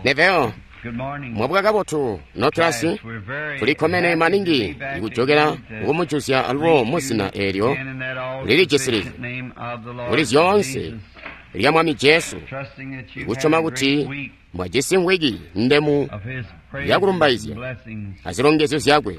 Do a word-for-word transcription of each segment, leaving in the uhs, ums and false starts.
Neville, mwabuka kabotu nokilasi tulikkomene maningi ikujokela kumujuzya alubo muzina eelyo lilijisilizi kuli zyoonse lya Mwami Jesu, ikusyoma kuti mwajisi mwiki ndemu yakulumbaizya azilongezyo zyakwe.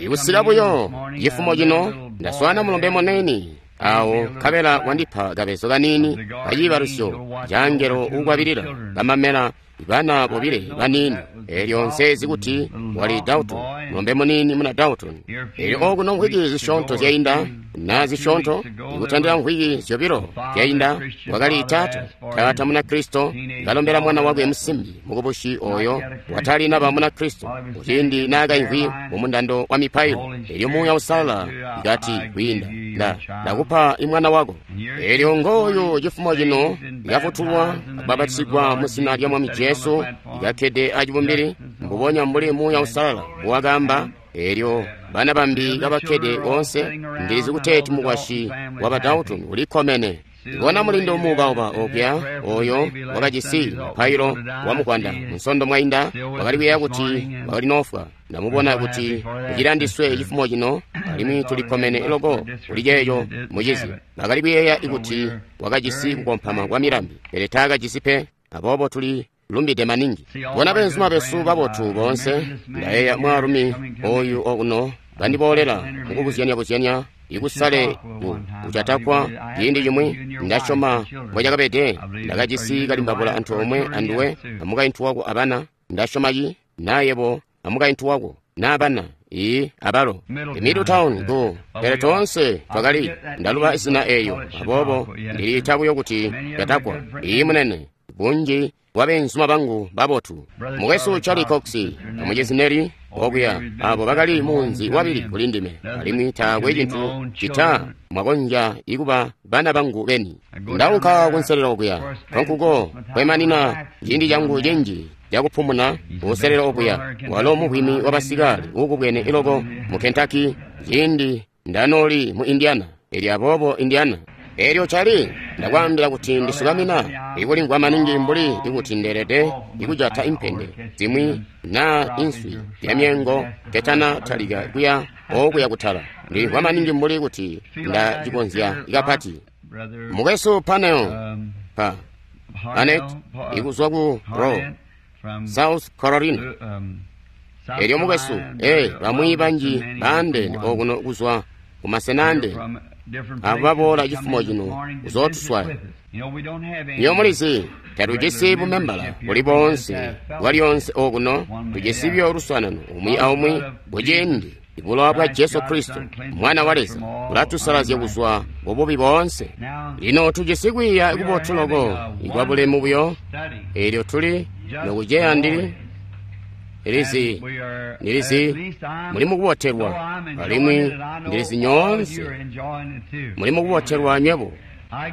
Ikusika buyo cifumo cino ndaswana mulombe munene awo nkabela wandipa kabezo kanini kaciibalusyo ca angelo uukwabilila kamamela bana bobile banini. Eelyo nsezi kuti wali Dalton, mulombe munini muna Dalton. Eelyo okuno mvwiki zisyoonto zyainda na zisyoonto ikutandila mvwiki zyobilo zyainda wakali taata taata muna Kristo kalombela mwana wakwe musimbi mukubushi oyo watali naba muna Kristo kuciindi naakaimvwi mumundando wa mipailo. Eelyo Muuya Uusalala ikati kwiinda nda ndakupa imwana wako. Eelyo ngooyu cifumo cino ikafutulwa akubapatizigwa muzina lya Mwami Jesu, ikakkede acibumbili mbubonya mbuli Muuya Uusalala mbuwakaamba. Eelyo bana bambi kabakkede boonse, ndilizi kuteeti mukwasyi wa ba Dalton ulikkomene. Ibona mulindo muubauba okuya oyo wakajisi mupailo wa mukwanda munsondo mwainda wakali kuyeeya kuti wakali noofwa. Ndamubona kuti ucilandiswe cifumo cino, alimwi tulikkomene loko kuli ceeco mucizi. Bakali kuyeeya kuti wakajisi kukompama kwa milambi, pele taakajisi pe. Aboobo tuli lumbide maningi. Bona beenzuma besu babotu boonse. Ndayeeya mwaalumi oyu okuno bandiboolela mukubuzyanya-buzyanya ikusale kucatakwa ciindi cimwi. Ndasyoma mbocakabede ndakajisi kalimbabula antoomwe anduwe amukaintu wako abana. Ndasyoma ci nayebo amukaintu wako naabana ii abalo Middletown ku pele toonse twakali ndaluba izina eeyo, aboobo ndiliita buyo kuti catakwa. Ii munene bunji bwa beenzuma bangu babotu, mukwesu Charlie Cox amucizi Neri okuya, abo bakali munzi wabili kuli ndime, alimwi taakwe cintu cita mwakonzya ikuba bana bangu beni. Ndaunka kunselelo okuya, konkuko kwemanina ciindi cangu cinji cakupumuna kunselelo okuya. Walo muvwimi wa basikale uukubwene iloko mu Kentucky ciindi ndanooli mu Indiana. Elyo aboobo Indiana. Eelyo Charlie, ndakwaambila kuti ndisukamina ikulimvwa maningi mbuli ikuti ndeelede ikujata impende zimwi naa inswi ya myeengo ketana talika kuya okuya kutala. Ndilimvwa maningi mbuli kuti ndacikonzya kapati. Mukwesu Panel pa Anet ikuzwa ku Roe, South Carolina. Eelyo mukwesu, ee bamwi banji baandeene okuno kuzwa kumasena andeene abo baboola cifumo cino kuzootuswaya. Niyo mulizi tatujisi bumembala buli boonse bwalyonse okuno, tujisi byo luswaanano umwi aumwi kuciindi bulowa bwa Jesu Kristo Mwana wa Leza bulatusalazya kuzwa kububi boonse. Lino tujisi kwiiya kubotu loko ikwa bulemu buyo. Eelyo tuli nokuceya ndili ndilizi ndilizi muli mukubotelwa, alimwi ndilizi nyoonse muli mukubotelwa nywebo.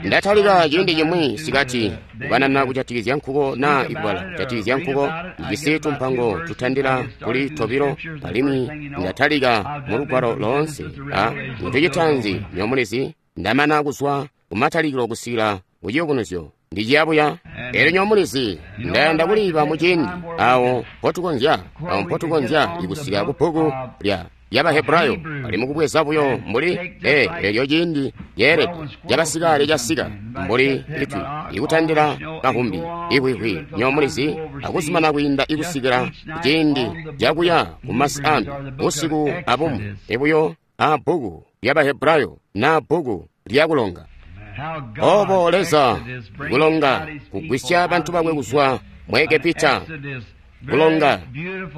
Ndatalika ciindi cimwi sikati kukanana kujatikizya nkuko naa ikubala kujatikizya nkuko. Ndijisi tumpango tutandila kuli tobilo, alimwi ndatalika mu lugwalo loonse. A cintu citaanzi nyomulizi, ndamana kuzwa kumatalikilo kusikila kuciyubunuzyo. Ndiciyabuya. Eelyo nyomulizi, ndayanda kuliiba muciindi awo mpotukonzya awo mpotukonzya ikusika ku bbuku lya Yabahebrayo bali mukubweza buyo mbuli ee eelyo ciindi ceelede cabasikale casika mbuli itwi ikutandila kahumbi ihwihwi nyomulizi akuzumana kwiinda ikusikila ciindi cakuya kumasi ambi busiku abumwi ibuyo a bbuku lyabahebrayo na bbuku lyakulonga. Obo Leza kulonga kugwisya bantu bakwe kuzwa mu Egepita, kulonga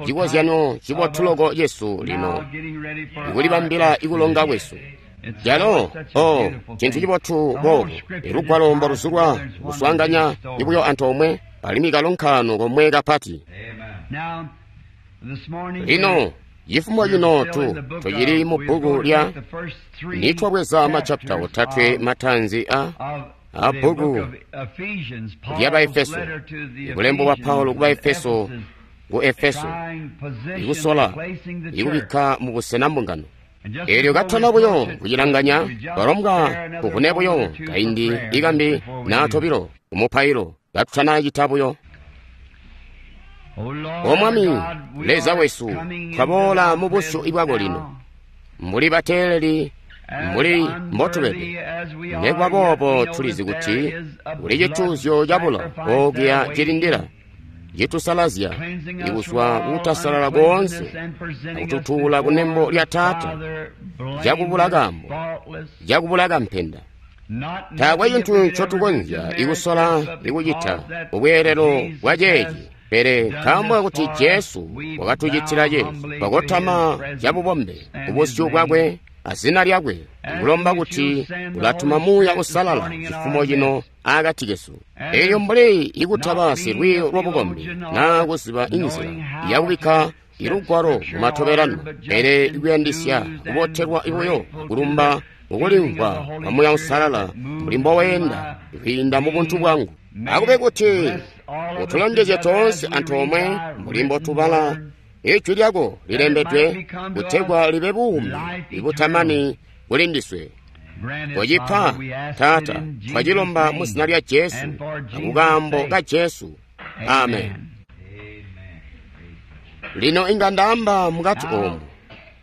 cikozyanyo cibotu loko cesu lino ikulibambila ikulonga kwesu. Calo o cintu cibotu boobu ilugwalo mboluzulwa kuswaanganya ibuyo antoomwe alimwi kalonkaano komwe kapati. Lino cifumo cino tu tucili mu bbuku lya nitwabweza machapita otatwe matanzi a a bbuku lya Baefeso, bulembo bwa Paulo ku Baefeso ku Efeso, ikusola ikubikka mu busena mbungano. Eelyo katona buyo kucilanganya, twalombwa kuvune buyo kaindi ikambi naa tobilo kumupailo katutana cita buyo. O Mwami Leza wesu, twaboola mu busyu bwako lino, mbuli bateeleli, mbuli mbotubede. Nekuba boobo tulizi kuti kuli cituuzyo cabulo ookuya cilindila, citusalazya ikuzwa kutasalala koonse akututuula kunembo lya Taata, cakubula kaambo, cakubula kampenda. Taakwe cintu ncotukonzya ikusola ikucita mubweelelo bwa ceeci, pele nkaambo kakuti Jesu wakatucitila ceeci, twakotama cabubombe kubusyu bwakwe azina lyakwe, kulomba kuti ulatuma Muuya Uusalala cifumo cino akati kesu. Elyo mbuli ikutaba silwiiyo lwabukombi naa kuziba inzila yakubikka ilugwalo mumatobelano, pele ikuyandisya kubotelwa buyo kulumba mukulimvwa kwa Muuya Uusalala mbuli mboweenda kwiinda mu buntu bwangu. Akube kuti utulongezye toonse antoomwe mbuli mbotubala Ijwi lyako lilembedwe kutegwa libe buumi ibutamani kuli ndiswe. Kocipa, Taata, twacilomba mu zina lya Jesu akukaambo ka Jesu. Amen. Lino inga ndaamba mukati oomu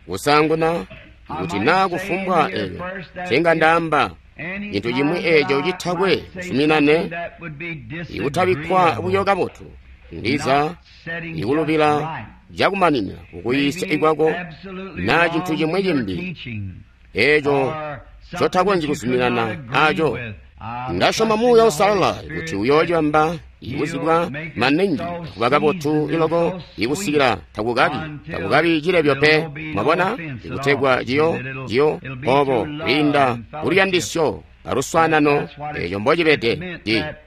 kusaanguna kuti naa kufumbwa eeco ncinga ndaamba cintu cimwi eeco citakwe kuzuminane ikutabikkwa buyo kabotu, ndiza ikulubila cakumanina kukuyiisya ikwako naa cintu cimwi cimbi eeco ncotakonzyi kuzuminana aco. Ndasyoma Muuya Uusalala kuti uyoocibamba ikuzibwa maningi kuba kabotu iloko ikusikila takukabi takukabi cilebyo pe, mwabona, ikutegwa ciyo ciyo obo kwiinda kuluyandisyo aluswaanano eeco mbocibede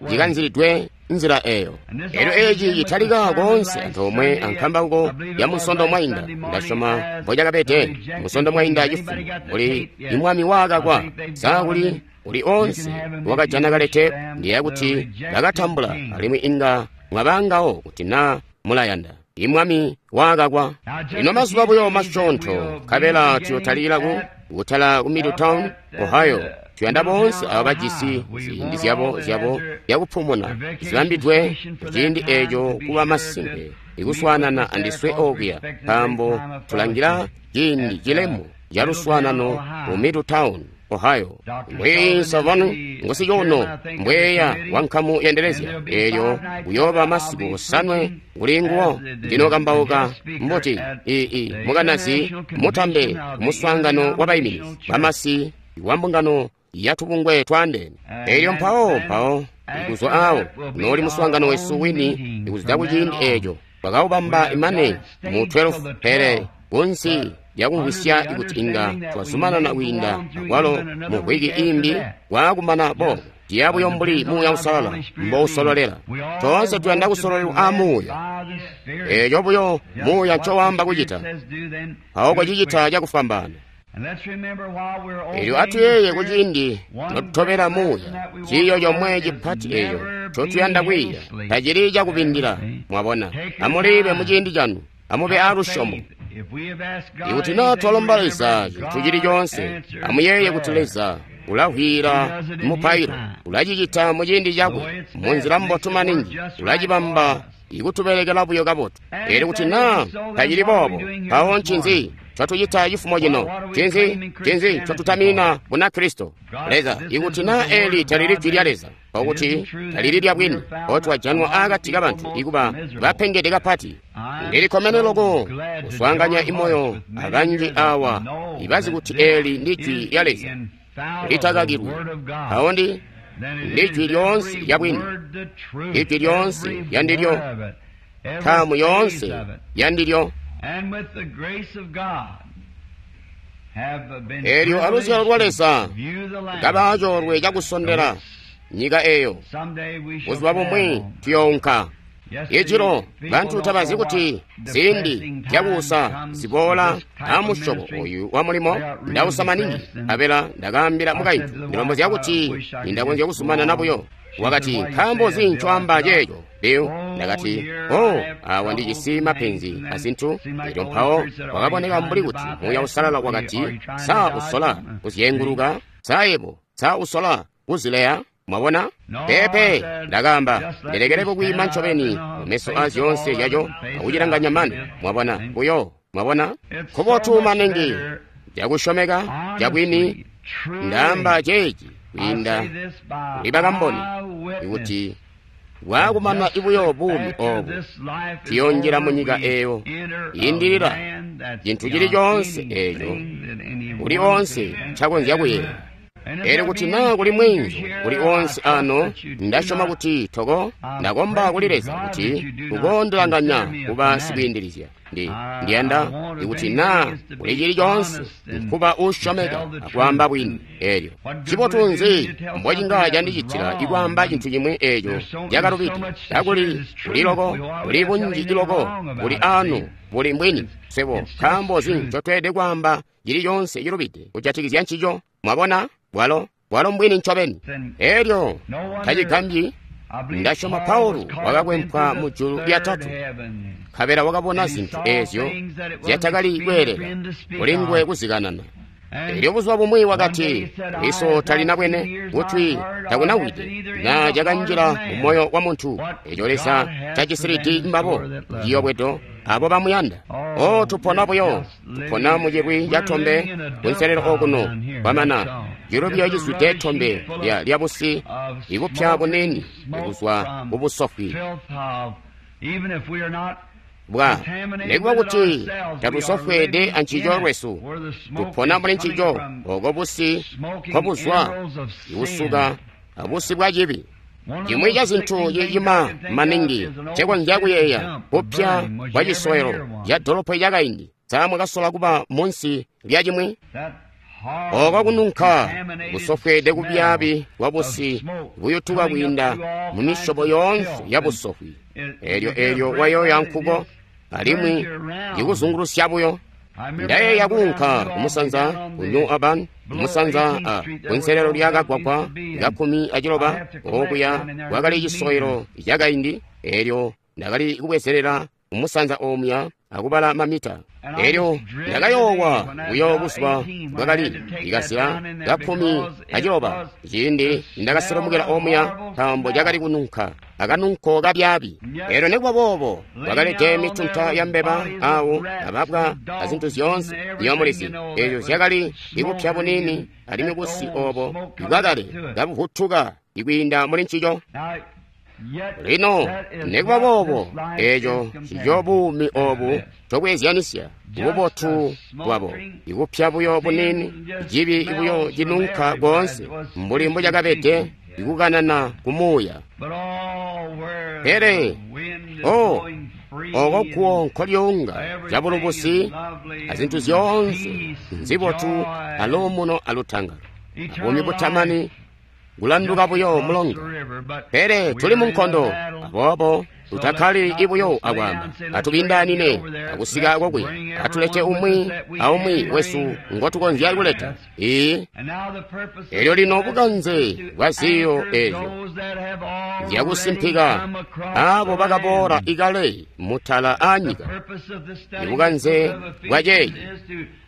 cikanzilidwe nzila eeyo. Elyo eeci citalika koonse antoomwe ankambauko ya Musondo mwainda. Ndasyoma mbocakabede Musondo mwainda cifumo mbuli imwami waakakwa saa kuli uli onse wakajana kalete, ndiye kuti bakatambula alimwi inga mwabangawo kuti naa mulayanda. Imwami waakakwa. Lino mazuba buyo masyoonto nkabela tuyotalika ku kutala ku Middletown, Ohio. Tuyanda boonse abo bajisi ziindi zyabo zyabo zyakupumuna zibambidwe kuciindi eeco kuba masimpe ikuswaanana andiswe okuya, nkaambo tulangila ciindi cilemu caluswaanano mu Middletown, Ohio. Mbwe Savanu ngusicuuno mbweya wa nkamu yendelezya eelyo kuyooba masiku osanwe kuli nguwo ndinokambauka mbuti ii mukanazi mutambe kumuswaangano wa bayiminizi bamasi wa mbungano yatubungwe twaandeene. Elyo mpawo mpawo ikuzwa awo nooli muswaangano wesu wini ikuzida kuciindi eeco twakawubamba imane mu twelve, pele kunsi lyakumvwisya ikuti inga twazumanana kwiinda akwalo mu wiki imbi waakumana boobo ciya buyo mbuli Muuya Uusalala mbousololela. Toonse tuyanda kusololelwa aa Muuya. Eeco buyo Muuya ncowaamba kucita, mpawo kocicita cakufwambaana. Elyo atuyeeye kuciindi notutobela Muuya, ciiyo comwe cipati eeco ncotuyanda kwiiya tacili cakubindila. Mwabona, amulibe muciindi canu, amube aalusyomo. Ikuti naa twalomba Leza cintu cili coonse, amuyeeye kuti Leza ulahwira mupailo, ulacicita muciindi cakwe munzila mbotu maningi, ulacibamba ikutubelekela buyo kabotu. Elyo kuti naa tacili boobo, mpawo ncinzi ncatucita cifumo cino? Ncinzi ncinzi ncotutaminina Bunakristo? Leza, ikuti naa eli talili jwi lya Leza, nkokuti talili lya bwini, otwajanwa akati kabantu ikuba bapengede kapati. Ndilikkomene loko kuswaanganya imoyo abanji awa ibazi kuti eli ndi jwi lya Leza litakakilwi. Mpawo ndi ndi jwi lyoonse lya bwini, ijwi lyoonse lyandilyo, ntaamu yoonse yandilyo. Elyo aluzyalo lwa Leza kaba coolwe cakusondela nyika eyo, buzuba bumwi tuyounka. Ijilo bantu tabazi kuti ziindi zyakuusa ziboola amusyobo oyu wa mulimo. Ndausa maningi, abela ndakaambila mukaintu ndilombozya kuti nindakonzya kuzumanana buyo. Wakati, nkaambo nzi ncoamba ceeco, Bill? Ndakati, oh, awa ndijisi mapenzi azintu. Elyo mpawo wakaboneka mbuli kuti Muuya Uusalala wakati, saa usola kuzyenguluka, saa yebo, saa usola kuzileya. Mwabona? Peepe, ndakaamba, ndilekele kukwiima ncobeni mumeso a zyoonse zyaco akucilanganya mane. Mwabona, buyo. Mwabona? Kubotu maningi, cakusyomeka, cabwini, ndaamba ceeci kwiinda kuli bakamboni, ikuti bwaakumana buyo buumi oobu, tuyoonjila munyika eeyo yiindilila cintu cili coonse eeco kuli oonse ncakonzya kuyeeya. Elyo kuti naa kuli mweenzu kuli oonse ano, ndasyoma kuti toko ndakomba kuli Leza kuti ukoondilanganya kuba sikwiindilizya. Ndi ndiyanda ikuti naa kuli cili coonse nkuba uusyomeka akwaamba bwini. Elyo cibotu nzi mbocinga candicitila ikwaamba cintu cimwi eeco cakalubide, kakuli kuli loko, kuli bunji loko, kuli anu, buli mbwini. Swebo nkaambo nzi ncotweelede kwaamba cili coonse cilubide kujatikizya ncico? Mwabona? Bwalo bwalo mbwini ncobeni. Elyo tacigambyi, ndasyoma Paulo wakakwempwa mu julu lyatatu, nkabela wakabona zintu eezyo zyatakali kweelela kulinguwe kuzikanana. Elyo buzuba bumwi wakati, liso talinabwene, kutwi takunawide, na cakanjila mu moyo wa muntu, eco Leza cacisilidi mbabo, ciyobwedo abo bamuyanda. O, tupona buyo, tupona mu cilwi ca tombe kunselelo okuno, kwamana cilubyo cizwide tombe lya lyabusi ikupya bunini ikuzwa kubusofwi bwa nekuba kuti tatusofweede ancico lwesu, tupona muli ncico oko busi nkobuzwa ikusuka abusi bwa cibi. Cimwi ca zintu cicima maningi ncekonzya kuyeeya kupya kwa cisowelo ca dolopo cakaindi. Sa mwakasola kuba munsi lya cimwi? Oko kununka busofweede kubyaabi bwa busi buyutuka kwiinda mu misyobo yoonse ya busofwi. Elyo elyo wayoya nkuko alimwi ikuzungulusya buyo. Ndayeeya kuunka kumusanza ku New Urban, kumusanza a kunselelo lya kagwagwa kakkumi aciloba, okuya kwakali cisowelo cakaindi. Elyo ndakali kubwezelela kumusanza omuya akubala mamita. Elyo ndakayoowa buyo buzuba bwakali ikazila kakkumi aciloba ciindi ndakaselomukela omuya, nkaambo cakali kununka akanunko kabyaabi. Elyo nekuba boobo kwakalede mitunta ya mbeba awo ababwa azintu zyoonse nyomulizi eezyo zyakali ikupya bunini, alimwi busi obo bwakale kabuvutuka ikwiinda muli ncico. Lino nekuba boobo eeco cico buumi obu cokweezyanisya bubotu bwabo, ikupya buyo bunini, cibi buyo cinunka koonse mbuli mbucakabede ikukanana kumuuya. Pele o oko kuwo nkolyonga cabulubusi azintu zyoonse nzibotu aluumuno alutangalo abuumi butamani kulanduka buyo mulonga. Pele tuli mu nkondo, aboobo tutakkali ibuyo akwaamba, atubindaanine akusika kokuya, atulete umwi aumwi wesu ngotukonzya kuleta. Ii elyo lino bukanze bwa ziyo eezyo zyakusimpika abo bakaboola ikale mutala aanyika. Ibukanze bwa ceeci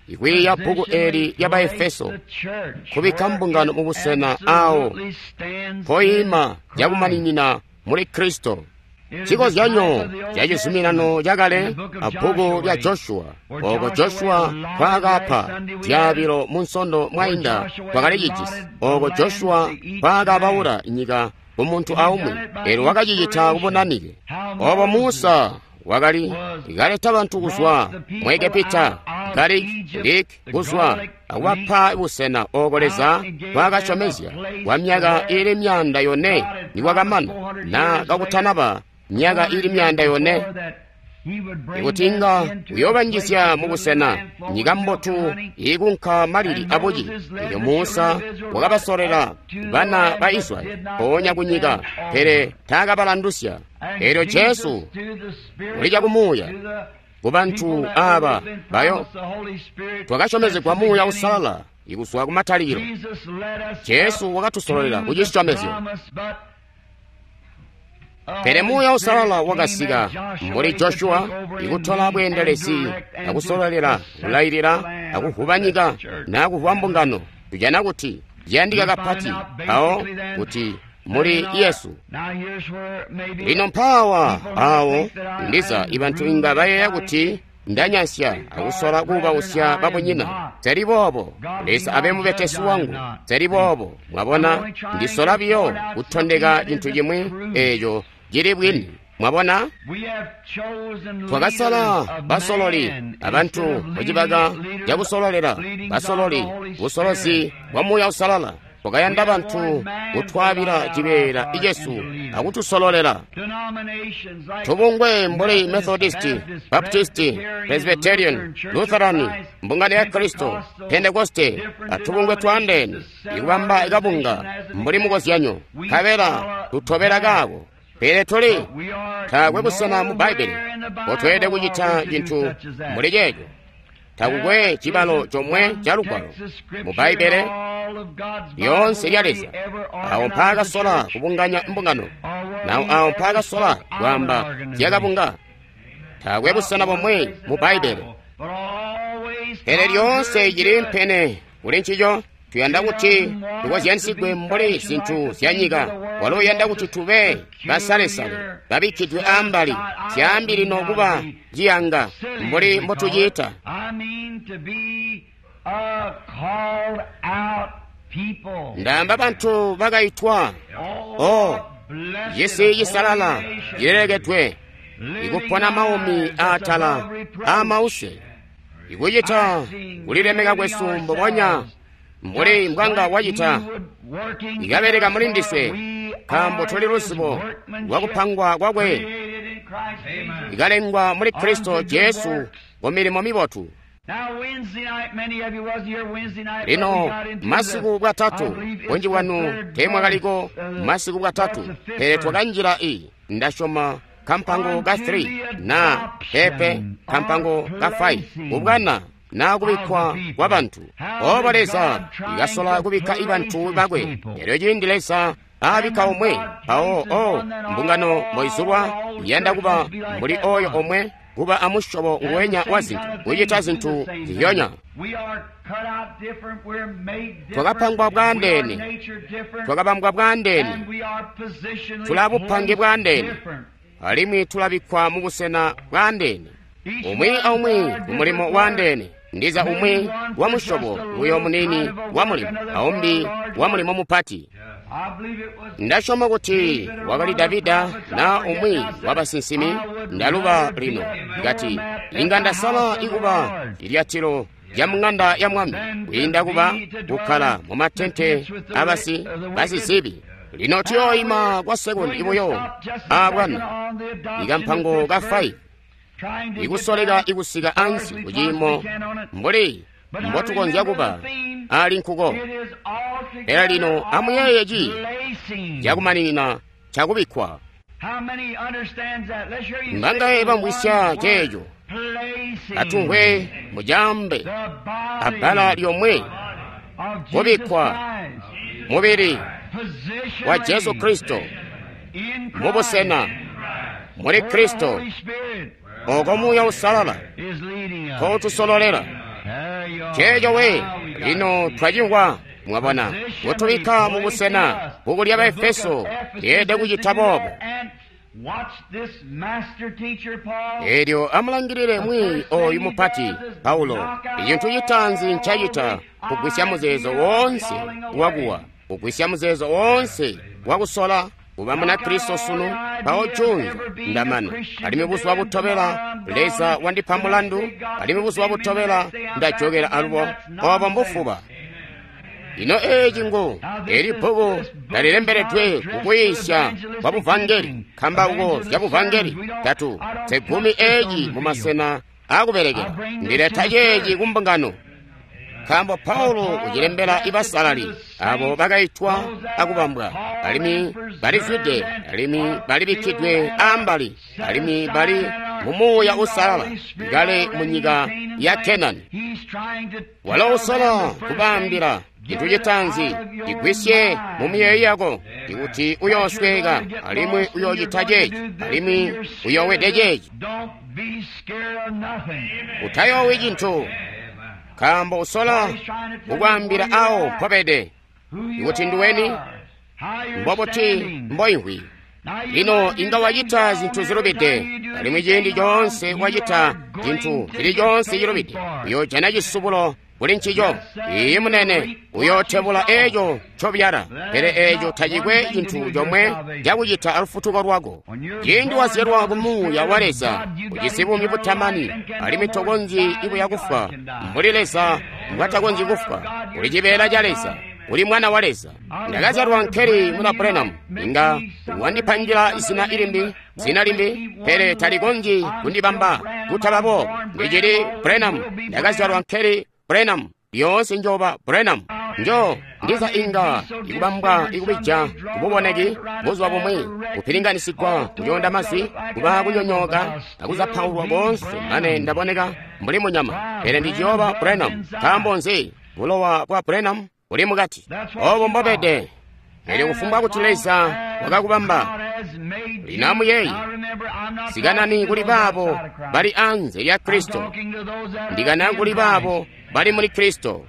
ikwiiya bbuku eli lya Baefeso, kubikka mbungano mubusena awo mpoima cakumaninina muli Kristo. Cikozyanyo ca cizuminano cakale a bbuku lya Joshua, oko Joshua nkwaakapa zyaabilo mu nsondo mwainda twakali cijisi, oko Joshua nkwaakabaula nyika kumuntu aumwi, elyo wakacicita kubunanike. Obo Musa wakali kaleta bantu kuzwa mu Egepita, kali lik kuzwa akubapa busena oko Leza nkwaakasyomezya kwa myaka ili myanda yone nikwakamana na kakutanaba myaka ili myanda yone, ikuti inga uyoobanjizya mubusena nyika mbotu iikunka malili abuci. Elyo Musa wakabasolela bana ba Israyeli mpoonya kunyika, pele taakabalandusya. Elyo Jesu uli cakumuuya kubantu aba bayo twakasyomezegwa Muuya Uusalala ikuzwa kumatalikilo. Jesu wakatusololela kucisyomezyo. Pele Muuya Uusalala wakasika mbuli Joshua ikutola bweendelezi akusololela, kulailila, akuvuba nyika nakuvuba mbungano. Tujana kuti ciyandika kapati mpawo kuti muli Yesu. Lino mpaawa awo ndiza ibantu inga bayeeya kuti ndanyansya akusola kuubausya babunyina. Teli boobo. Leza abe mubetesi wangu. Teli boobo. Mwabona, ndisola biyo kutondeka cintu cimwi eeco cili bwini. Mwabona, twakasala basololi abantu mucibaka cakusololela basololi busolozi bwa Muuya Uusalala. Twakayanda bantu kutwaabila cibeela icesu akutusololela. Tubungwe mbuli Methodisti, Baptisti, Presbyterian, Lutheran, Mbungano ya Kristo, Pentekoste, atubungwe twaandeene ikubamba kabunga mbuli mukozyanyo, nkabela tutobela kaako. Pele tuli taakwe busena mu Bbaibbele potweelede kucita cintu mbuli ceeco. Takukwe cibalo comwe ca Lugwalo mu Bbaibbele lyoonse lya Leza awo mpaakasola kubunganya mbungano, nawo awo mpaakasola kwaamba zyakabunga. Taakwe busena bomwe mu Bbaibbele, pele lyoonse cili mpene kuli ncico. Tuyanda kuti tukozyansigwe mbuli zintu zya nyika. Walo uyanda kuti tube basalesale babikkidwe ambali, zyaambi lino kuba ciyanga mbuli mbotucita. Ndaamba bantu bakaitwa, o cisi cisalala cilelekedwe, ikupona maumi aatala aamause, ikucita kulilemeka kwesu mbubonya mbuli mbwanga wacita, ikabeleka muli ndiswe, nkaambo tuli luzibo lwakupangwa kwakwe, ikalengwa muli Kristo Jesu ku milimo mibotu. Lino masiku bwatatu, bunji bwanu teemwakaliko masiku bwatatu, pele twakanjila i ndasyoma kampango ka three na pepe kampango ka five kubwana na kubikkwa kwa bantu. Obo Leza ikasola kubikka ibantu bakwe. Elyo ciindi Leza aabikka omwe, mpawo o mbungano moizulwa iyanda kuba mbuli oyo omwe, kuba amusyobo nguwenya wa zintu, kucita zintu ziyoonya. Twakapangwa bwaandeene, twakabambwa bwaandeene, tula bupange bwaandeene, alimwi tulabikkwa mu busena bwaandeene, umwi aumwi ku mulimo waandeene. Ndiza umwi wa musyobo uyo munini wa mulimo, aumbi wa mulimo mupati. Ndasyoma kuti wakali Davida na umwi wa basinsimi, ndaluba lino, ngati inga ndasala ikuba ilyatilo lya mung'anda ya mwami kwiinda kuba kukkala mu matente abasi basizibi. Lino tuyooima kwa sekundi ibuyo aabwana ikampango ka five ikusoleka ikusika ansi kuciimo mbuli mbotukonzya kuba ali nkuko. Pele lino amuyeeye ci cakumaninina cakubikkwa. Mbangaye bamvwisya ceeco? Atumvwe mujambe abbala lyomwe, kubikkwa mubili wa Jesu Kristo mubusena muli Kristo, oko Muuya Uusalala kotusololela. Ceeco we lino twacimvwa. Mwabona, kutubikka mubusena. Bbuku lya Baefeso lyeelede kucita boobo. Elyo amulangilile mwi oyu mupati Paulo. Icintu citaanzi ncacita kugwisya muzeezo woonse wakuwa, kugwisya muzeezo woonse wakusola kuba Munakristo sunu, mpawo junza ndamana. Alimwi buzuba butobela Leza wandipa mulandu, alimwi buzuba butobela ndajokela alubo. Obo mbufuba. Ino eeci ngu eli bbuku lalilembeledwe kukuyiisya kwa buvangeli, nkambauko zya buvangeli tatu zegumi eeci mumasena akubelekela. Ndileta ceeci kumbungano, nkaambo Paulo ucilembela ibasalali abo bakaitwa akubambwa, alimwi balizwide, alimwi balibikkidwe ambali, alimwi bali mu Muuya Uusalala kale mu nyika ya Kenani. Walo usola kubaambila cintu citaanzi, cigwisye mu miyeeyo yako ikuti uyoosweka, alimwi uyoocita ceeci, alimwi uyoowede ceeci. Utayoowi cintu, nkaambo usola kukwaambila awo mpobede, ikuti nduweni, Mbobuti mboimvwi? Lino inga wacita zintu zilubide, alimwi ciindi coonse wacita cintu cili coonse cilubide, uyoojana cisubulo kuli ncico. Iiyi munene, uyootebula eeco ncobyala, pele eeco tacikwe cintu comwe cakucita alufutuko lwako. Ciindi wazyalwa ku Muuya wa Leza, ujisi buumi butamani, alimwi tokonzyi ibuya kufwa mbuli Leza mbwatakonzyi kufwa. Uli cibeela ca Leza, uli mwana wa Leza. Ndakazyalwa nkeli muna Branham, inga wandipangila zina limbi, zina limbi, pele talikonzyi kundibamba kutaba boobo. Ndicili Branham, ndakazyalwa nkeli Branham, lyoonse njoba Branham. Njo ndiza inga ikubambwa ikubija kububoneki buzuba bumwi, kupilinganisigwa kuconda mazwi, kuba kunyonyooka akuzapaulwa koonse mane ndaboneka mbuli munyama, pele ndiciyooba Branham. Nkaambo nzi? Bulowa bwa Branham buli mukati. Obo mbobede. Pele kufumbwa kuti Leza wakakubamba. Lino amuyeeye, sikanani kuli baabo bali anze lya Kristo, ndikana kuli baabo bali muli Kristo.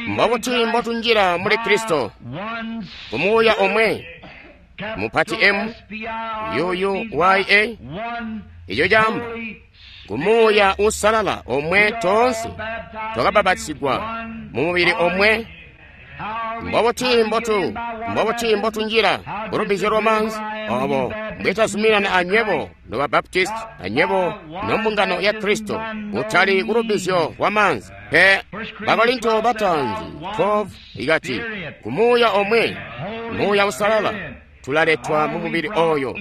Mbobuti mbotunjila muli Kristo? Ku Muuya omwe, mupati M U U Y A, ico caamba ku Muuya Uusalala omwe toonse twakabapatizigwa mu mubili omwe. Mbobuti mbotu mbobuti mbotunjila kulubbizyo lwamaanzi? Obo mbwetazuminana anywebo noba Baptisti, anywebo nombungano ya Kristo, kutali kulubbizyo lwamaanzi pe. Bakorinto bataanzi twelve ikati, ku Muuya omwe, Muuya Uusalala, tulaletwa mu mubili oyo,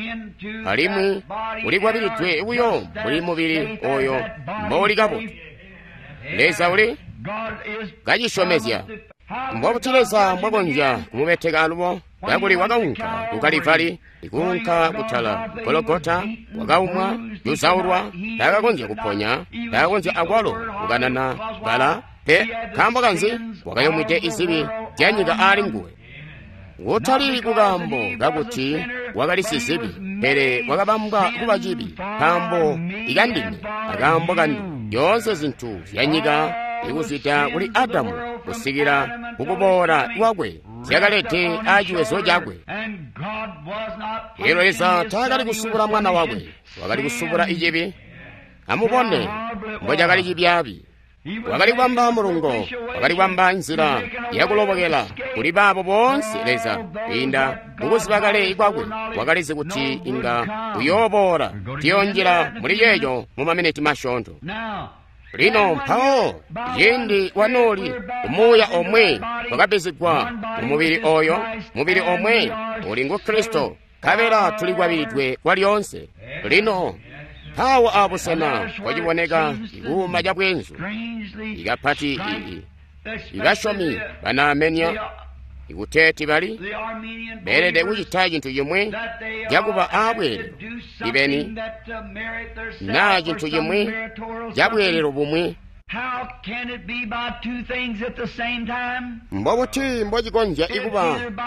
alimwi ulikwabilidwe buyo mbuli mubili oyo mbouli kabotu. Leza uli kacisyomezya. Mbobuti Leza mbwakonzya kumubeteka alubo? Kakuli wakaunka ku Kalivari, ikuunka kutala Gologota, wakaumwa, yuzaulwa, taakakonzya kuponya, taakakonzya akwalo kukanana bala pe. Nkaambo kanzi? Wakayomwide izibi zya nyika aali nguwe. Kutali kukaambo kakuti wakali sizibi, pele wakabambwa kuba cibi nkaambo ikandime akaambo kanu. Zyoonse zintu zya nyika ikuzwida kuli Adamu kusikila kukuboola kwakwe zyakalede aaciwezo cakwe. Elyo Leza taakali kusubula mwana wakwe, wakali kusubula icibi. Amubone mbocakali cibyaabi. Wakali kubamba mulungo, wakali kubamba nzila yakulobokela kuli baabo boonse Leza kwiinda mukuziba kale kwakwe wakalizi kuti inga uyooboola. Tuyoonjila muli ceeco mu maminiti masyoonto. Lino mpawo ciindi wanooli umuuya omwe wakabbizigwa mu mubili oyo, mubili omwe uli ngu Kristo, nkabela tulikwabilidwe kwalyoonse. Lino mpawo abusena kwaciboneka ikuuma ca bweenzu, ikapati ii ibasyomi banaamenya ikuteeti bali beelede kucita cintu cimwi cakuba aabweelelo ibeni naa cintu cimwi cabweelelo bumwi. Mbobuti mbocikonzya ikuba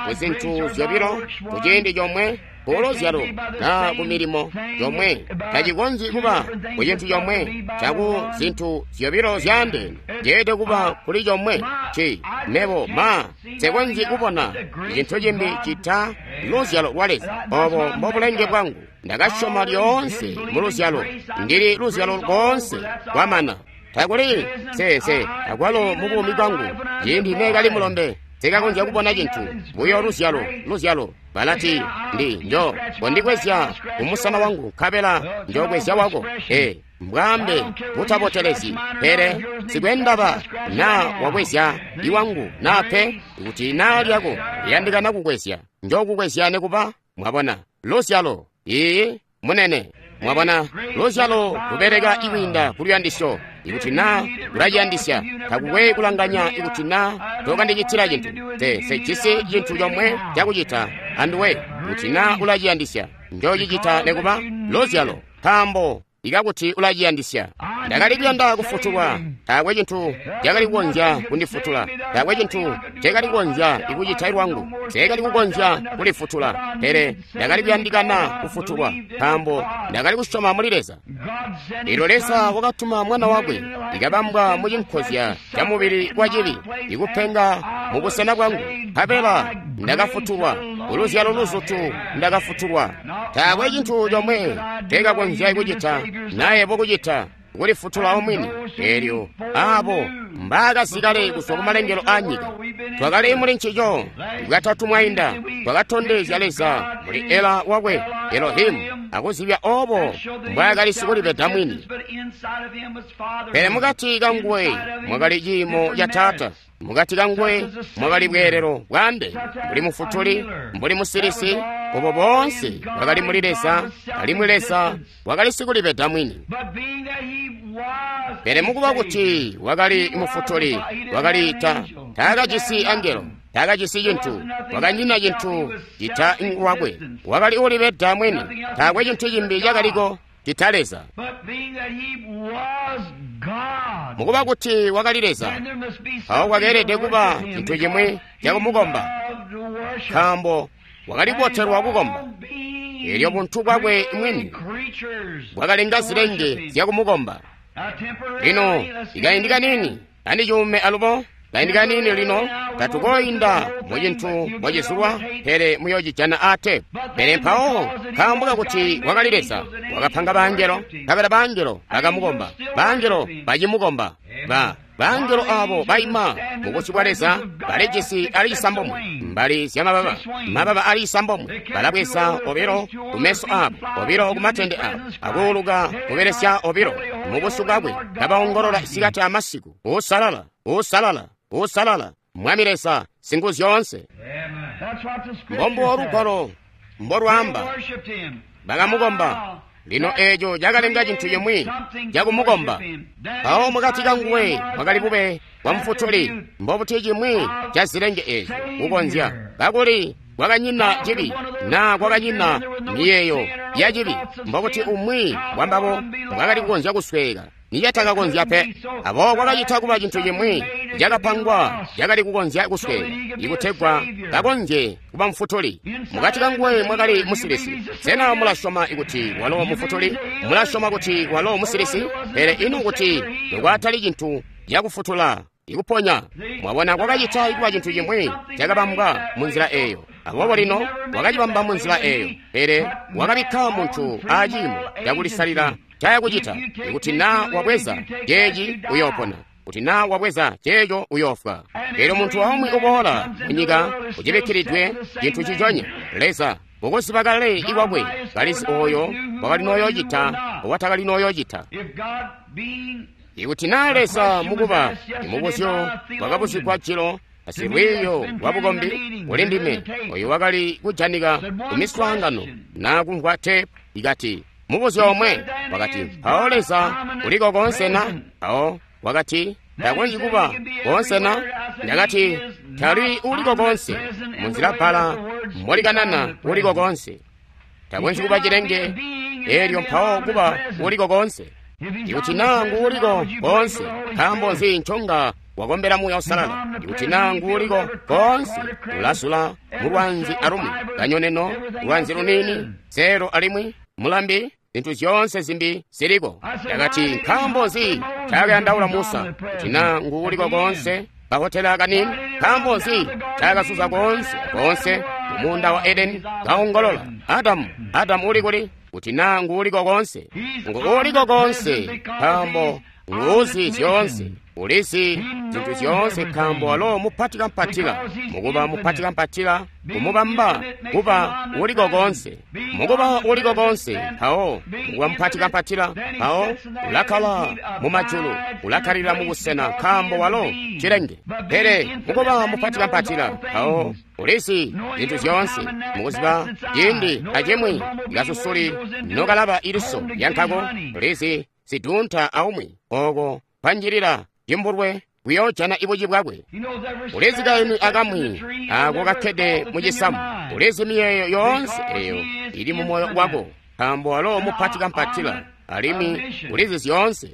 ku zintu zyobilo ku ciindi comwe? Ku luzyalo naa ku milimo yomwe tacikonzyi kuba ku cintu comwe caku zintu zyobilo zyaandeene. Ceelede kuba kuli comwe ci mebo ma nsekonzyi kubona cintu cimbi cita luzyalo lwa Leza. Obo mbobulenge bwangu. Ndakasyoma lyoonse mu luzyalo. Ndili luzyalo koonse kwamana. Takuli nse akwalo mu buumi bwangu ciindi neekali mulombe nsekakonzya kubona cintu buyo luzyalo luzyalo. Balati ndi njo kondikwezya kumusana wangu nkabela njokwezya wako. E mbwaambe butabotelezi, pele sikwendaba naa wakwezya iwangu naa pe, kuti naa lyako liyandikana kukwezya njokukwezya nekuba. Mwabona luzyalo iyi munene. Mwabona luzyalo lubeleka ikwiinda kuluyandisyo. Ikuti naa ulaciyandisya, takukwe kulanganya ikuti naa tokandicitila cintu. Te sejisi cintu comwe cakucita anduwe. Kuti naa ulaciyandisya, njocicita nekuba. Luzyalo nkaambo ikakuti ulaciyandisya. Ndakali kuyanda kufutulwa, taakwe cintu cakali kukonzya kundifutula, taakwe cintu cakali kukonzya ikucita lwangu, nseekali kukonzya kulifutula, pele ndakali kuyandikana kufutulwa nkaambo ndakali kusyoma muli Leza. Elyo Leza wakatuma mwana wakwe ikabambwa mu cinkozya ca mubili wa cibi, ikupenga mu busena bwangu, nkabela ndakafutulwa Kuluzyalo luzutu ndakafutulwa. Taakwe cintu comwe tekakonzya kucita nayebo kucita kulifutula omwini. Elyo abo mbaakazikale kuzwa kumalengelo a nyika. Twakali muli ncico katatu mwainda, twakatondezya Leza muli Ela wakwe Elohimu, akuzibya obo mbwaakali sikulipeda mwini. Pele mukati kanguwe mwakali ciimo ca Taata, mukati kanguwe mwakali bweelelo bwaande, mbuli mufutuli, mbuli musilisi, obo boonse bwakali muli Leza, alimwi Leza wakali sikulipeda mwini. Pele mukuba kuti wakali mufutuli, wakali ta taakajisi angelo, taakajisi cintu, wakanyina cintu cita lwakwe, wakali ulipeda mwini, taakwe cintu cimbi cakaliko cita Leza. Mukuba kuti wakali Leza, mpawo kwakeelede kuba cintu cimwi cakumukomba, nkaambo wakali kubotelwa kukomba. Elyo buntu bwakwe mwini bwakalenga zilenge zyakumukomba. Lino ikaindi kanini andicuume alubo, kaindi kanini lino tatukoyinda mu cintu mwacizulwa, pele muyocijana ate. Pele mpawo nkaambo kakuti wakali Leza, wakapanga bangelo, nkabela bangelo bakamukomba, bangelo bacimukomba. Ba bangelo abo baima mubusyu bwa Leza balijisi ali isambomwe mbali zyamababa, mababa ali isambomwe, balabweza obilo kumeso abo, obilo kumatende abo, akuuluka kubelesya obilo mubusyu bwakwe, kabaongolola isikati amasiku, usalala, usalala, usalala, Mwami Leza Singuzyoonse. Mbombubo lugwalo mbolwaamba, bakamukomba. Lino eeco cakalenga cintu cimwi cakumukomba. Mpawo mukati kanguwe mwakali bube bwa mufutuli, mbobuti cimwi ca zilenge eezyo kukonzya, kakuli kwakanyina cibi naa kwakanyina miyeeyo ya cibi, mbobuti umwi wambabo bwakali kukonzya kusweeka nicatakakonzya pe. Aboobo kwakacita kuba cintu cimwi cakapangwa cakali kukonzya kusweeka ikutegwa kakonzye kuba mufutuli. Mukati kanguwe mwakali musilisi. Sena mulasyoma kuti walo mufutuli? Mulasyoma kuti walo musilisi? Pele ino kuti nokwatali cintu cakufutula ikuponya? Mwabona, kwakacita kuba cintu cimwi cakabambwa munzila eeyo. Aboobo lino wakacibamba munzila eeyo, pele wakabikka muntu aciimo cakulisalila cayakucita. Ikuti naa wabweza ceeci uyoopona, kuti naa wabweza ceeco uyoofwa. Elyo muntu aumwi uboola munyika ucibikkilidwe cintu ciconya. Leza mukuziba kale ikwakwe kalizi oyo wakali nooyoocita owatakali nooyoocita. Ikuti naa Leza mukuba imubuzyo wakabuzigwa jilo asilwiiyo lwa bukombi kuli ndime, oyo wakali kujanika kumiswaangano naa kumvwa tepu, ikati mubuzyo omwe wakati, mpawo Leza uliko koonse na? Mpawo wakati, takonzyi kuba koonse na? Ndakati, tali uliko koonse. Munzila bbala mbolikanana uliko koonse. Takonzyi kuba cilenge elyo mpawo kuba uliko koonse. Ikuti naa nguuliko koonse, nkaambo nzi nconga wakombela Muuya Uusalala? Ikuti naa nguuliko koonse, ulasula mulwanzi alumwi, kanyoneno, lwanzi lunini, zelo alimwi, mulambi, zintu zyoonse zimbi ziliko. Ndakati, nkaambo nzi ncaakayandaula Musa? Kuti naa nguuliko koonse kahotela kanini, nkaambo nzi ncaakasuza koonse koonse mumuunda wa Edeni kaongolola, Adamu, Adamu uli kuli? Kuti naa nguuliko koonse. Nguuliko koonse nkaambo nguuzi zyoonse, ulizi zintu zyoonse, nkaambo walo mupatikampatila. Mukuba mupatikampatila kumubamba kuba uliko koonse. Mukuba uliko koonse, mpawo mukuba mupatikampatila, mpawo ulakkala mumajulu, ulakkalira mubusena, nkaambo walo cilenge. Pele mukuba mupatikampatila, mpawo ulizi zintu zyoonse, mukuziba ciindi acimwi kasusuli nokalaba iliso lyankako, ulizi sidunta aumwi oko panjilila cimbulwe kuyoojana ibuci bwakwe. Ulizi kaimi akamwi ako kakkede mucisamu, ulizi miyeeyo yoonse eyo ili mu moyo wako, nkaambo walo mupatikampatila alimwi ulizi zyoonse.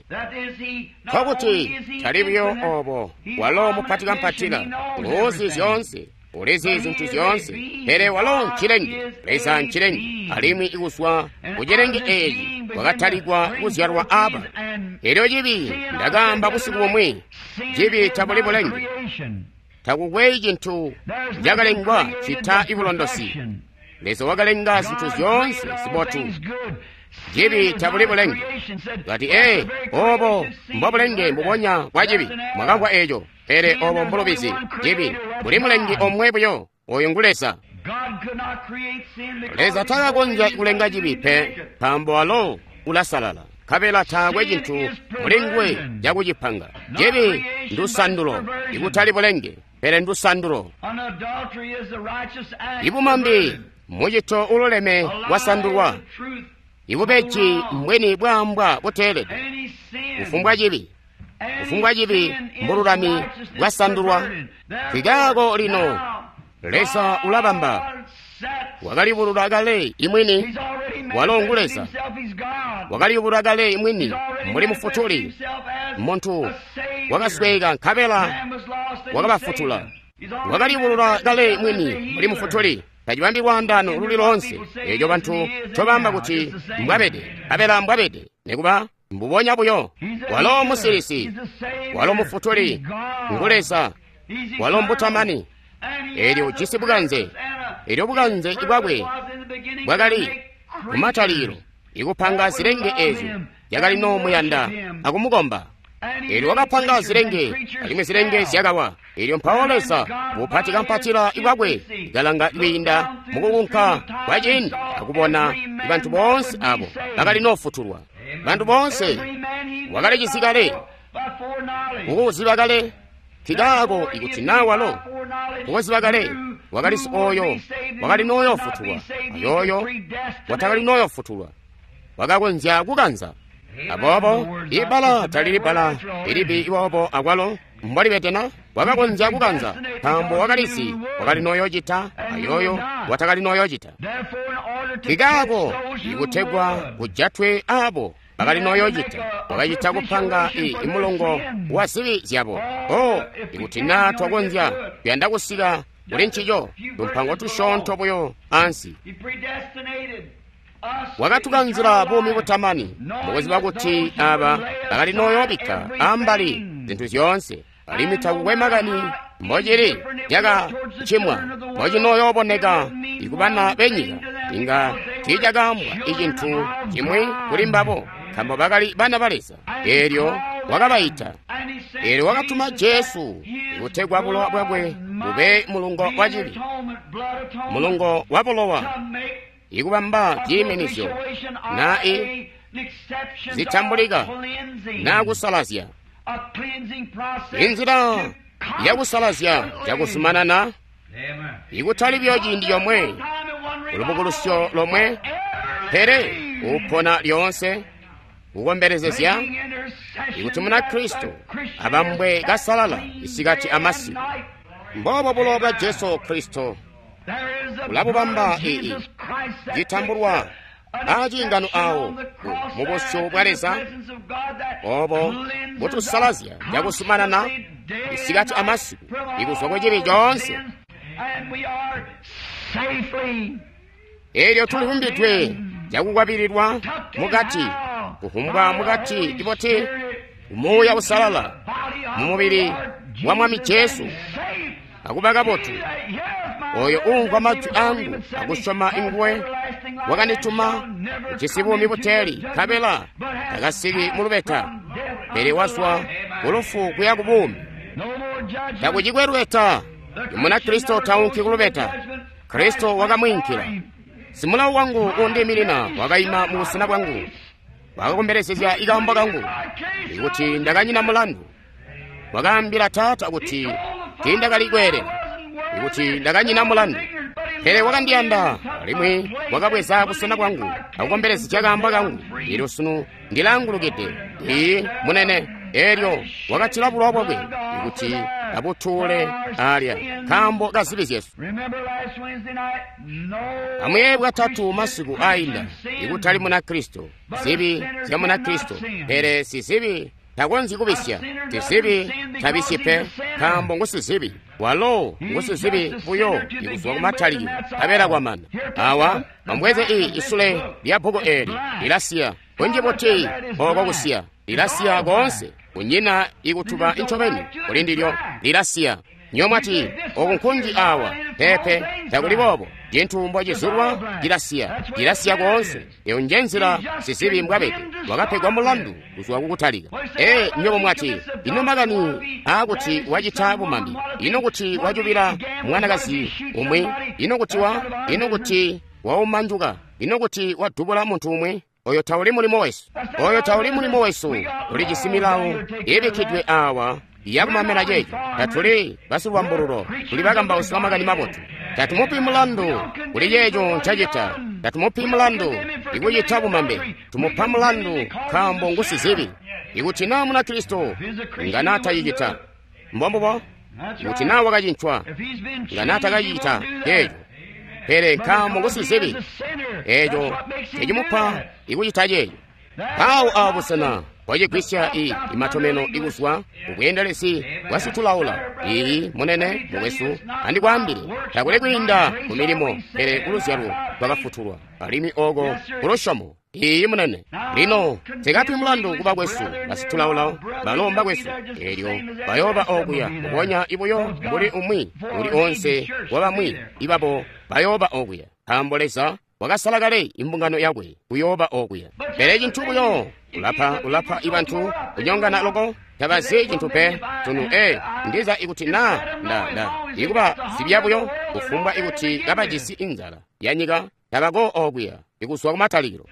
Nkokuti tali buyo obo, walo mupatikampatila, ulizi zyoonse, ulizi zintu zyoonse, pele walo ncilenge. Leza ncilenge, alimwi ikuzwa kucilenge eeci kwakatalikwa kuzyalwa aba. Elyo cibi, ndakaamba busiku bumwi, cibi tabuli bulenge. Takukwe cintu cakalengwa cita ibulondosi. Leza wakalenga zintu zyoonse zibotu. Cibi tabuli bulenge. Kati, ee, obo mbobulenge mbubonya bwa cibi. Mwakamvwa eco, pele obo mbulubizi. Cibi buli mulengi omwe buyo, oyo ngu Leza. Leza takakonzya kulenga cibi pe, nkaambo walo ulasalala, nkabela taakwe cintu muli nguwe cakucipanga. Cibi ndusandulo, ikutali bulenge, pele ndusandulo. Ibumambi mucito ululeme wasandulwa. Ibubeji mbweni bwaambwa buteelede. Kufumbwa cibi, kufumbwa cibi mbululami bwasandulwa. Nkikaako lino Leza ulabamba. Wakaliyubulula kale imwini, walo ngu Leza. Wakaliyubulula kale imwini mbuli Mufutuli, muntu wakasweeka nkabela wakabafutula. Wakaliyubulula kale mwini mbuli Mufutuli. Tacibambi lwaandaano luli loonse eeco bantu ncobamba kuti mbwabede, nkabela mbwabede, nikuba mbubonya buyo. Walo musilisi, walo Mufutuli, ngu Leza, walo mbutamani. Eelyo ujisi bukanze, eelyo bukanze bwakwe bwakali kumatalikilo ikupanga zilenge eezyo zyakali noomuyanda akumukomba. Eelyo wakapanga zilenge, alimwi zilenge zyakawa. Eelyo mpawo Leza bupati kampatila bwakwe kalanga kwiinda mukukunka kwa ciindi akubona bantu boonse abo bakali noofutulwa. Bantu boonse wakalicisi kale, kukuziba kale. Nkikaako ikuti naa walo kukuziba kale wakalisi oyo wakali nooyoofutulwa, ayooyo watakali nooyoofutulwa wakakonzya kukanza. Aboobo ibbala talili bbala ilibi iwoobo akwalo mbolibetena. Wakakonzya kukanza nkaambo wakalizi wakali nooyoocita ayooyo watakali nooyoocita. Nkikaako ikutegwa kujatwe aabo bakali nooyoocita, wakacita kupanga i mulongo wa zibi zyabo. O, ikuti naa twakonzya kuyanda kusika kuli ncico, tumpango tusyoonto buyo ansi. Wakatukanzila buumi butamani, mukuziba kuti aba bakali nooyoobikka ambali zintu zyoonse, alimwi takukwe makani mbocili cakacimwa mbocinooyooboneka ikubana benyika, inga tiicakaambwa icintu cimwi kuli mbabo, nkaambo bakali bana ba Leza. Eelyo wakabaita. Eelyo wakatuma Jesu kutegwa bulowa bwakwe bube mulungo wa cibi, mulungo wa bulowa, ikubamba ciiminizyo na i zitambulika na kusalazya. Inzila yakusalazya cakuzumanana, ikutali buyo ciindi comwe, ulubukulusyo lomwe, pele upona lyoonse kukombelezezya ikuti Munakristo abambwe kasalala isikati amasiku. Mboobo bulowa bwa Jesu Kristo bulabubamba ii citambulwa aciingano awo mu busyu bwa Leza, obo butusalazya cakuzumanana isikati amasiku ikuzwa ku cibi coonse. Eelyo tulivumbidwe cakukwabililwa mukati, kuvumbwa mukati iboti Muuya Usalala mu mubili wa Mwami Jesu akuba kabotu. Oyo uumvwa majwi angu akusyoma inguwe wakandituma ujisi buumi buteeli, nkabela takasiki mu lubeta, pele wazwa ku lufu kuya ku buumi. Takucikwe lubeta. Munakristo taunki ku lubeta. Kristo wakamwiinkila. Simulawo wangu uundiiminina wakaima mu busena bwangu, wakakombelezezya ikaambo kangu ikuti ndakanyina mulandu. Wakaambila Taata kuti tiindakali kweelela, ikuti ndakanyina mulandu. Pele wakandiyanda alimwi wakabweza busena bwangu akukombelezya kaambo kangu. Eelyo sunu ndilaangulukide. Ii munene. Eelyo wakatila bulowa bwakwe ikuti abutuule alya nkaambo ka zibi zyesu. Amuyeeye bwatatu masiku ainda, ikutali Munakristo, zibi zya Munakristo, pele sizibi takonzyi kubisya. Sizibi tabisyi pe, nkaambo ngu sizibi. Walo ngu sizibi buyo ikuzwa kumatalikilo, nkabela kwamana. Awa amubweze ii isule lya bbuku eeli, lilasiya kunji buti oko kusiya, lilasiya koonse, kunyina ikutuba incobeni kuli ndilyo, lilasiya. Nyomwati oku nkunji awa pepe takuli boobo. Cintu mbocizulwa cilasiya, cilasiya koonse. Eyo nje nzila sizibi mbwabede, wakapegwa mulandu kuzwa kukutalika. Ee, nyobo mwati ino makani aakuti wacita bumambi, ino kuti wacubila mwanakazi umwi, ino kuti wa ino kuti waumanjuka, ino kuti wadubula muntu umwi. Oyo tauli mulimo wesu, oyo tauli mulimo wesu. Tulijisi milawo ibikkidwe awa yakumamela ceeco. Tatuli basilwambululo, tuli bakambausi ba makani mabotu. Tatumupi mulandu kuli ceeco ncacita, tatumupi mulandu ikucita bumambe, tumupa mulandu nkaambo ngusizibi. Ikuti naa Munakristo nga naatacicita, mbombubo. Ikuti naa wakacincwa, nga naatakacicita ceeco. Pele nkaambo ngusizibi, eeco tecimupa ikucita ceeco. Mpawo awo busena bwacigwisya i imatomeno ikuzwa kubweendelezi bwa situlaula. Iyi munene mukwesu, andikwaambile, takuli kwiinda ku milimo, pele kuluzyalo twakafutulwa, alimwi oko kulusyomo. Iyi munene. Lino tekapi mulandu kuba kwesu basitulaula balomba kwesu, eelyo bayooba okuya mbubonya ibuyo mbuli umwi uli onse wabamwi ibabo bayooba okuya, nkaambo Leza wakasala kale imbungano yakwe kuyooba okuya. Pele cintu buyo ulapa ulapa ibantu kunyongana loko, tabazi cintu pe tunu. E ndiza ikuti na nda nda ikuba zibya buyo kufumbwa ikuti kabajisi inzala ya nyika tabako okuya ikuzwa kumatalikilo.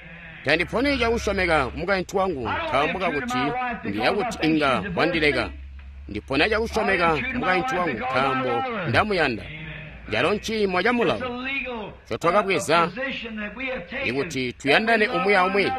Tandiponi cakusyomeka kumukaintu wangu nkaambo kakuti ndiya kuti inga wandileka. Ndipona cakusyomeka kumukaintu wangu nkaambo ndamuyanda. Calo nciimo ca mulawo ncotwakabweza ikuti tuyandane umwi aumwi.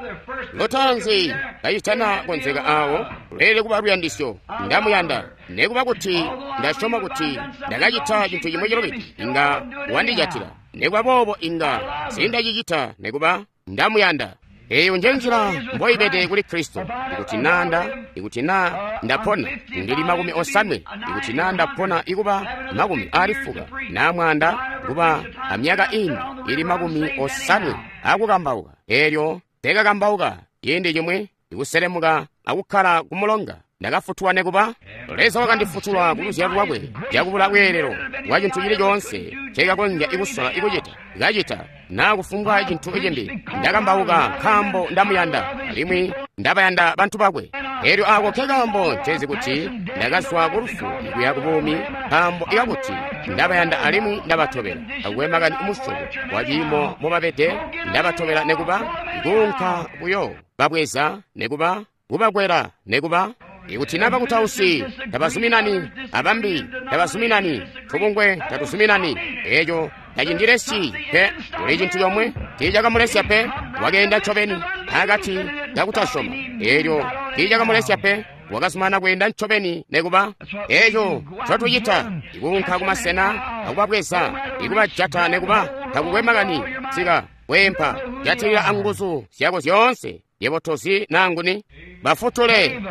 Lutaanzi kacitana konzeka awo, lweelede kuba luyandisyo. Ndamuyanda nekuba kuti ndasyoma kuti ndakacita cintu cimwi cilubide, inga wandijatila. Nekuba boobo inga sindacicita nekuba ndamuyanda. Eyo nje nzila mboibede kuli Kristo. Ikuti naa nda ikuti naa ndapona ndili makumi osanwe, ikuti naa ndapona ikuba makumi aali fuka, naa mwanda kuba amyaka imbi ili makumi osanwe akukambauka, eelyo tekakambauka ciindi cimwi ikuselemuka akukkala kumulonga, ndakafutulwa nekuba. Leza wakandifutula ku luzyalo lwakwe cakubula bweelelo bwa cintu cili coonse ncekakonzya ikusola ikucita kacita naa kufumbwa cintu cimbi. Ndakambauka nkaambo ndamuyanda, alimwi ndabayanda bantu bakwe. Eelyo ako nkekaambo ncezi kuti ndakazwa ku lufu kuya ku buumi, nkaambo ikakuti ndabayanda alimwi ndabatobela. Takukwe makani umusyobo wa ciimo mobabede, ndabatobela nekuba kuunka buyo babweza nekuba kubakwela nekuba. Ikuti na bakutausi tabazuminani, abambi tabazuminani, tubungwe tatuzuminani, eeco tacindilesyi pe. Kuli cintu comwe tiicakamulesya pe, wakeenda ncobeni akati kakutasyoma. Eelyo tiicakamulesya pe, wakazumana kweenda ncobeni nekuba. Eeco ncotucita ikuunka kumasena akubabweza, ikubajata nekuba, takukwe makani sika kweempa, jatilila anguzu zyako zyoonse. Yebo tozi naa nguni bafutule.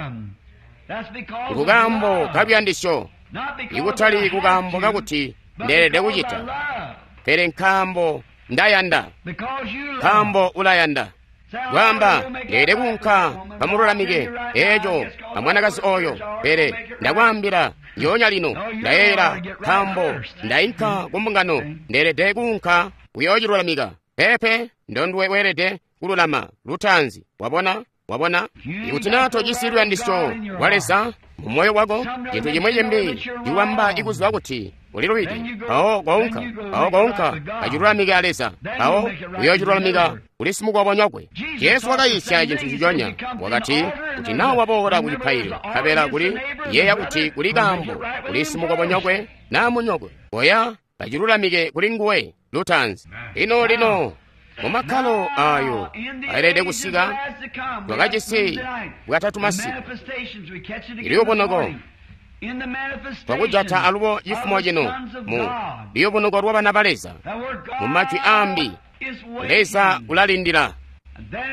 Kukaambo kaluyandisyo, ikutali kukaambo kakuti ndeelede kucita, pele nkaambo ndayanda, nkaambo ulayanda. Kwaamba ndeelede kuunka kamululamike eeco amwanakazi oyo, pele ndakwaambila njoonya lino ndayeeyela nkaambo ndainka kumbungano, ndeelede kuunka kuyoocilulamika. Pepe ndonduwe weelede kululama lutaanzi. Wabona? Wabona? Ikuti naa tojisi luyandisyo lwa Leza mu moyo wako, cintu cimwi cimbi ciwamba ikuziba kuti ulilubide, mpawo kounka, mpawo kounka acilulamike a Leza, mpawo uyoocilulamika kuli simukobonyokwe. Jesu wakayiisya cintu nciconya. Wakati, kuti naa waboola ku cipaililo, nkabela kuli yeeya kuti kuli kaambo kuli simukobonyokwe naa munyokwe, koya kacilulamike kuli nguwe lutaanzi. Lino lino mumakkalo ayo aelede kusika, twakajisi bwatatu masiku iliyubunoko twakujata alubo cifumo cino mu liyubunuko lwa bana ba Leza. Mu majwi ambi, Leza ulalindila.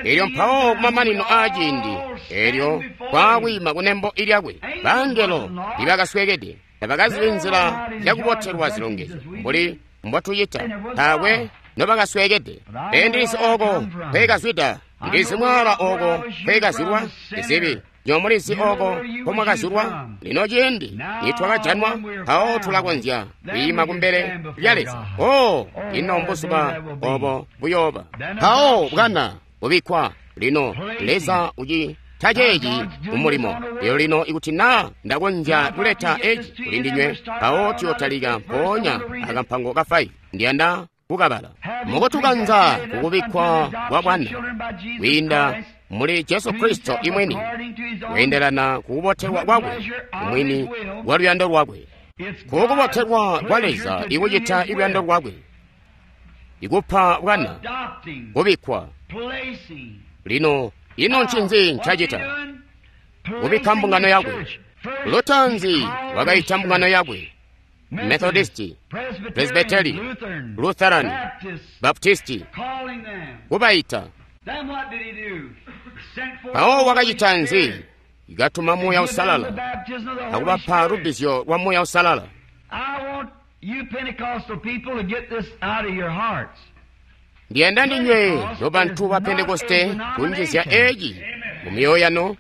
Elyo mpawo kumamanino aa ciindi elyo kwaakwiima kunembo ilyakwe, bangelo ibakaswekede tabakazibi nzila yakubotelwa zilongezyo mbuli mbotucita, taakwe nobakaswekede. Pele ndilizi oko nkwekazwida, ndilizi mwaala oko nkwekazilwa, ndizibi Nyo mulizi oko nkomwakazulwa? Lino ciindi nitwakajanwa, mpawo tulakonzya kwiima kumbele lya Leza. Oh, ino mbuzuba obo buyooba. Mpawo bwana bubikkwa. Lino Leza ucita ceeci mumulimo. Elyo lino ikuti naa ndakonzya kuleta eci kuli ndinywe, mpawo tuyotalika mpoonya akampango ka faivi. Ndiyanda kukabala. Mukutukanza kukubikkwa kwa bwana kwiinda muli Jesu Kristo imwini, kweendelana kukubotelwa kwakwe mwini kwa luyando lwakwe. Kukubotelwa kwa Leza ikucita iluyando lwakwe, ikupa bwana kubikkwa. Lino ino ncinzi ncacita? Kubikka mbungano yakwe. Lutanzi wakaita mbungano yakwe, Methodisti, Presbyteri, Lutherani, Baptisti, kubaita. Mpawo wakacita nzi? Ikatuma Muuya Uusalala akubapa lubbizyo lwa Muuya Uusalala. Ndiyanda ndinywe nobantu ba Pentekoste kunjizya eci mu myoyo yanu.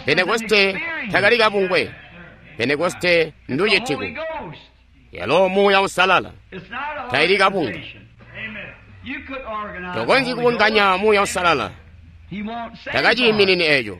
Pentekoste takali kabungwe. Pentekoste nducitiku. Yalo Muuya Uusalala taili kabunga. Tokonzyi kubunganya Muuya Uusalala. Takaciiminini eco.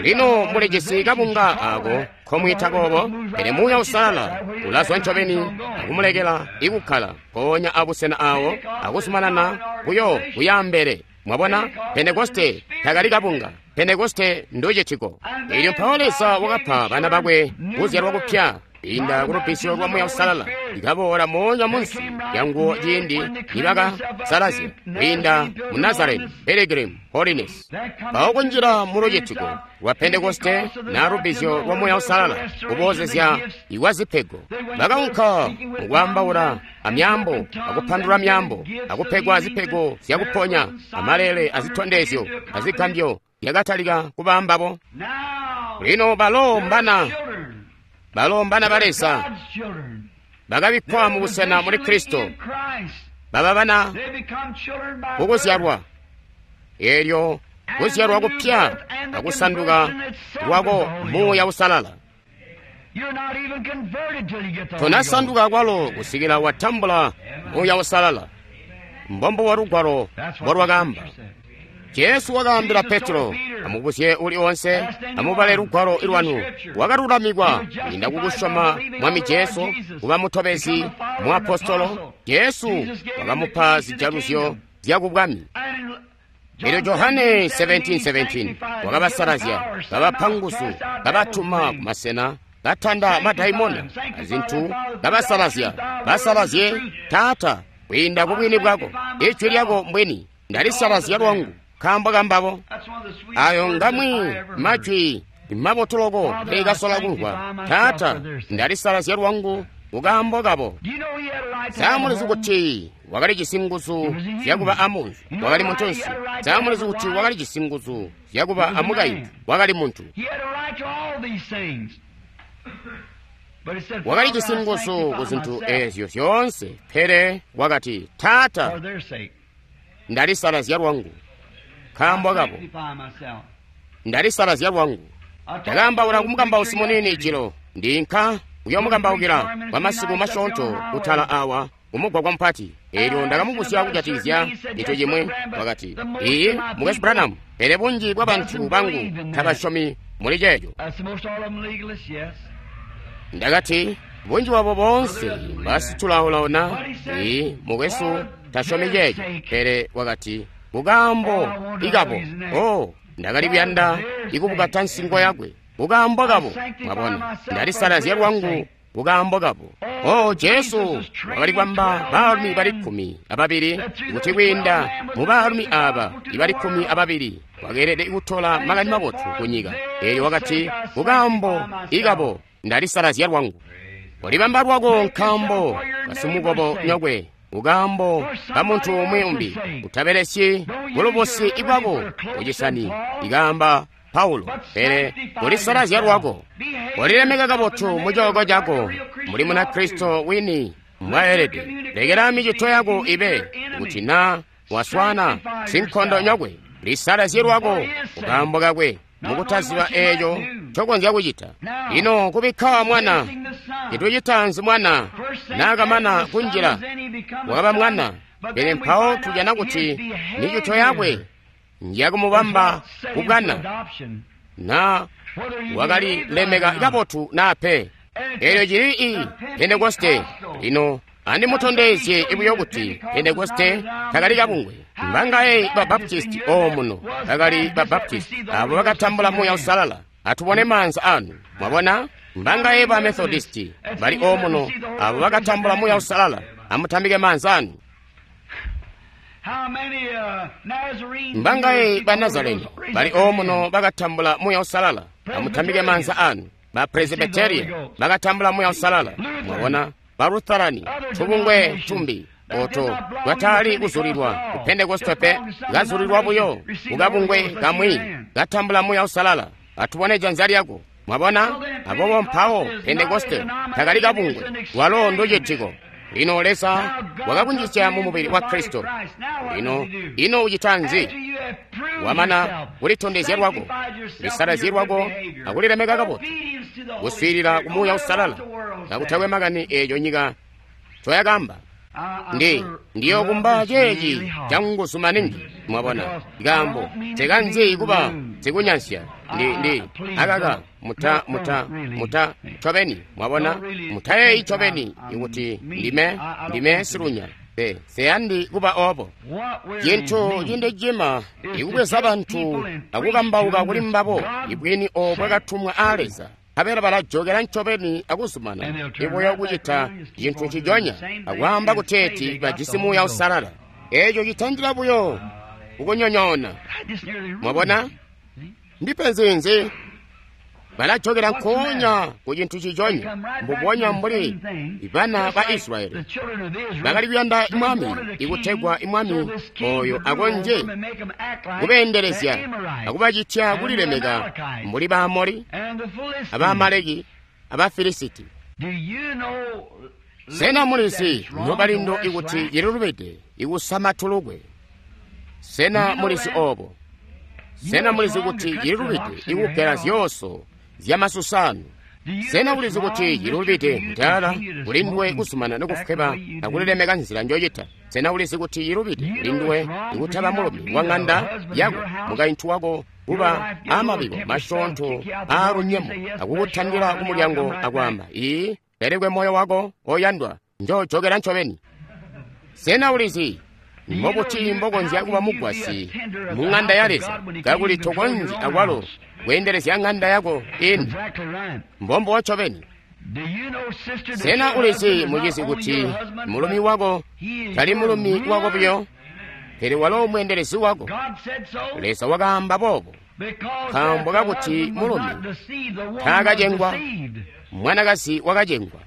Lino mulijisi kabunga ako komwiita kobo, pele Muuya Uusalala ulazwa ncobeni akumulekela ikukkala mpoonya abusena awo akuzumanana kuyo kuyaambele. Mwabona, Pentekoste takali kabunga. Pentekoste nducitiko. Elyo mpawo Leza wakapa bana bakwe kuzyalwa kupya kwiinda kulubbizyo lwa Muuya Uusalala, ikaboola moonya munsi lyanguwo ciindi nibakasalazya kwiinda mu Nazareni Pilgrim Holiness. Mpawo kunjila mu lucitiko lwa Pentekoste na lubbizyo lwa Muuya Uusalala kuboozezya ikwa zipego, bakaunka mukwaambaula amyaambo akupandula myaambo akupegwa zipego zyakuponya amalele azitondezyo azigambyo yakatalika kuba mbabo. Lino balo mbana balo mbana ba Leza, bakabikkwa mu busena muli Kristo, baba bana kukuzyalwa. Elyo kuzyalwa kupya akusanduka lwako Muuya Uusalala. Tonasanduka kwalo kusikila watambula Muuya Uusalala. Mbombo wa Lugwalo mbolwakaamba. Jesu wakaambila Petro, amubuzye uli onse, amubale lugwalo lwanu. Wakalulamikwa kwiinda kukusyoma Mwami Jesu kuba mutobezi muapostolo. Jesu wakamupa zijaluzyo zyakubwami. Elyo Johane seventeen seventeen wakabasalazya, kabapa nguzu, kabatuma kumasena, katanda madaimona azintu, kabasalazya. Basalazye, Taata, kwiinda kubwini bwako. Ijwi lyako mbwini, ndalisalazya lwangu nkaambo kambabo. Ayo ngamwi majwi mabotu loko ndikasola kumvwa. Taata, ndalisalazya lwangu kukaambo kabo. Samulizi kuti wakalijisi nguzu zyakuba amunzi, wakali muntunsi. Samulizi kuti wakalijisi nguzu zyakuba amukaintu, wakali muntu. Wakalijisi nguzu ku zintu ezyo zyoonse, pele wakati, Taata, ndalisalazya lwangu nkaambo kabo. Ndalisalazya lwangu. Ndakaambaula kumukambausi muniini jilo, ndinka kuyomukambaukila kwa masiku masyoonto kutala awa kumugwagwa mupati. Elyo ndakamubuzya kujatikizya cintu cimwi. Wakati, iyi, Mukwesu Branham, pele bunji bwa bantu bangu tabasyomi muli ceeco. Ndakati, bunji bwabo boonse basitulaulauna. Iyi, mukwesu, tasyomi ceeco. Pele wakati, kukaambo ikabo. Oh, ndakali kuyanda ikubukata nsingo yakwe kukaambo kabo. Mwabona, ndalisalazya lwangu kukaambo kabo. Oh, Jesu wakali kwamba baalumi bali kkumi ababili, kuti kwiinda mu baalumi aba ibali kkumi ababili wakeelede kutola makani mabotu ku nyika. Elyo wakati, kukaambo ikabo ndalisalazya lwangu. Ulibamba lwako nkaambo kasimukobo nyokwe, kukaambo ka muntu umwi umbi. Utabelesyi bulubusi bwako kucisani, ikaamba Paulo, pele ulisalazya lwako. Ulilemeka kabotu mucooko cako, muli Munakristo wini mbwaelede. Lekela micito yako ibe kuti na waswana sinkondo nyokwe, lisalazye lwako kukaambo kakwe. Mukutaziba eeco ncokonzya kucita. Lino kubikka mwana, cintu citaanzi mwana naakamana kunjila, wakaba mwana. Pele mpawo tujana kuti micito yakwe njakumubamba kubwana, na wakalilemeka kabotu naa pe. Eelyo cili i Pentekoste. Lino andimutondezye buyo kuti Pentekoste takali kabungwe. Mbangaye ba Baptisti omuno bakali ba Baptisti abo bakatambula Muuya Uusalala. Atubone maanza anu. Mwabona? Mbangaye ba Methodisti bali omuno abo bakatambula Muuya Uusalala. Amutambike maanza anu. Mbangaye ba Nazareni bali omuno bakatambula Muuya Uusalala. Amutambike maanza anu. Ba Presbyteria bakatambula Muuya Uusalala. Mwabona? Ba Lutherani tubungwe tumbi oto twatali kuzulilwa ku Pentekoste pe, kazulilwa buyo kukabungwe kamwi katambula Muuya Uusalala. Atubone janza lyako. Mwabona? Abobo mpawo Pentekoste takali kabungwe, lwalo nducitiko. Lino Leza wakakunjisya mu mubili wa Kristo. Lino ino ucita nzi? Wamana kulitondezya lwako, kulisalazya lwako, akulilemeka kabotu, kuswiilila ku Muuya Uusalala, kakutakwe makani eeco nyika ncoyakamba. Ndi ndiyokumba ceeci canguzu maningi. Mwabona? Nkaambo nsekanzi kuba sikunyansya. Ndi ndi akaka muta muta muta ncobeni. Mwabona? Mutayeeyi ncobeni ikuti ndime ndime silunya. Pe seyandi kuba obo. Cintu cindicima ikubweza bantu akukambauka kuli mbabo ibwini obo bwakatumwa aa Leza. Nkabela balajokela ncobeni akuzumana ibuyo kucita cintu nciconya akwaamba kuteeti bajisi Muuya Uusalala. Eeco citandila buyo kukunyonyoona. Mwabona? Ndipenzi nzi? Balajokela nkoonya ku cintu ciconya, mbubonya mbuli bana ba Israyeli bakali kuyanda mwami ikutegwa mwami oyo akonzye kubeendelezya akubacitya kulilemeka mbuli Baamori, Abaamaleki, Abafilisiti. Sena mulizi nobalindo ikuti cililubide ikusama tulukwe? Sena mulizi obo? Sena mulizi kuti cililubide ikugela zyooso zyamasusanu? Sena ulizi kuti cililubide mutaala kulinduwe kuzumana nokufweba akulilemeka nzila njocita? Sena ulizi kuti cililubide kulinduwe ikutaba mulumi wa ng'anda yako, mukaintu wako kuba amabiko masyoonto aalunyemo akukutandila kumulyango akwaamba, ii pelekwe moyo wako oyandwa, njojokela ncobeni? Sena ulizi mbobuti mbokonzya kuba mugwasyi mu ng'anda ya Leza kakuli tokonzyi akwalo kweendelezya ng'anda yako ini? Mbombo ncobeni. Sena ulizi mucizi kuti mulumi wako tali mulumi wako buyo, pele walo mweendelezi wako? Leza wakaamba boobo nkaambo kakuti mulumi taakacengwa, mwanakazi wakacengwa.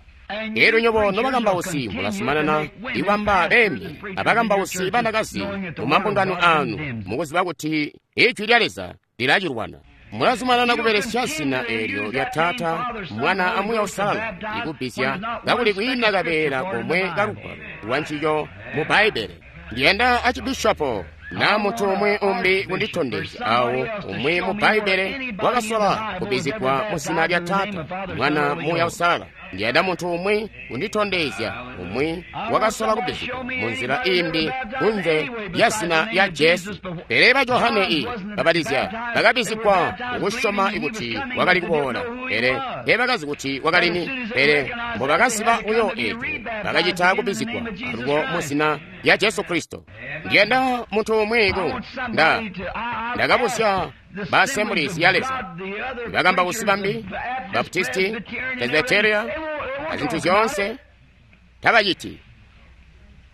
Elyo nyobo nobakambausi mulazumanana ikwamba beembi abakambausi banakazi mu mambungano anu, mukuziba kuti ijwi lya Leza lilacilwana. Mulazumanana kubelesya zina eelyo lya Taata, Mwana a Muuya Uusalala ikubbizya kakuli kwiina kabeela komwe kalugwalo lwa ncico mu Bbaibbele. Ndiyanda acibishopo naa muntu umwi umbi kunditondezya awo umwi mu Bbaibbele wakasola kubbizigwa mu zina lya Taata, Mwana, Muuya Uusalala. Ndiyanda muntu umwi kunditondezya umwi wakasola kubbizigwa mu nzila imbi kunze lya zina lya Jesu. Pele ba Johane i babatiza bakabbizigwa mukusyoma kuti wakali kuboola, pele teebakazi kuti wakali ni. Pele mbobakaziba buyo eeco, bakacita kubbizigwa alubo mu zina lya Jesu Kristo. Ndiyanda muntu umwi ku nda ndakabuzya ba Assemblies ya Leza, bakambausi bambi, Baptisti, Presbyteria, azintu zyoonse, tabaciti,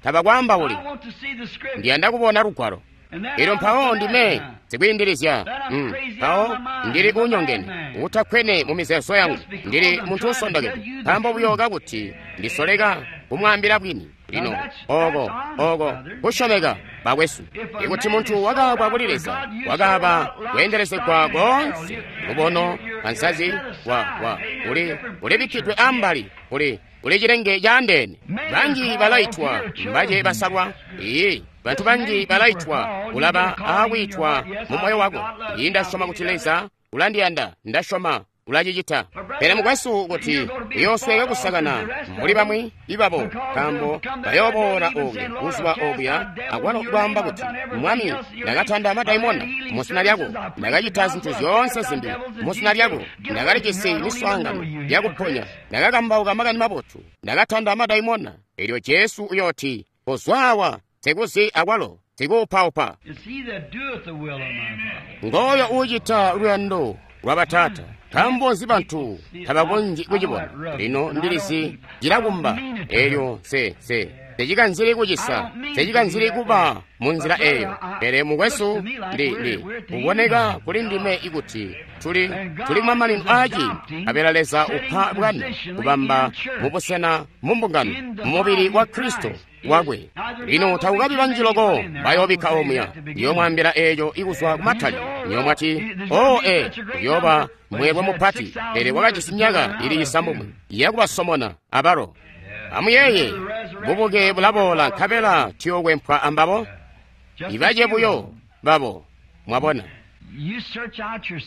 tabakwaambauli. Ndiyanda kubona lugwalo. Elyo mpawo ndime sikwiindilizya, mpawo ndili unyongene, utakkwene mu mizeezo yangu, ndili muntu usondokede, nkaambo buyo kakuti ndisoleka kumwaambila bwini. Lino oko oko kusyomeka bakwesu, ikuti muntu wakaabwa kuli Leza, wakaaba kweendelezegwa koonse, lubono ansazi wa wa uli ulibikkidwe ambali, uli uli cilenge caandeene. Banji balaitwa, mbace basalwa. Iyi, bantu banji balaitwa, ulaba aakwiitwa mu moyo wako. Iyi, ndasyoma kuti Leza Ulandiyanda, ndasyoma ulacicita. Pele mukwesu, kuti uyoosweka kusakana mbuli bamwi ibabo, nkaambo bayooboola okuya buzuba obuya akwalo kwaamba kuti, Mwami, ndakatanda madaimona muzina lyako, ndakacita zintu zyoonse zimbi muzina lyako, ndakalijisi miswaangano yakuponya, ndakakambauka makani mabotu, ndakatanda madaimona. Elyo Jesu uyooti, kozwaawa, sikuzi akwalo sikuupaupa. Ngooyo uucita luyando lwa Bataata. Nkaambo nzi bantu tabakonzyi kucibona? Lino ndilizi cilakumba. Elyo nse nse secikanzili kucisa, secikanzili kuba mu nzila eyo. Pele mukwesu, ndi ndi kuboneka kuli ndime ikuti tuli tuli kumamanino aaciindi, nkabela Leza upa bwana kubamba mubusena mu mbungano mu mubili wa Kristo wakwe. Lino takukabi banji loko bayoobikka omuya. Ndiyoomwaambila eeco ikuzwa kumatali. Nyoomwati, oo e, uyooba mweelwe mupati, pele wakajisi myaka ili cisambomwe yakubasomona abalo. Amuyeeye, bubuke bulaboola nkabela tuyookwempwa ambabo, ibace buyo babo. Mwabona?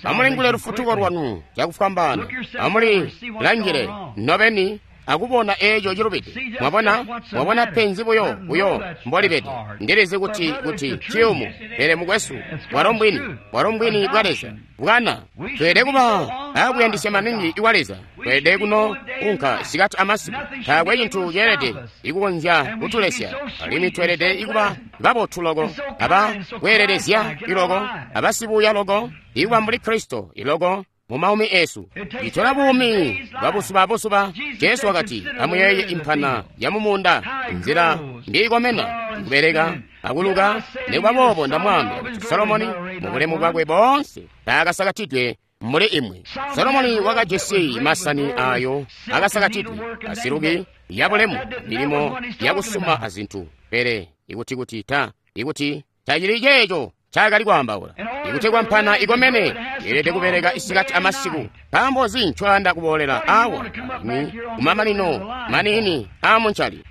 Amulingule lufutuko lwanu cakufwambaana. Amulilangile nobeni akubona eeco cilubide. Mwabona? Mwabona penzi buyo buyo mbolibede. Ndilizi kuti kuti ciyumu, pele mukwesu, bwalo mbwini, bwalo mbwini bwa Leza. Bwana, tweelede kuba akuyandisya maningi iwa Leza. Tweelede kuno unka sikati amasiku. Taakwe cintu ceelede ikukonzya kutulesya. Alimwi tweelede ikuba babotu loko, aba kweelelezya iloko, abasibuya loko, ikuba mbuli Kristo iloko mu maumi esu. Itola buumi bwa buzuba buzuba. Jesu wakati, amuyeeye impana ya mumuunda, nzila mbiikomena, kubeleka akuluka. Nikuba boobo ndamwaambila kuti Solomoni mu bulemu bwakwe boonse taakasakatidwe muli imwe. Solomoni wakajisi masani ayo akasakatidwe asiluki ya bulemu, milimo yakusuma azintu. Pele ikuti kuti ta ikuti tacili ceeco ncaakali kwaambaula. Ikutegwa mpana ikomene, yeelede kubeleka isikati amasiku. Nkaambo nzi ncoyanda kuboolela awa alimwi kumamanino maniini aamuncali?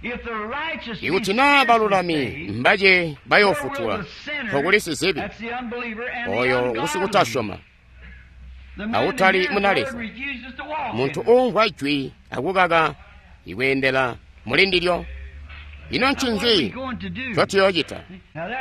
Ikuti naa balulami mbace bayoofutula, nkokuli sizibi oyo ngusikutasyoma awutali muna Leza, muntu uumvwa jwi akukaka ikweendela muli ndilyo. Ino ncinzi ncotuyoocita?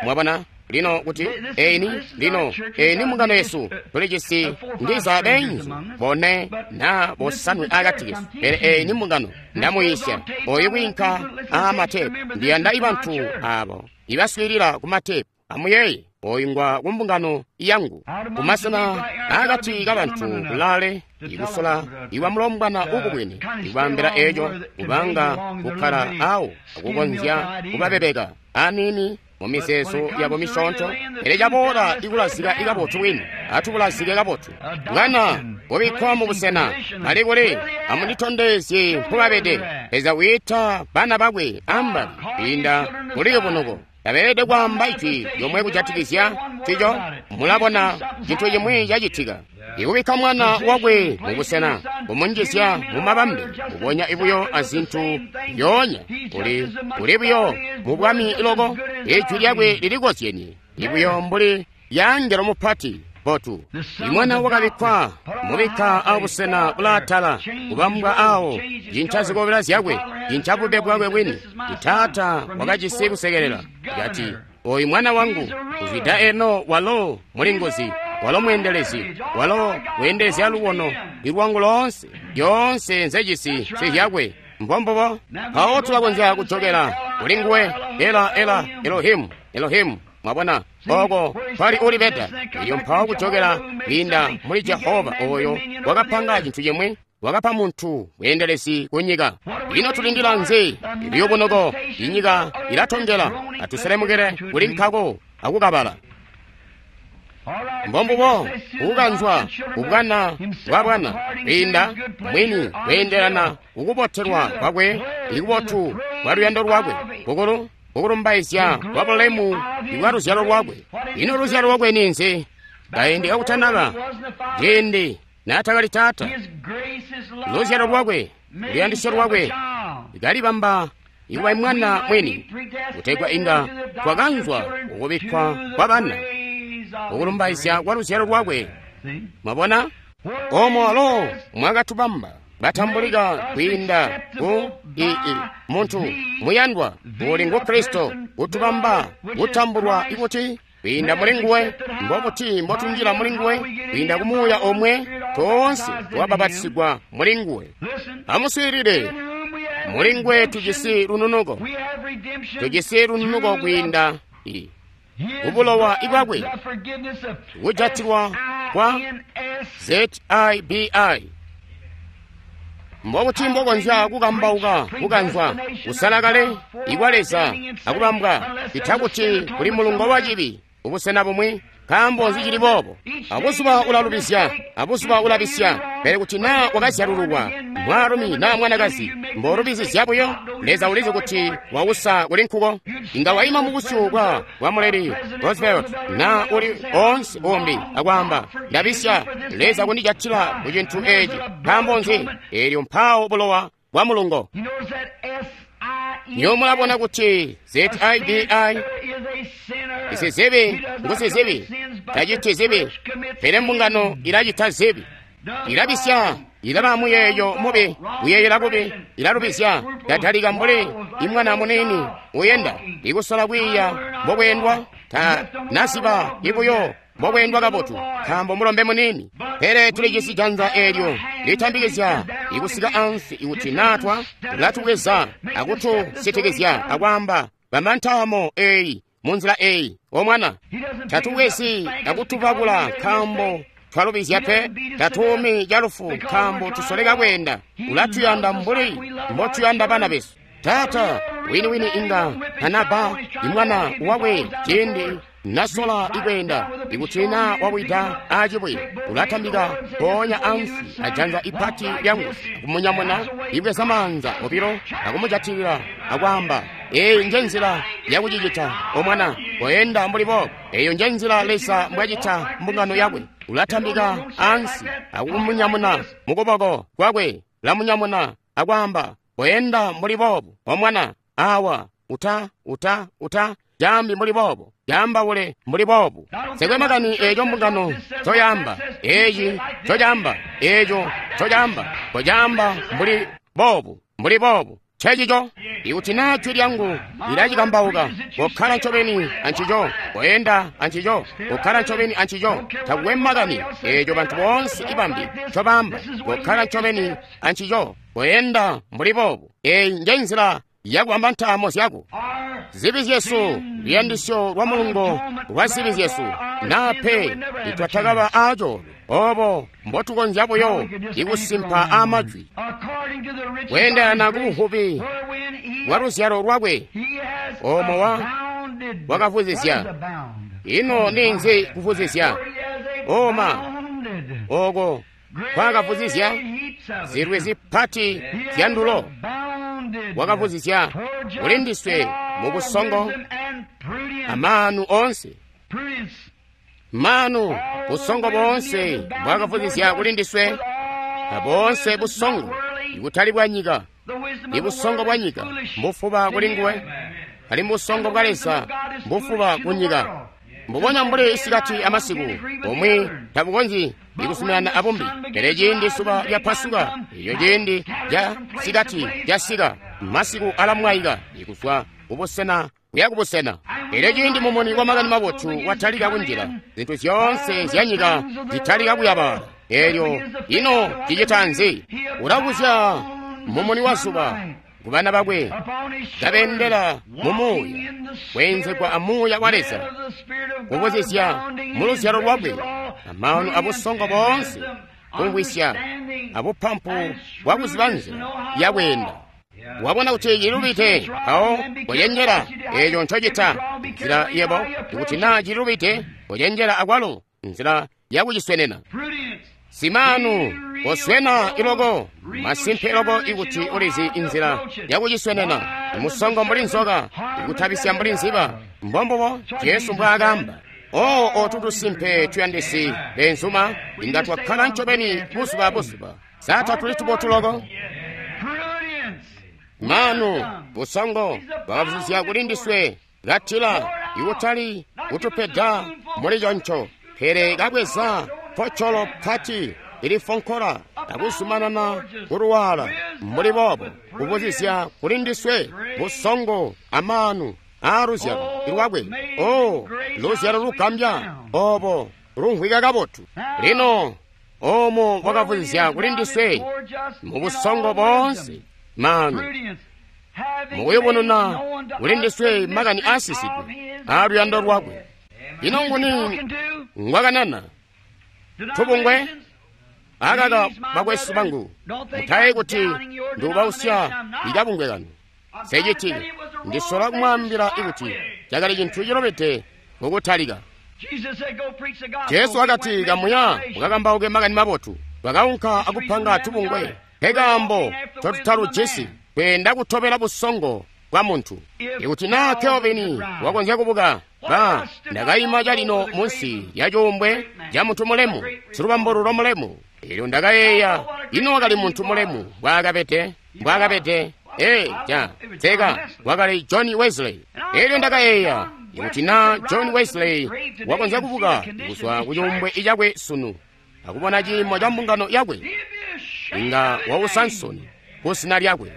Mwabona? Lino kuti eni lino eni mbungano yesu tulijisi ndiza beenzu bone na bosanwe akati kesu, pele eni mbungano ndamuyisya oyu kwiinka aamatepu. Ndiyanda ibantu abo ibaswiilila ku matepu. Amuyeeye, oyu ngwa kumbungano yangu, kumasena akati kabantu kulaale, ikusola iwa mulombwana ukubwene, ikubambila eco kubanga kukkala awo akukonzya kubabebeka aniini mu mizeezo yabo misyoonto. Pele caboola ikulazika ikabotu bwini, atubulazike kabotu. Bwana kubikkwa mu busena bali kuli, amunditondezye mpubabede. Leza wiita bana bakwe ambali kwiinda muliyubunuko. Tabeelede kwaamba ijwi lyomwe kujatikizya ncico. Mulabona cintu cimwi cacitika. Ikubikka mwana wakwe mu busena, kumunjizya mu mabambe, kubonya ibuyo azintu zyoonya, uli uli buyo mu bwami loko. Ijwi lyakwe lilikozyenye ibuyo mbuli lya angelo mupati botu. Imwana wakabikkwa mubikka abusena bulaatala, kubambwa awo, cinca zikobela zyakwe, cinca bube bwakwe bwini. Taata wakajisi kusekelela, kati, oyu mwana wangu kuzwida eno walo mulinguzi, walo mweendelezi, walo weendelezya lubono ilwangu loonse, lyoonse nzejisi nsizyakwe. Mbombubo. Mpawo tulakonzya kujokela kuli nguwe. Ela ela Elohimu, Elohimu. Mwabona oko kwali ulibeda. Elyo mpawo kujokela kwiinda muli Jehova oyo wakapanga cintu cimwi, wakapa muntu bweendelezi ku nyika. Ino tulindila nzi? Iliyubunoko inyika ilatongela. Atuselemukele kuli nkako akukabala. Mbombubo kukanzwa kubwana bwa bwana kwiinda mwini kweendelana kukubotelwa kwakwe, ikubotu kwa luyando lwakwe kukulu kukulumbaizya kwa bulemu ibwa luzyalo lwakwe. Ino luzyalo lwakwe ninzi? Kaindi kakutanaba ciindi naatakali taata, luzyalo lwakwe, luyandisyo lwakwe kalibamba ikuba mwana mwini, kutegwa inga twakanzwa kukubikkwa kwa bana, kukulumbaizya kwa luzyalo lwakwe Mwabona? Omo alo mwakatubamba batambulika kwiinda ku ii muntu muyandwa uli ngu Kristo kutubamba kutambulwa ikuti kwiinda muli nguwe. Mbobuti mbotunjila muli nguwe? Kwiinda ku Muuya omwe toonse twabapatisigwa muli nguwe. Amuswiilile, muli nguwe tujisi lununuko, tujisi lununuko kwiinda i kubulowa ibwakwe, kujatilwa kwa Z I B I. Mbobuti mbokonzya kukambauka kukanzwa kusala kale ikwa Leza akubambwa itakuti kuli mulungo wa cibi ubusena bumwi? Nkaambo nzi cili boobo? Abuzuba ulalubizya, abuzuba ulabisya. Pele kuti naa wakazyalululwa mwaalumi naa mwanakazi, mbolubizizya buyo, Leza ulizi kuti wausa kuli nkuko. Inga waima mubusyu bwa bwa muleli Roosevelt naa uli oonse umbi akwaamba, ndabisya, Leza kundijatila ku cintu eci. Nkaambo nzi? Eelyo mpawo bulowa bwa mulungo. Niyo mulabona kuti Z I B I isizibi ngusizibi, taciti zibi, pele mbungano ilacita zibi, ilabisya, ilaba muyeeyo mubi, kuyeeyela kubi, ilalubizya, tatalika mbuli imwana muniini uyenda ikusola kwiiya mbokweendwa, ta nasiba ibuyo mbokweendwa kabotu, nkaambo mulombe muniini. Pele tulijisi janza eelyo litambikizya ikusika ansi ikuti naatwa latubweza akutusitikizya akwaamba, bamba ntaamo eeyi munzila eeyi, omwana. Tatubwezi akutupakula nkaambo twalubizya pe, tatuumi calufu nkaambo tusoleka kweenda. Ulatuyanda mbuli mbotuyanda bana besu. Taata winiwini inga anaba imwana wakwe ciindi nasola ikweenda, ikuti naa wawida acibwe, ulatambika mpoonya ansi ajanza ipati lyangu akumunyamuna, ibweza maanza obilo akumujatilila akwaamba, eyi nje nzila yakucicita omwana, koyenda mbuli boobo. Eyo nje nzila Leza mbwacita mbungano yakwe. Ulatambika ansi akumunyamuna mukuboko kwakwe, lamunyamuna akwaamba, koyenda mbuli boobo omwana, awa uta uta uta jambi mbuli boobo, jambaule mbuli boobu. Sekwe makani eco mbungano coyamba, eci cocamba, eco cocamba, kocamba mbuli boobu, mbuli boobu. Ncencico. Ikuti naa jwi lyangu lilacikambauka, kokkala ncobeni ancico, koyenda ancico, kokkala ncobeni ancico. Takukwe makani eco bantu boonse ibambi ncobaamba, kokkala ncobeni ancico, koyenda mbuli boobu. Eyi nje nzila yakubamba ntaamo zyako. Zibi zyesu, luyandisyo lwa mulungo lwa zibi zyesu, naa pe nitwatakaba aacoolwe obo mbotukonzya buyo ikusimpa aamajwi kweendelana ku buvubi bwa luzyalo lwakwe omo wa wakavuzizya. Ino ninzi kuvuzizya? Oma oko kwakavuzizya zilwi zipati zya ndulo, wakavuzizya kulindiswe mu busongo amaanu onse. Maanu busongo boonse bwakavuzizya kulindiswe, aboonse busongo ikutali bwa nyika. Ibusongo bwa nyika mbufuba kulinguwe, ali mbusongo bwa Leza mbufuba ku nyika. Mbubonya mbuli isikati amasiku, bumwi tabukonzyi ikusuminana abumbi. Pele ciindi suba lyapasuka, iyo ciindi lya sikati lyasika, masiku alamwaika ikuzwa kubusena kuya kubusena. Pele ciindi mumuni wa makani mabotu watalika kunjila, zintu zyoonse zya nyika zitalika kuyabala. Elyo ino cicita nzi? Ulabuzya mumuni wa zuba kubana bakwe, kabendela mu Muuya, kweenzegwa a Muuya wa Leza, kubuzizya mu luzyalo lwakwe amaanu abusongo boonse, kumvwisya abupampu bwakuziba nzila yakweenda. Wabona kuti cilubite, mpawo kocenjela eco ncocita. Nzila yebo, ikuti naa cilubite, kocenjela akwalo nzila yakuciswenena. Simaanu koswena iloko, masimpe iloko ikuti ulizi inzila yakuciswenena. Musongo mbuli nzoka, ikutabisya mbuli nziba. Mbombubo Jesu mbwaakamba. Oo otu tusimpe tuyandisi benzuma, inga twakkala ncobeni buzuba buzuba. Sa tatuli tubotu loko? Maanu busongo bwakavuzizya kulindiswe, katila ikutali kutupeda muli conco, pele kabweza Focolo pati ilifonkola akuzumanana kuluwala mbuli boobo kubuzizya kuli ndiswe busongo amaanu aaluzyalo lwakwe. O luzyalo lugambya obo lumvwika kabotu. Lino omo wakavuzizya kuli ndiswe mu busongo boonse maanu, mukuyubununa kuli ndiswe makani aasisidwe aaluyando lwakwe. Ino nguni ngwakanana? Tubungwe? Akaka bakwesu bangu, mutaye kuti ndiubausya ikabungwe kanu. Seciti ndisola kumwaambila ikuti cakali cintu cilobede kukutalika. Jesu wakati, kamuya mukakambauke makani mabotu. Twakaunka akupanga tubungwe, nkekaambo totutalujisi kweenda kutobela busongo bwa muntu. Ikuti naa Kelvin wakonzya kubuka, ba ndakayima calino munsi ya cuumbwe ca muntu mulemu, silubambululo mulemu. Elyo ndakayeeya, ino wakali muntu mulemu mbwaakabede, mbwaakabede. Ee, ja, teka, wakali John Wesley. Elyo ndakayeeya, ikuti naa John Wesley wakonzya kubuka kuzwa ku cuumbwe cakwe sunu, akubona ciimo ca mbungano yakwe, inga wausa nsoni ku zina lyakwe.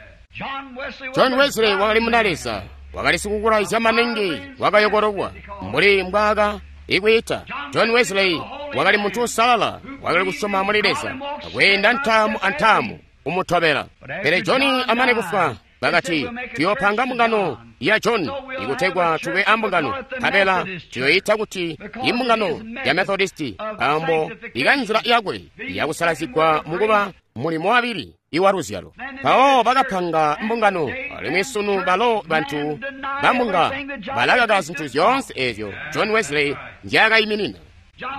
John Wesley wakali muna Leza, wakali sikukulaizya maningi, wakayokololwa mbuli mbwaaka ikwiita. John Wesley wakali muntu usalala, wakali kusyoma muli Leza, akweenda ntaamu antaamu kumutobela. Pele John amane kufwa, bakati, tuyopanga mbungano ya John ikutegwa tube ambungano, nkabela tuyoyita kuti imbungano ya Methodisti, nkaambo ikanzila yakwe yakusalazigwa mukuba mulimo wabili iwa luzyalo. Mpawo bakapanga mbungano, alimwi sunu balo bantu bambunga balakaka zintu zyoonse ezyo John Wesley nzyaakayiminina.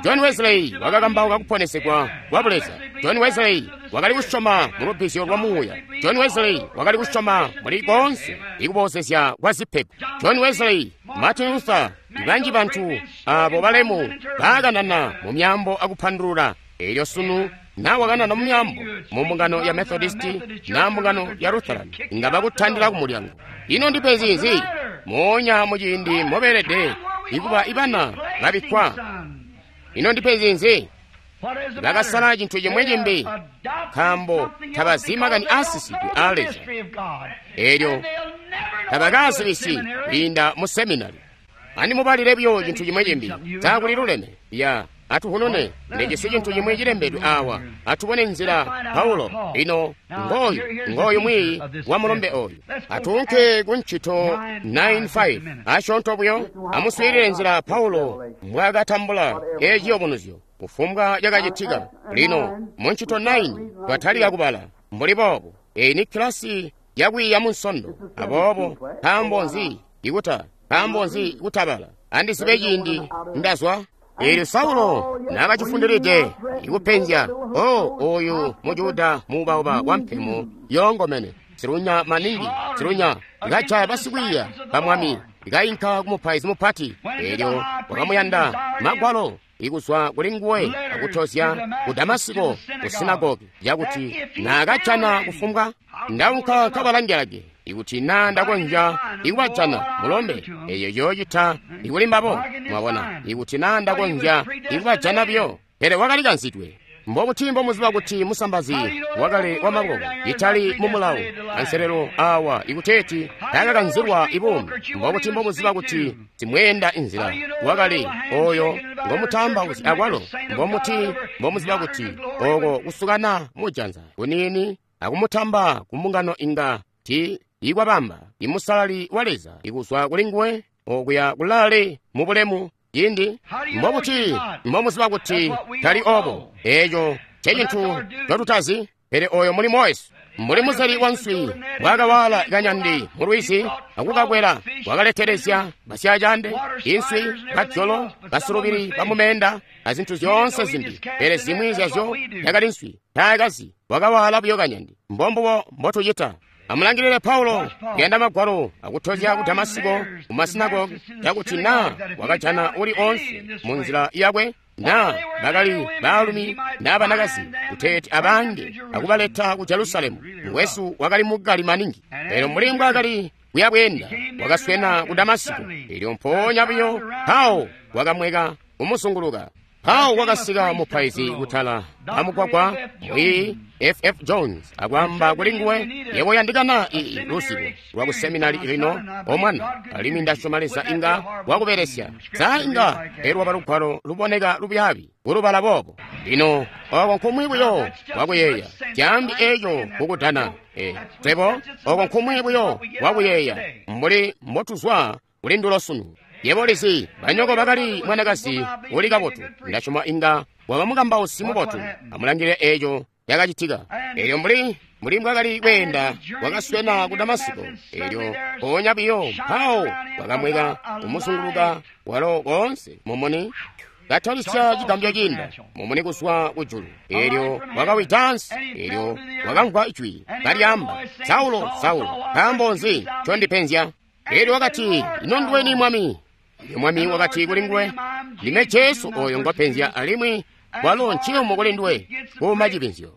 John Wesley wakakambauka kuponesegwa kwa Buleza. John Wesley wakali kusyoma mu lubbizyo lwa muuya. John Wesley wakali kusyoma muli koonse ikuboozezya kwa zipego. John Wesley, Martin Luther, banji bantu abo balemu baakanana mu myambo akupandulula. Elyo sunu na wakanana mu myambo mu mbungano ya Methodisti na mbungano ya Lutheran, inga bakutandila ku mulyango. Ino ndipenzi nzi? Moonya muciindi mobeelede ikuba ibana babikkwa. Ino ndipenzi nzi? Bakasala cintu cimwe cimbi, nkaambo tabazi makani aasisidwe aa Leza. Elyo tabakaazibisi kwiinda mu seminari. Andimubalile buyo cintu cimwe cimbi, taakuli luleme ya atuhunune ndijisi cintu cimwe cilembedwe awa. Atubone nzila Paulo lino ngoyu ngoyu mwiiyi wa mulombe oyu. Atuunke ku ncito nine five asyoonto buyo. Amuswiilile nzila Paulo mbwaakatambula eciyubunuzyo kufumbwa cakacitika. Lino mu ncito nine twatalika kubala mbuli boobu. Eyi ni kilasi yakwiiya mu Nsondo. Aboobo nkaambo nzi ikuta nkaambo nzi kutabala? Andizibe ciindi ndazwa. Eelyo Saulo naakacifundilide ikupenzya, o oyu Mujuda muubauba wampemo yoongomene, silunya maningi, silunya, ikajaya basikwiiya ba Mwami, ikayinka ku mupaizi mupati. Eelyo wakamuyanda magwalo ikuzwa kuli nguwe akutozya ku Damasiko ku sinagogi, yakuti naakajana kufumbwa ndaunka kabalangelage ikuti naa ndakonzya ikubajana mulombe, eyo yoocita ikuli mbabo. Mwabona, ikuti naa ndakonzya ikubajana buyo. Pele wakali kanzidwe. Mbobuti mbomuziba kuti musambazi wakale wa maboko itali mu mulawo anselelo awa ikuteeti taakakanzilwa ibuumi? Mbobuti mbomuziba kuti simweenda inzila wakale oyo ngomutamba kuti akwalo? Mbomuti mbomuziba kuti oko kusukana mujanza kuniini akumutamba kumbungano inga ti ikwabamba imusalali wa Leza ikuzwa kuli nguwe okuya kulale mu bulemu cindi? Mbobuti mbomuziba kuti tali obo? Eco ncecintu ncotutazi, pele oyo mulimo wesu. Mbuli muzeli wa nswi bwakawala kanyandi mu lwizi akukakwela, wakaletelezya basyaacande, inswi, bajolo, basulubili bamumeenda azintu zyoonse zimbi, pele zimwi zyazyo zyakali nswi. Taakazi, wakawala buyo kanyandi. Mbombubo mbotucita. Amulangilile Paulo kuyanda magwalo akutozya ku Damasiko ku masinagogi, cakuti naa wakajana uli onse mu nzila yakwe, naa bakali baalumi naa banakazi, kuteeti abange akubaleta ku Jerusalemu. Mukwesu wakali mukali maningi, pele mbuli mbwaakali kuyabweenda wakaswena ku Damasiko. Elyo mpoonya buyo mpawo wakamweka kumuzunguluka. Mpawo wakasika mupaizi kutala amugwagwa mwi F F Jones akwaamba kuli nguwe, yebo yandikana ii luzibo lwa kuseminari lino omwana, alimwi ndasyoma Leza inga wakubelesya. Sa inga elwaba lugwalo luboneka lubyaabi kulubala boobo. Lino oko nkumwi buyo wakuyeeya tyambi eco kukudana. E, twebo oko nkumwi buyo wakuyeeya mbuli mbotuzwa kuli ndulo sunu. Yebo lizi banyoko bakali mwanakazi uli kabotu, ndasyoma inga waba mukambausi mubotu. Amulangile eco yakacitika. Elyo mbuli mbuli mbwakali kweenda wakaswena ku Damasiko, elyo mpoonya biyo mpawo wakamweka kumuzunguluka walo koonse mumuni katalisya cigambyo ciinda mumuni kuzwa kujulu. Elyo wakawida ansi, elyo wakamvwa ijwi kalyaamba, Saulo, Saulo, nkaambo nzi ncondipenzya? Elyo wakati, ino nduweni Mwami? Elyo Mwami wakati kuli nguwe, ndime Jesu oyo ngwapenzya, alimwi walo nciyumu kuli nduwe kuuma cipenzyo.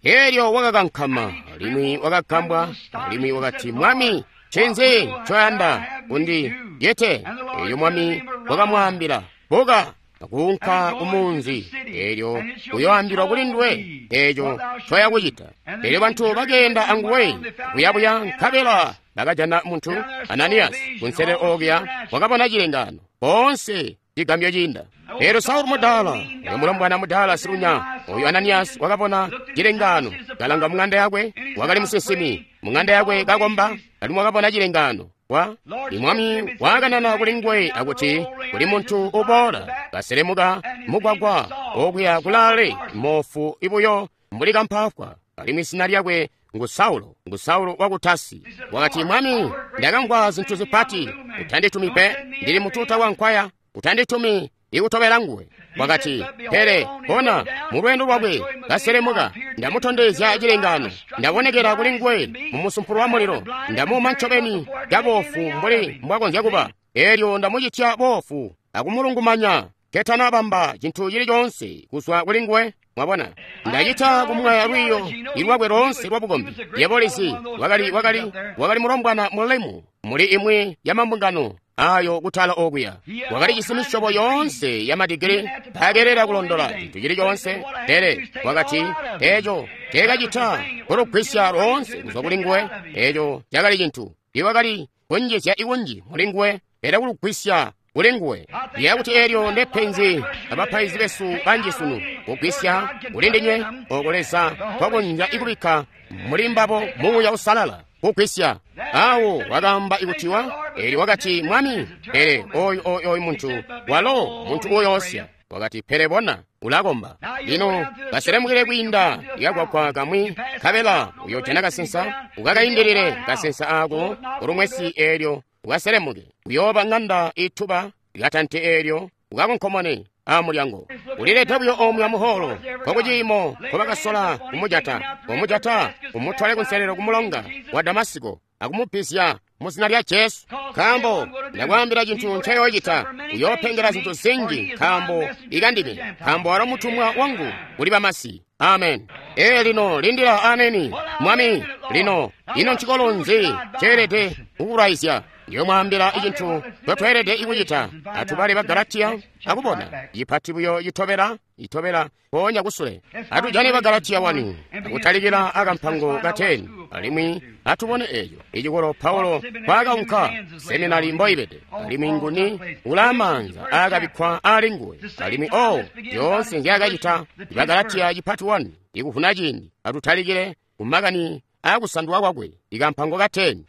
Elyo wakakankama, alimwi wakagambwa, alimwi wakati, Mwami, ncinzi ncoyanda kundi yete? Elyo Mwami wakamwaambila, buka akuunka kumunzi, elyo uyoambilwa kuli nduwe eco ncoya kucita. Elyo bantu bakeenda anguwe kuyabuya, nkabela bakajana muntu Ananiyasi kunsele okuya wakabona cilengaano boonse cigambyo ciinda. Elyo Saulu mudaala, oyo mulombwana mudaala silunya, oyu Ananiyasi wakabona cilengaano, kalanga mung'anda yakwe, wakali musinsimi mung'anda yakwe kakomba, alimwi wakabona cilengaano. Wa imwami wakanana kuli nguwe akuti kuli muntu uboola kaselemuka mugwagwa okuya kulaale mofu ibuyo mbuli kampafwa, alimwi zina lyakwe ngu Saulo, ngu Saulo waku Tasi. Wakati, Mwami, ndakamvwa zintu zipati, utanditumi pe, ndili mututa wa nkwaya, utanditumi ikutobela nguwe. Wakati, pele bona, mu lweendo lwakwe kaselemuka, ndamutondezya cilengaano, ndabonekera kuli nguwe mu musumpulo wa mulilo, ndamuuma ncobeni caboofu mbuli mbwakonzya kuba, elyo ndamucitya boofu akumulungumanya ketanabamba cintu cili coonse kuzwa kuli nguwe. Mwabona, ndacita kumwaya lwiiyo ilwakwe loonse lwa bukombi. Yebo lizi, wakali wakali wakali mulombwana mulemu muli imwi ya mambungano ayo kutala okuya, wakali jisi misyobo yoonse ya madigiri, takelera kulondola cintu cili coonse. Pele wakati eco teekacita kulugwisya loonse kuzwa kuli nguwe. Eco cakali cintu iwakali kunjizya ikunji muli nguwe, pele kulugwisya kuli nguwe. Yakuti elyo ndepenzi abapaizi besu banji sunu, kugwisya kuli ndinywe oko Leza kwakonzya ikubikka muli mbabo Muuya Usalala kugwisya. Awo wakaamba ikutiwa, elyo wakati, Mwami, pele oyu oyu oyu muntu walo muntu uyoosya. Wakati, pele bona, ulakomba. Lino kaselemukile kwiinda likagwagwa kamwi, nkabela uyojana kasensa, ukakaindilile kasensa ako kulumwesi, elyo ukaselemuke. Uyooba ng'anda ituba, ikatante elyo ukakonkomone amulyango. Ulilete buyo omuya muholo kokuciimo nkobakasola kumujata, kumujata umutwale kunselelo kumulonga wa Damasiko akumubisya mu zina lya Jesu. Nkaambo ndakwaambila cintu ncayoocita, uyoopengela zintu zinji nkaambo ikandime, nkaambo walo mutumwa wangu kuli bamasi. Amen. Ee lino lindila ameni. Mwami, lino ino ncikolo nzi ceelede kukulwaizya? Ndiyomwaambila icintu ncotweelede ikucita. Atubale ba Galatiya akubona cipati buyo citobela itobela mpoonya kusule. Atujane ba Galatiya wani akutalikila akampango ka ten, alimwi atubone eco icikolo Paulo kwaakaunka seminari mboibede, alimwi nguni ulaamanza aakabikkwa ali nguwe, alimwi o zyoonse nzyaakacita. Ba Galatiya cipati wani ikuvuna ciindi. Atutalikile kumakani aakusandulwa kwakwe ikampango ka ten.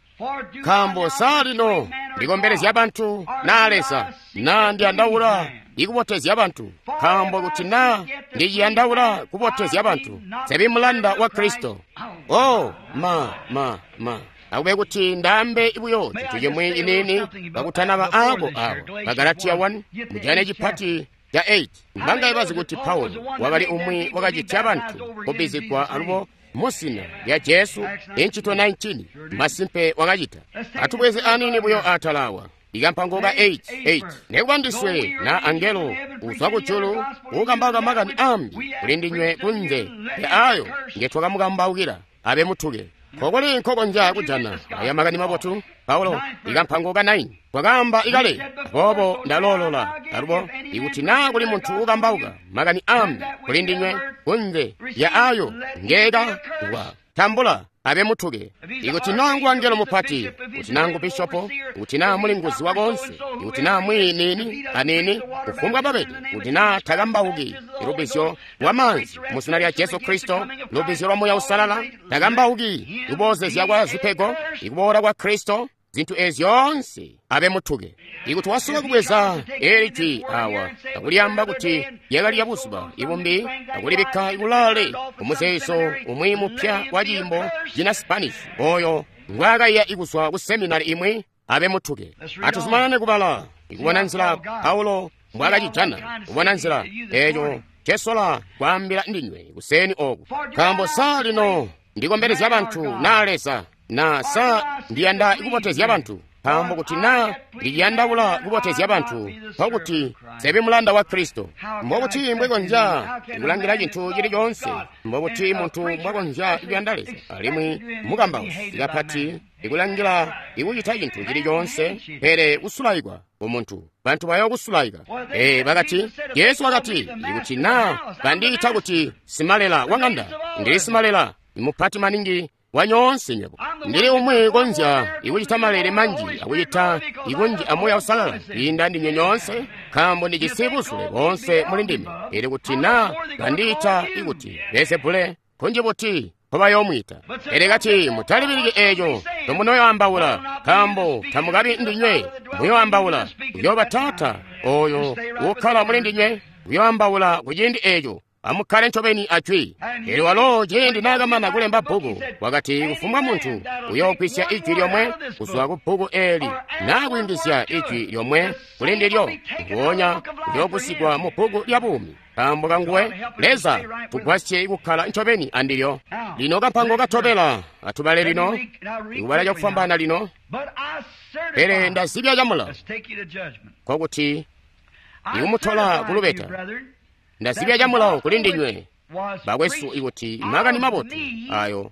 Nkaambo sa lino ndikombelezya bantu naa Leza, naa ndiyandaula ikubotezya bantu? Nkaambo kuti naa ndiciyandaula kubotezya bantu, nsebi mulanda wa Kristo. Oh, ma ma ma akube kuti ndaambe buyo cintu cimwi ciniini kakutanaba aako awo. Bagalatiya one mujane cipati ca eight. Mbangaye bazi kuti Paulo wakali umwi wakacitya bantu kubbizigwa alubo musina lya Jesu? Incito nineteen masimpe wakacita. Atubweze anini buyo atalawa ikampango ka eight eight. Nekuba ndiswe na angelo uzwa kujulu ukambauka makani ambi kuli ndinywe kunze ya ayo ngetwakamukambaukila, abe mutuke. Kokuli nkokonzya kujana aya makani mabotu? Paulo ikampango ka nine. Twakaamba ikale, aboobo ndaloolola alubo, ikuti naa kuli muntu ukambauka makani ambi kuli ndinywe kunze ya ayo ngeeka wa tambula abe mutuke. Ikuti naa ngu angelo mupati, kuti naa ngu bishopo, kuti naa mulinguzi wakonse, ikuti naa mwiyi nini anini, kufumbwa babede, kuti naa takambauki lubbizyo lwa maanzi mu zina lya Jesu Kristo, lubbizyo lwa Muuya Uusalala, takambauki kuboozezya kwa zipego, ikuboola kwa Kristo, zintu ezi zyoonse abe mutuke. Ikuti wasola kubweza eli jwi awa akulyamba kuti lyakali lya buzuba ibumbi akulibikka kulaale kumuzeezo umwi mupya wa ciimbo cina Spanish oyo ngwaakaiya ikuzwa ku seminari imwi, abe mutuke. Atuzumanane kubala ikubona nzila Paulo mbwaakacijana, kubona nzila eeco ncesola kwaambila ndinywe kuseni oku. Nkaambo sa lino ndikombelezya bantu naa Leza, na sa ndiyanda kubotezya bantu? Nkaambo kuti naa ndiciyandaula kubotezya bantu, nkokuti sebi mulanda wa Kristo. Mbokuti mbwekonzya kulangila cintu cili coonse, mbokuti muntu mbwakonzya kuyanda Leza, alimwi mukambausi kapati ikulangila ikucita cintu cili coonse, pele kusulaikwa kumuntu. Bantu bayokusulaika. Ee, bakati, Jesu wakati, ikuti naa bandiita kuti simalela wa ng'anda, ndili simalela mupati maningi wanyoonse nywebo. Ndili umwi konzya ikucita malele manji akucita ikunji a Muuya Uusalala kwiinda ndinywe nyoonse, nkaambo ndijisi buzule boonse muli ndime. Ili kuti naa bandiita ikuti Beelzebule, kunji buti nkobayoomwiita. Pele kati mutalibiliki eeco tomunoyoambaula, nkaambo tamukabi ndinywe muyoambaula, uyooba Taata oyo uukkala muli ndinywe uyoambaula kuciindi eeco. Amukkale ncobeni ajwi. Eelyo walo ciindi naakamana kulemba bbuku, wakati kufumbwa muntu uyoogwisya ijwi lyomwe kuzwa ku bbuku eeli naa kuyungizya ijwi lyomwe kuli ndilyo, nguonya uyoogwisigwa mu bbuku lya buumi. Nkaambo kanguwe, Leza tugwasye kukkala ncobeni andilyo. Lino kampango katobela atubale lino, ikubala cakufwambaana lino. Pele ndazibya camulawo, nkokuti ikumutola kulubeta. Ndazibya camulawo kuli ndinywe bakwesu ikuti makani mabotu ayo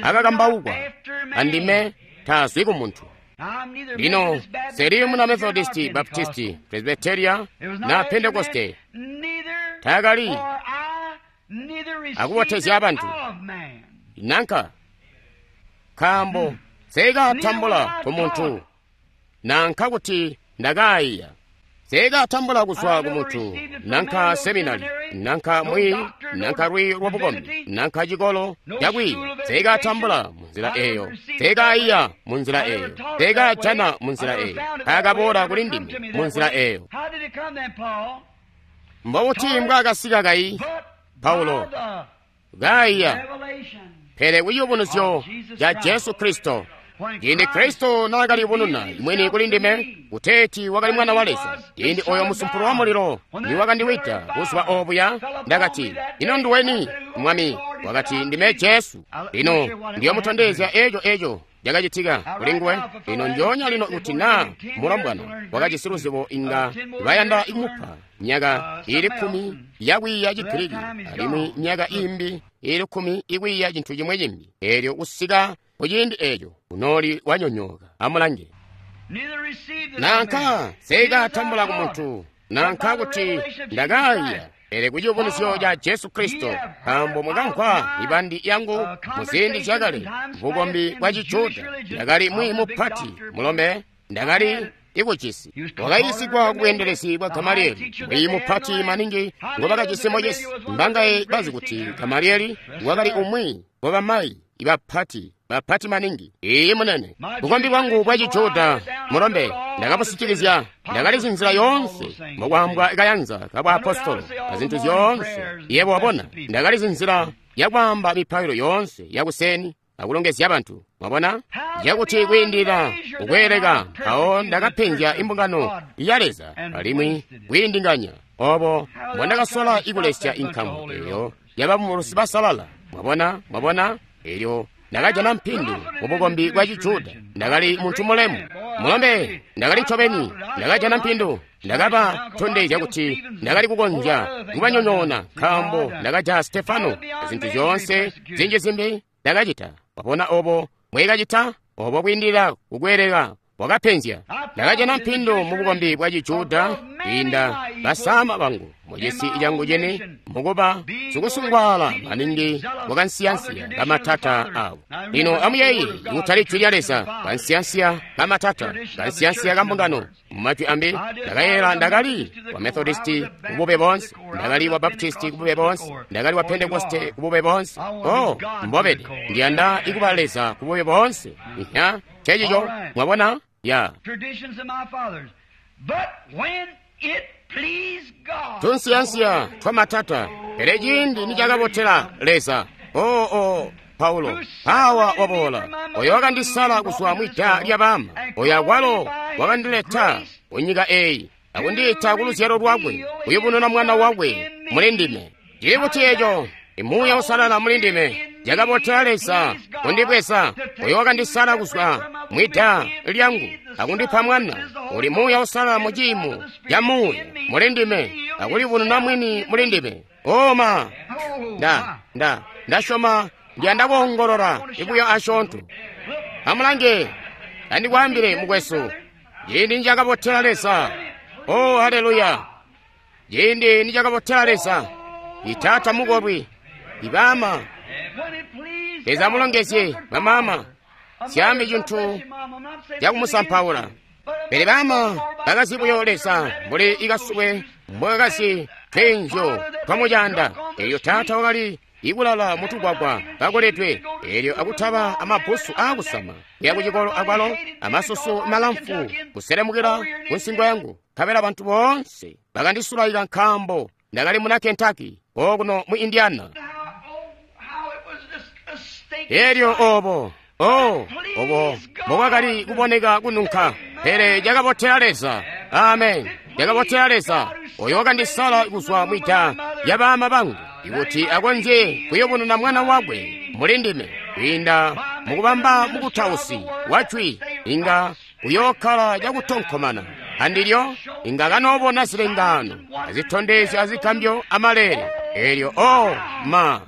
akakambaukwa andime taazwi ku muntu. Lino seli muna Methodisti, Baptisti, Presbyteria na Pentekoste taakali akubotezya abantu nanka, nkaambo seekatambula ku muntu nanka kuti ndakaayiya. Seekatambula kuzwa ku muntu nanka seminari nanka mwiyi nanka lwiiyo lwa bukombi nanka cikolo cakwiiya. Seekatambula munzila eeyo, seekaiya munzila eeyo, seekajana munzila eeyo, taakaboola kuli ndime munzila eeyo. Mbobuti mbwaakasika kayi Paulo? Kaiya, pele kuciyubunuzyo ca Jesu Kristo. Ciindi Kristo naakaliyubununa mwini kuli ndime kuteeti wakali Mwana wa Leza, ciindi oyo musumpulo wa mulilo niwakandiwida buzuba obuya, ndakati, ino nduweni, Mwami? Wakati, ndime Jesu. Lino ndiyomutondezya eco eco cakacitika kuli nguwe. Lino njoonya lino kuti naa mulombwana wakajisi luzibo inga bayanda kumupa myaka ili kkumi yakwiiya Chigiriki alimwi myaka imbi ili kkumi ikwiiya cintu cimwe cimbi. Eelyo kusika kuciindi eeco unooli wanyonyooka. Amulange, nanka seekatambula ku muntu nanka kuti ndakaiya, pele kuciyubunuzyo ca Jesu Kristo, nkaambo mwakamvwa mibandi yangu mu ziindi zyakale bukombi bwa Cijuda. Ndakali mwiyi mupati mulombe, ndakali ikucisi wakayiisigwa kubweendelezi bwa Gamalieli, mwiyi mupati maningi ngobakajisi mocesi. Mbangaye bazi kuti Gamalieli wakali umwi wabamayi ibapati bapati maningi. Iyi munene, bukombi bwangu bwa Cijuda mulombe ndakabusitikizya, ndakalizi nzila yoonse mbokwaambwa kayanza kabwaapostolo azintu zyoonse. Yebo wabona, ndakalizi nzila yakwaamba mipailo yoonse yakuseni akulongezya bantu. Mwabona, yakuti kwiindilila kukweeleka mpawo ndakapenzya imbungano ya Leza alimwi kwiindinganya obo mbondakasola ikulesya inkamu eyo yabamulusi basalala. Mwabona, mwabona, elyo ndakajana mpindu mubukombi bwa Cijuda. Ndakali muntu mulemu mulombe, ndakali ncobeni, ndakajana mpindu. Ndakaba tondezya kuti ndakali kukonzya kubanyonyoona, nkaambo ndakaja Stefano azintu zyoonse zinji zimbi ndakacita. Wabona obo mbwekacita obo kwiindilila kukweeleka Wakapenzya. Ndakajana mpindu mu bukombi bwa Cijuda kwiinda basama bangu mucisi cangu cene mukuba sikusungwaala maningi wakansiyansiya kamatata awo. Lino amuyeeye kutali jwi lya Leza, kansiyansiya kamatata, kansiyansiya kambungano. Mumajwi ambi ndakayela ndakali wa Methodisti kubube bonse, ndakali wa Baptisti kubube bonse, ndakali wa Pentekoste kubube bonse. Oh, mbobede ndiyanda ikuba Leza kubube bonse. Ihya, checico mwabona ya tunsiyansiya twamatata. Pele ciindi nicakabotela Leza, oo oh, oh, Paulo awa waboola oyo wakandisala kuzwa mwida lya bama, oyo akwalo wakandileta ku nyika eyi akundiita ku luzyalo lwakwe kuyubununa mwana wakwe muli ndime. Cili kuti eco imuuya usalala muli ndime cakabotela Leza kundibweza oyo wakandisala kuzwa mwida lyangu akundipa mwana uli muuya usalala mu ciimo ca muuya muli ndime akulibununa mwini muli ndime. Oma nda nda ndasyoma ndiyanda kuongolola ibuyo asyoonto. Amulange andikwaambile mukwesu, ciindi nicakabotela Leza. Oh, haleluya! Ciindi nicakabotela Leza, itaata mukolwi, ibama Leza amulongezye bamama, syambi cintu cakumusampaula. Pele bama bakazi buyo Leza mbuli ikasubwe mbwakasi twenzyo twamucanda. Elyo taata wakali ikulala mutugwagwa kakoledwe, elyo akutaba amabbusu aakusama kuya kucikolo akwalo amasusu malamfu kuselemukila ku nsingo yangu. Nkabela bantu boonse bakandisulaika nkaambo ndakali muna Kentucky okuno mu Indiana. Elyo obo oh obo mbobwakali kuboneka kununka, pele cakabotela Leza. Amen, cakabotela Leza oyo wakandisala kuzwa mwida lya bama bangu ikuti akonzye kuyubununa mwana wakwe muli ndime kwiinda mukubamba mukutausi wa jwi. Inga uyookkala cakutonkomana andilyo, inga kanoobona zilengaano azitondezyo azigambyo amaleele. Elyo oh ma,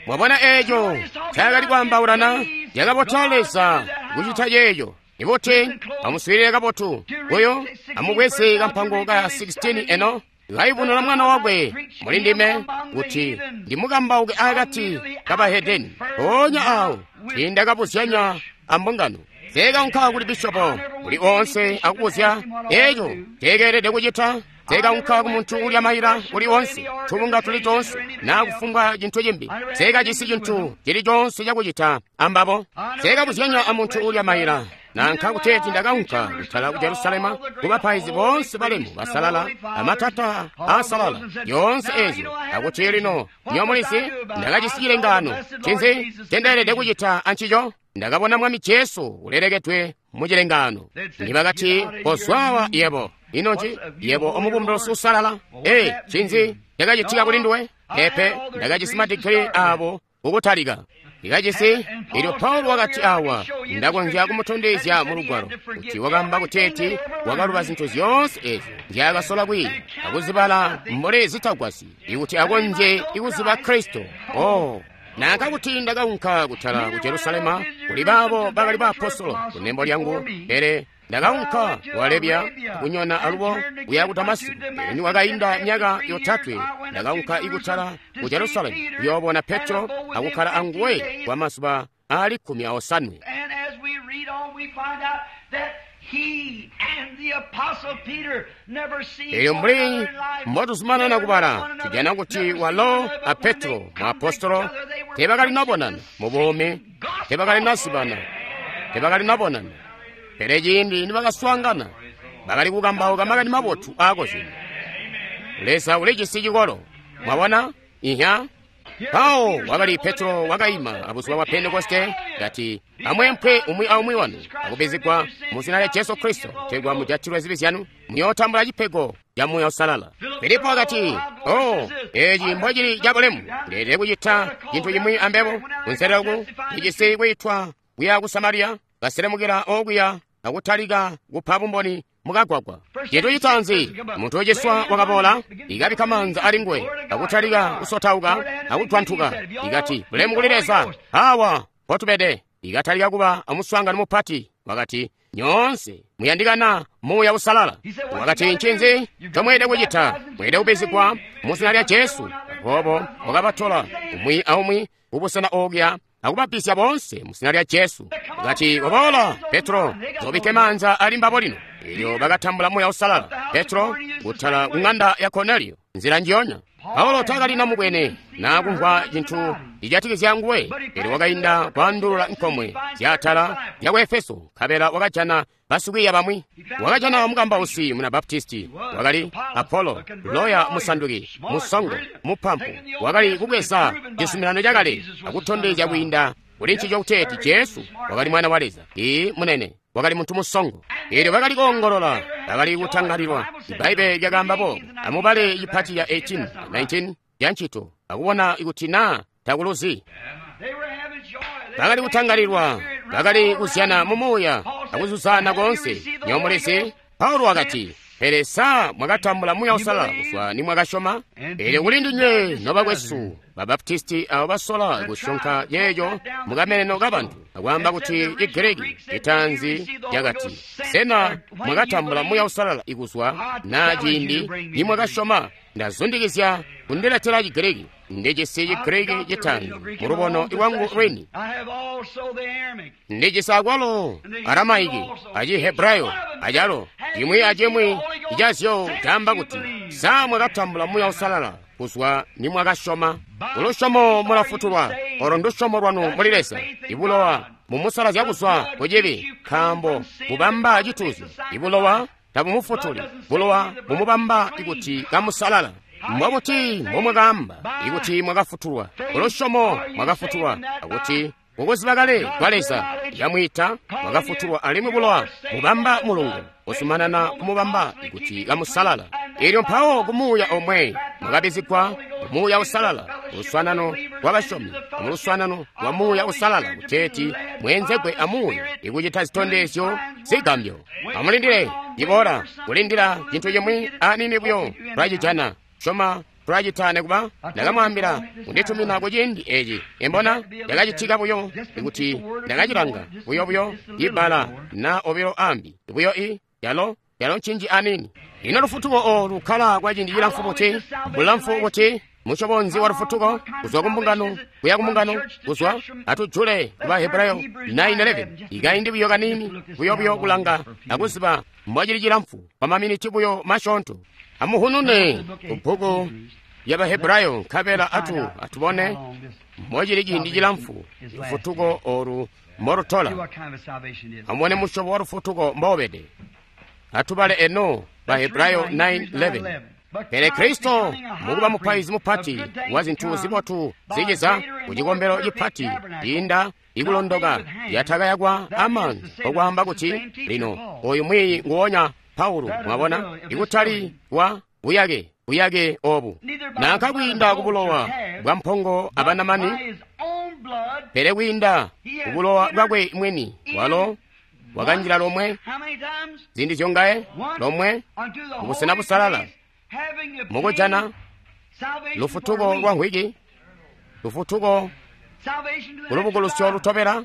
mwabona eco cakali kwaambaulana. Cakabotela Leza kucita ceeco. Ibuti amuswiilile kabotu uyo amubweze kampango ka sixteen eno kayubununa mwana wakwe muli ndime kuti ndimukambauke akati kabahedeni. Mpoonya awo tiindakabuzyanya ambungano. Teekaunka kuli bishopo kuli onse akubuzya eco teekeelede kucita. Teekaunka ku muntu ulya maila uli onse, tubunga tuli tonse, naa kufumbwa cintu cimbi. Teekajisi cintu cili conse cakucita ambabo. Teekabuzyanya amuntu ulya maila. Nanka kuteeti ndakaunka kutala ku Jerusalema kubapaizi boonse balemu basalala amatata aasalala yoonse ezyo akuti lino nyomulizi ndakajisi cilengaano. Ncinzi ncendeelede kucita ancico? Ndakabona Mwami Jesu ulelekedwe mu cilengaano. Nibakati, kozwawa yebo. Ino nci yebo omubumbulusi usalala? Ee, ncinzi cakacitika kuli nduwe? Pepe, ndakajisi madigiri abo kukutalika. Ndikajisi. Elyo Paulo wakati awa, ndakonzya kumutondezya mu lugwalo kuti wakamba kuteeti wakaluba zintu zyoonse ezyo nzyaakasola kwiiya akuzibala mbuli zitagwasyi ikuti akonzye ikuziba Kristo. Oh, nanka kuti ndakaunka kutala ku Jerusalema kuli baabo bakali baapostolo kunembo lyangu, pele ndakaunka ku Arabia kunyona alubo kuya ku Damasiko. Pele niwakainda myaka yotatwe ndakaunka ikutala ku Jerusalemu kuyoobona Petro akukkala anguwe kwa mazuba aali kkumi aosanwe. Elyo mbuli mbotuzumanana kubala tujana kuti walo a Petro muapostolo teebakali nabonana mu buumi, teebakali nazibana, teebakali nabonana. Pele ciindi nibakaswaangana bakali kukambauka makani mabotu aakozyenye. Leza ulijisi cikolo. Mwabona? Ihya. Mpawo wakali Petro wakaima abuzuba bwa Pentekoste kati, amweempwe umwi aumwi wanu akubizigwa mu zina lya Jesu Kristo kutegwa mujatilwe zibi zyanu, muyootambula cipego ca Muuya Uusalala. Filipo wakati, oh, eci mbocili cabulemu, ndeelede kucita cintu cimwi ambebo. Kunselelo ku ndijisi kwiitwa kuya ku Samariya, kaselemukila okuya akutalika kupa bumboni mukagwagwa. Cintu citaanzi, muntu uciswa wakaboola, ikabikka maanza ali nguwe, akutalika kusotauka akutwantuka. Ikati, bulemu kuli Leza, awa mpotubede. Ikatalika kuba amuswaangano mupati. Wakati, Nyoonse muyandikana Muuya Uusalala. Wakati, ncinzi ncomweelede kucita? Mweelede kubbizigwa mu zina lya Jesu. Aboobo wakabatola umwi aumwi kubusena okuya akubabbizya boonse mu zina lya Jesu. Wakati, waboola Petro, zobikke maanza ali mbabo lino. Elyo bakatambula Muuya Uusalala. Petro kutala ku ng'anda ya Kornelio, nzila njiyonya. Paulo takalina mubwene na kumvwa cintu cijatikizya nguwe, pele wakainda kwaandulula nkomwe zyaatala zyaku Efeso, nkabela wakajana basikwiiya bamwi. Wakajana mukambausi muna Baptisti, wakali Apolo, loya musanduki, musongo, mupampu, wakali kubweza cizuminano cakale akutondezya kwiinda kuli ncico kuteeti Jesu wakali Mwana wa Leza. Ii munene, wakali muntu musongo. Elyo bakali koongolola, bakali kutangalilwa. Ibbaibbele lyakaamba boobo. Amubale cipati ya eighteen nineteen ya Ncito akubona kuti naa takuluzi. Bakali kutangalilwa, bakali kuzyana mu muuya akuzuzana koonse. Nyomulizi, Paulo wakati, pele sa mwakatambula Muuya Uusalala kuzwa nimwakasyoma? Elyo kuli ndinywe nobakwesu Babaptisti abo basola kusyonka yeeyo mukameneno kabantu akwaamba kuti Chigiriki citaanzi cakati, sena mwakatambula Muuya Uusalala ikuzwa na ciindi nimwakasyoma? Ndazundikizya kundiletela Chigiriki. Ndijisi Chigiriki citaanzi mulubono lwangu lwini. Ndijisi akwalo Aramaiki aci Hebrayo acalo cimwi acimwi icazyo caamba kuti, sa mwakatambula Muuya Uusalala kuzwa nimwakasyoma? Kulusyomo mulafutulwa, olo ndusyomo lwanu muli Leza. Ibulowa mumusalazya kuzwa kucibi, nkaambo bubamba cituuzyo. Ibulowa tabumufutuli, bulowa bumubamba ikuti kamusalala. Mbobuti mbomwakaamba ikuti mwakafutulwa? Kulusyomo mwakafutulwa, akuti kukuziba kale kwa Leza yamwiita mwakafutulwa, alimwi bulowa mubamba mulungu uzumanana kumubamba ikuti kamusalala. Elyo mpawo ku Muuya omwe mwakabizigwa ku Muuya Uusalala, luswanano lwa basyomi, mu luswanano lwa Muuya Uusalala, kuteeti mweenzegwe a Muuya ikucita zitondezyo zigambyo. Amulindile ciboola, kulindila cintu cimwi aniini buyo tulacijana. Syoma tulacita nekuba ndakamwaambila kunditumina ku ciindi eci. Embona ndakacitika buyo ikuti ndakacilanga buyo buyo ibbala na obilo ambi buyo i yalo yalo ncinji anini. Ino lufutuko olu lukkala kwa ciindi cilamfu buti? Bulamfu buti? Musyobo nzi wa lufutuko? Kuzwa ku mbungano kuya ku mbungano, kuzwa atujule ku Bahebrayo nine eleven. Ikaindi buyo kanini buyo buyo kulanga akuziba mbwacili cilamfu kwa maminiti buyo masyoonto. Amuhunune ku bbuku ya Bahebrayo nkabela atu atubone mbocili ciindi cilamfu lufutuko olu mbolutola. Amubone musyobo wa lufutuko mbobede. Atubale eno Bahebrayo nine eleven. Pele Kristo mukuba mupaizi mupati wa zintu zibotu ziciza ku cikombelo cipati ciinda ikulondoka yatakayakwa amaanza, okwaamba kuti lino oyu mwiiyi nguwonya Paulo, mwabona, ikutali wa buyake buyake obu nanka kwiinda kubulowa bwa mpongo abanamani, pele kwiinda kubulowa bwakwe mwini walo wakanjila lomwe ziindi zyongaye lomwe kubusena busalala mukujana lufutuko lwa nkhwiki, lufutuko kulubukulusyo lutobela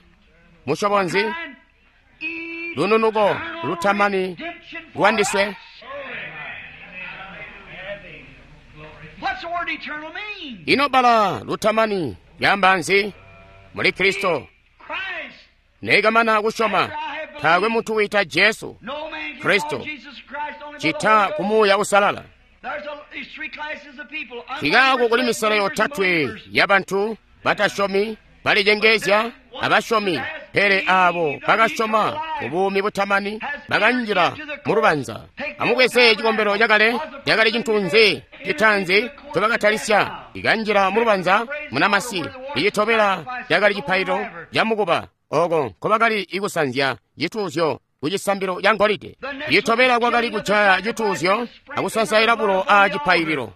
musyobo nzi, lununuko lutamani lwandiswe. Ino bbala lutamani lyaamba nzi? Muli Kristo nekamana kusyoma, taakwe muntu wiita Jesu Kristo cita ku Muuya Uusalala. Nkikaako kuli misela yotatwe ya bantu batasyomi, balicengezya abasyomi, pele aabo bakasyoma ubuumi butamani bakanjila mu lubanza. Amubweze cikombelo cakale, cakali cintu nzi citaanzi ncobakatalisya? Ikanjila mu lubanza munamasi. Icitobela cakali cipaililo camukuba, oko nkobakali ikusanzya cituuzyo ku cisambilo ca ngolide. Icitobela kwakali kujaya cituuzyo akusansaila bulo a cipaililo.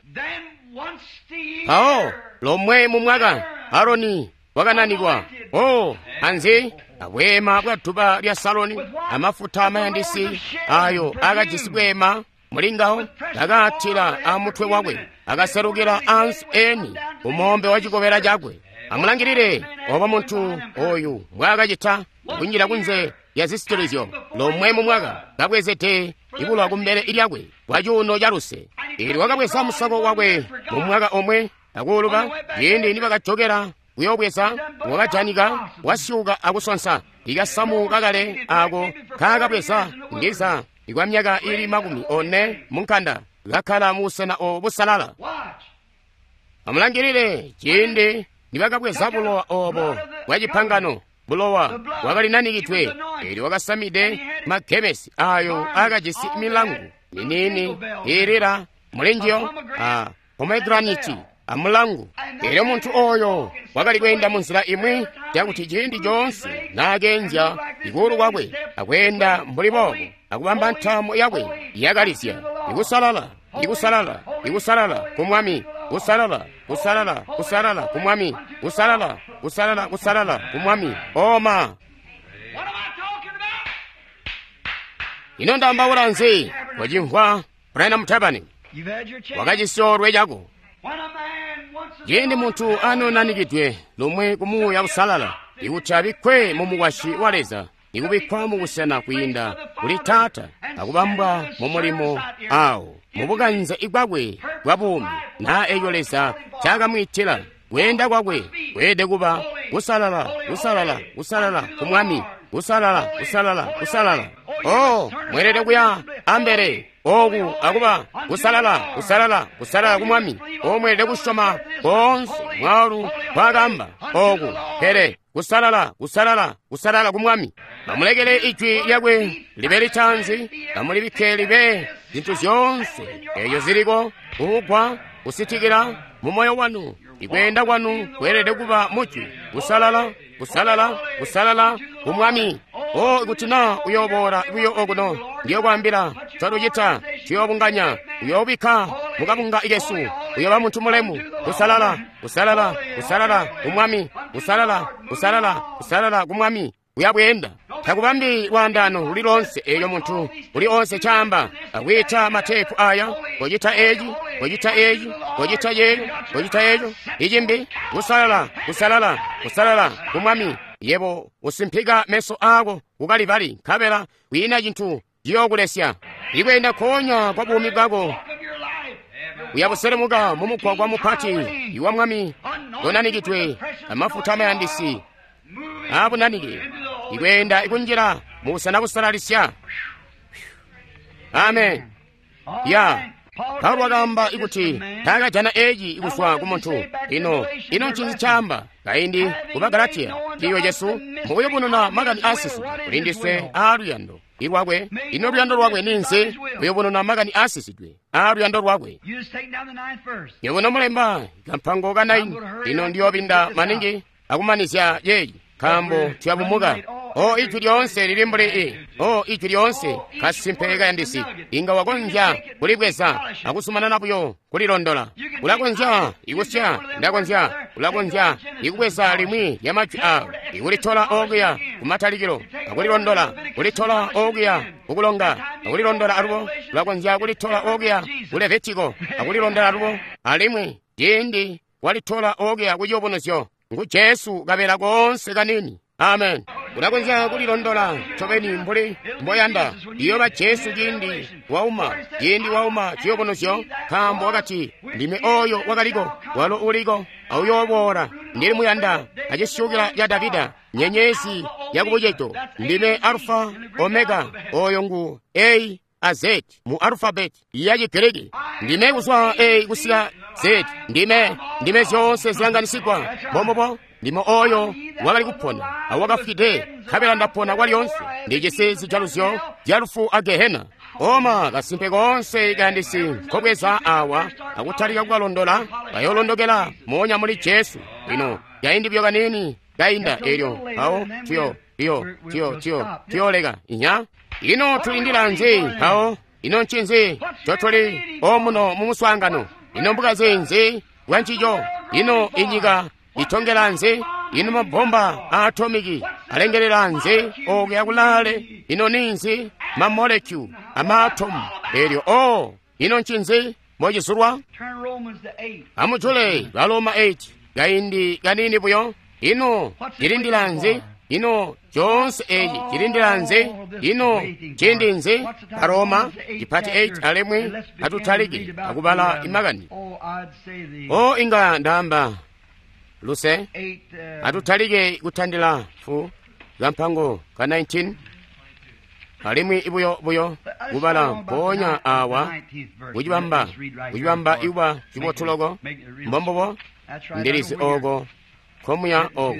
Mpawo lomwe mu mwaka Aroni wakananikwa o anzi abweema bwa duba lya Saloni, amafuta amayandisi ayo akajisi bweema mulingawo akaatila amutwe wakwe, akaserukila ansi eni kumombe wa cikobela cakwe. Amulangilile obo muntu oyu mbwaakacita kunjila kunze ya zisitilizyo lomwe mu mwaka, kabwezede ibulowa kumbele lyakwe kwa cuuno ca luse. Eelyo wakabweza musako wakwe mu mwaka omwe akuuluka. Ciindi nibakajokela kuyobweza, wakajanika wasyuka akusonsa ikasamu kakale ako kakabweza ndiza ikwa myaka ili makumi one munkanda, kakkala mu busena obo busalala. Amulangilile ciindi nibakabweza bulowa obo bwa cipangano, bulowa bwakali nanikidwe. Eelyo wakasamide magemesi ayo akajisi milangu miniini iilila mulinjiyo a pomegraniti amulangu. Eelyo muntu oyo wakali kweenda mu nzila imwi cakuti ciindi coonse naakenzya ikuulu kwakwe akweenda mbuli boobo akubamba ntaamo yakwe yakalizya ikusalala, ikusalala, ikusalala ku Mwami, kusalala, kusalala, kusalala ku Mwami, kusalala, kusalala, kusalala ku Mwami. Oma, ino ndaambaula nzi? Wacimvwa Branham Tabani, wakacisoolwe cako. Ciindi muntu anonanikidwe lomwe ku Muuya Usalala, ikuti abikkwe mu mukwasyi wa Leza, ikubikkwa mu busena kwiinda kuli Taata, akubambwa mu mulimo awo mu bukanze bwakwe bwa buumi, naa eeco Leza ncakamwiitila. Kweenda kwakwe kweelede kuba kusalala, kusalala, kusalala ku Mwami, kusalala, kusalala, kusalala. Oh, mweelede kuya ambele oku akuba kusalala, kusalala, kusalala ku Mwami. O, mweelede kusyoma koonse mwaalu kwakamba oku, pele kusalala, kusalala, kusalala ku Mwami. Bamulekele ijwi lyakwe libe litanzi, bamulibikke libe zintu zyoonse eeyo ziliko kugwa kusitikila mu moyo wanu. Ikweenda kwanu kweelede kuba mujwi kusalala, kusalala, kusalala ku Mwami. O, ikuti na uyooboola buyo okuno, ndiyokwaambila twalucita, tuyoobunganya, uyoobikka mukabunga kesu, uyooba muntu mulemu. Kusalala, kusalala, kusalala ku Mwami, kusalala, kusalala, kusalala ku Mwami. Uyabweenda takubambi lwaandaano luli lonse eeyo muntu uli onse caamba akwiita mateepu aya, kocita eci, kocita eci, kocita yeeyo, kocita eco icimbi. Kusalala, kusalala, kusalala ku Mwami. Yebo usimpika meso ako kukalibali, nkabela kwiina cintu ciyookulesya. Ikweenda konya kwa buumi bwako uyabuselemuka mu mugwagwa mupati iwa Mwami unanikidwe amafuta amayandisi abunanike, ikweenda ikunjila mu busena busalalisya. Amen. Ya Paulo wakaamba ikuti taakajana eci kuzwa ku muntu. Ino ino ncinzi caamba kaindi ku Bagalatiya ciiyo cesu mukuyubununa makani aasisidwe kuli ndiswe aaluyando ilwakwe. Ino luyando lwakwe ninzi? Kuyubununa makani aasisidwe aaluyando lwakwe. Yebo nomulemba kampango ka naini. Ino ndiyoobinda maningi akumanizya yeeyi, nkaambo tuyabumuka. O, ijwi lyoonse lili mbuli i. O, ijwi lyoonse kasimpe kayandisi, inga wakonzya kulibweza akusumanana buyo kulilondola. Ulakonzya ikusya, ndakonzya, ulakonzya ikubweza limwi lya majwi awo, ikulitola okuya kumatalikilo akulilondola, kulitola okuya kukulonga akulilondola alubo. Ulakonzya kulitola okuya ku Levitiko akulilondola alubo. Alimwi ciindi walitola okuya ku Ciyubunuzyo, ngu Jesu kabela koonse kanini. Amen. Ulakonzya kulilondola ncobeni mbuli mboyanda. Iyoba Jesu ciindi wauma, ciindi wauma ciyubunuzyo, nkaambo wakati, ndime oyo wakaliko, walo uliko, auyooboola. Ndili muyanda acisyukila ca Davida, nyenyezi yakubucedo. Ndime Alfa Omega, oyo ngu A a Z mu alufabeti ya Chigiriki. Ndime kuzwa A kusika Z. Ndime, ndime zyoonse zilanganisigwa. Mombobo ndime oyo wakali kupona awakafwide, nkabela ndapona kwalyonse. Ndijisi zijaluzyo zya lufu a Gehena. Oma kasimpe koonse kayandisi nkobweza awa akutalika kukalondola, kayolondokela moonya muli Jesu. Lino kaindi buyo kaniini kainda elyo mpawo tuyo tuyo tuyo tuyo tuyoleka inya. Ino tulindila nzi mpawo? Ino ncinzi ncotuli omuno mu muswaangano? Ino mbukaze nzi bwa ncico? Ino inyika itongela nzi? Ino mabomba a atomiki alengelela nzi okuya kulaale? Ino ninzi mamolekyu amaatomu elyo? O, ino ncinzi mocizulwa? Amujule Baloma eight kaindi kanini buyo. Ino cilindila nzi? Ino coonse eci cilindila nzi? Ino ciindi nzi? Baroma cipati eight alimwi atutalike akubala imakani. O inga ndaamba luse atutalike kutandila fu kampango ka nineteen alimwi ibuyo buyo kubala mpoonya awa kucibamba kucibamba ikuba cibotuloko mbombubo ndilizi oko komuya oko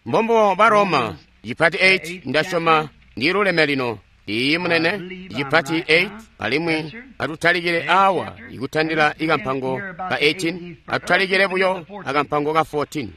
mbombubo Baroma cipati eight ndasyoma ndiluleme lino. Iyi munene cipati eight alimwi atutalikile awa ikutandila ikampango ka eighteen atutalikile buyo akampango ka fourteen.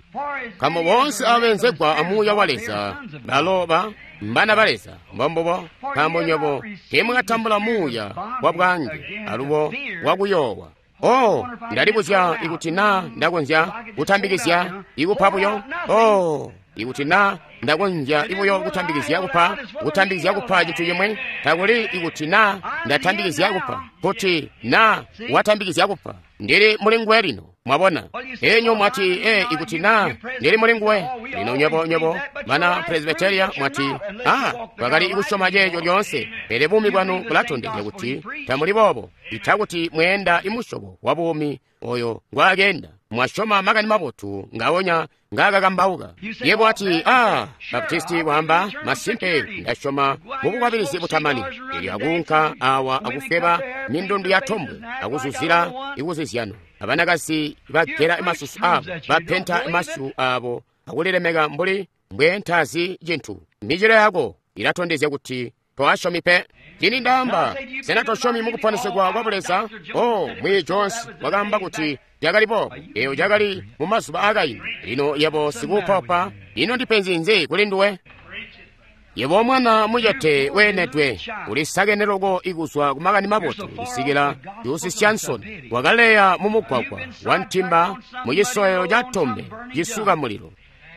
Nkaambo boonse abenzegwa amuuya wa Leza balo ba mbana ba Leza. Mbombubo nkaambo nywebo teemwakatambula muuya wa bwange alubo wakuyoowa. Oh, ndalibuzya ikuti naa ndakonzya kutambikizya ikupa buyo. Oh, ikuti naa ndakonzya ibuyo kutambikizya kupa, kutambikizya kupa cintu cimwe, takuli ikuti naa ndatambikizya kupa, kuti naa watambikizya kupa. Ndili muli nguwe lino, mwabona. Enyo mwati, e, ikuti naa ndili muli nguwe. Lino nywebo nywebo bana Presbyteria mwati, ah, twakali kusyoma ceeco lyoonse, pele buumi bwanu bulatondezya kuti tamuli boobo, ita kuti mweenda imusyobo wa buumi oyo ngwaakenda. Mwasyoma makani mabotu ngawonya ngaakakambauka. Yebo ati, ah, Baptisti waamba, masimpe ndasyoma mubukwabilizi butamani. Elyo akuunka awa akufweba mindundu ya tombwe, akuzuzila ikuzizyano. Abanakazi bagela masusu abo, bapenta masu abo, akulilemeka mbuli mbwentazi cintu. Michilo yako ilatondezya kuti toasyomi pe. Cini ndaamba, sena tosyomi mukuponesegwa kwa Buleza? Oh, Mwiyi Jones wakaamba kuti cakali boobo. Eyo cakali mu mazuba aakaindi. Lino yebo sikuupaupa, ino ndipenzi nzi kuli nduwe? Yebo mwana mucete weenedwe, ulisakene loko ikuzwa ku makani mabotu kusikila Jusi Johnson wakaleya mu mugwagwa wa ntimba mu cisoyo ca tombe cisuka mulilo.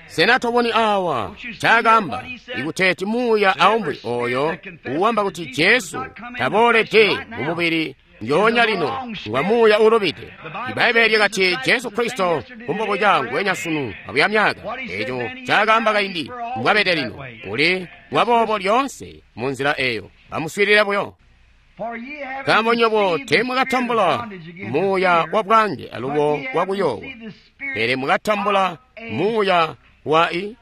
Sena toboni awa cakamba ikuteeti muuya aumbwi oyo uwamba kuti Jesu taboolede mu mubili njoonya lino ngwa muuya ulubide. Ibaibbele lyakati Jesu Kristo kumbobo cangu wenya sunu abuya myaka. Eco cakamba kaindi mbwabede lino uli ngwaboobo lyoonse mu nzila eyo. Amuswiilile buyo. Nkaambo nywebo teemwakatambula muuya wa bwange alubo wakuyoowa, pele mwakatambula muuya wa i.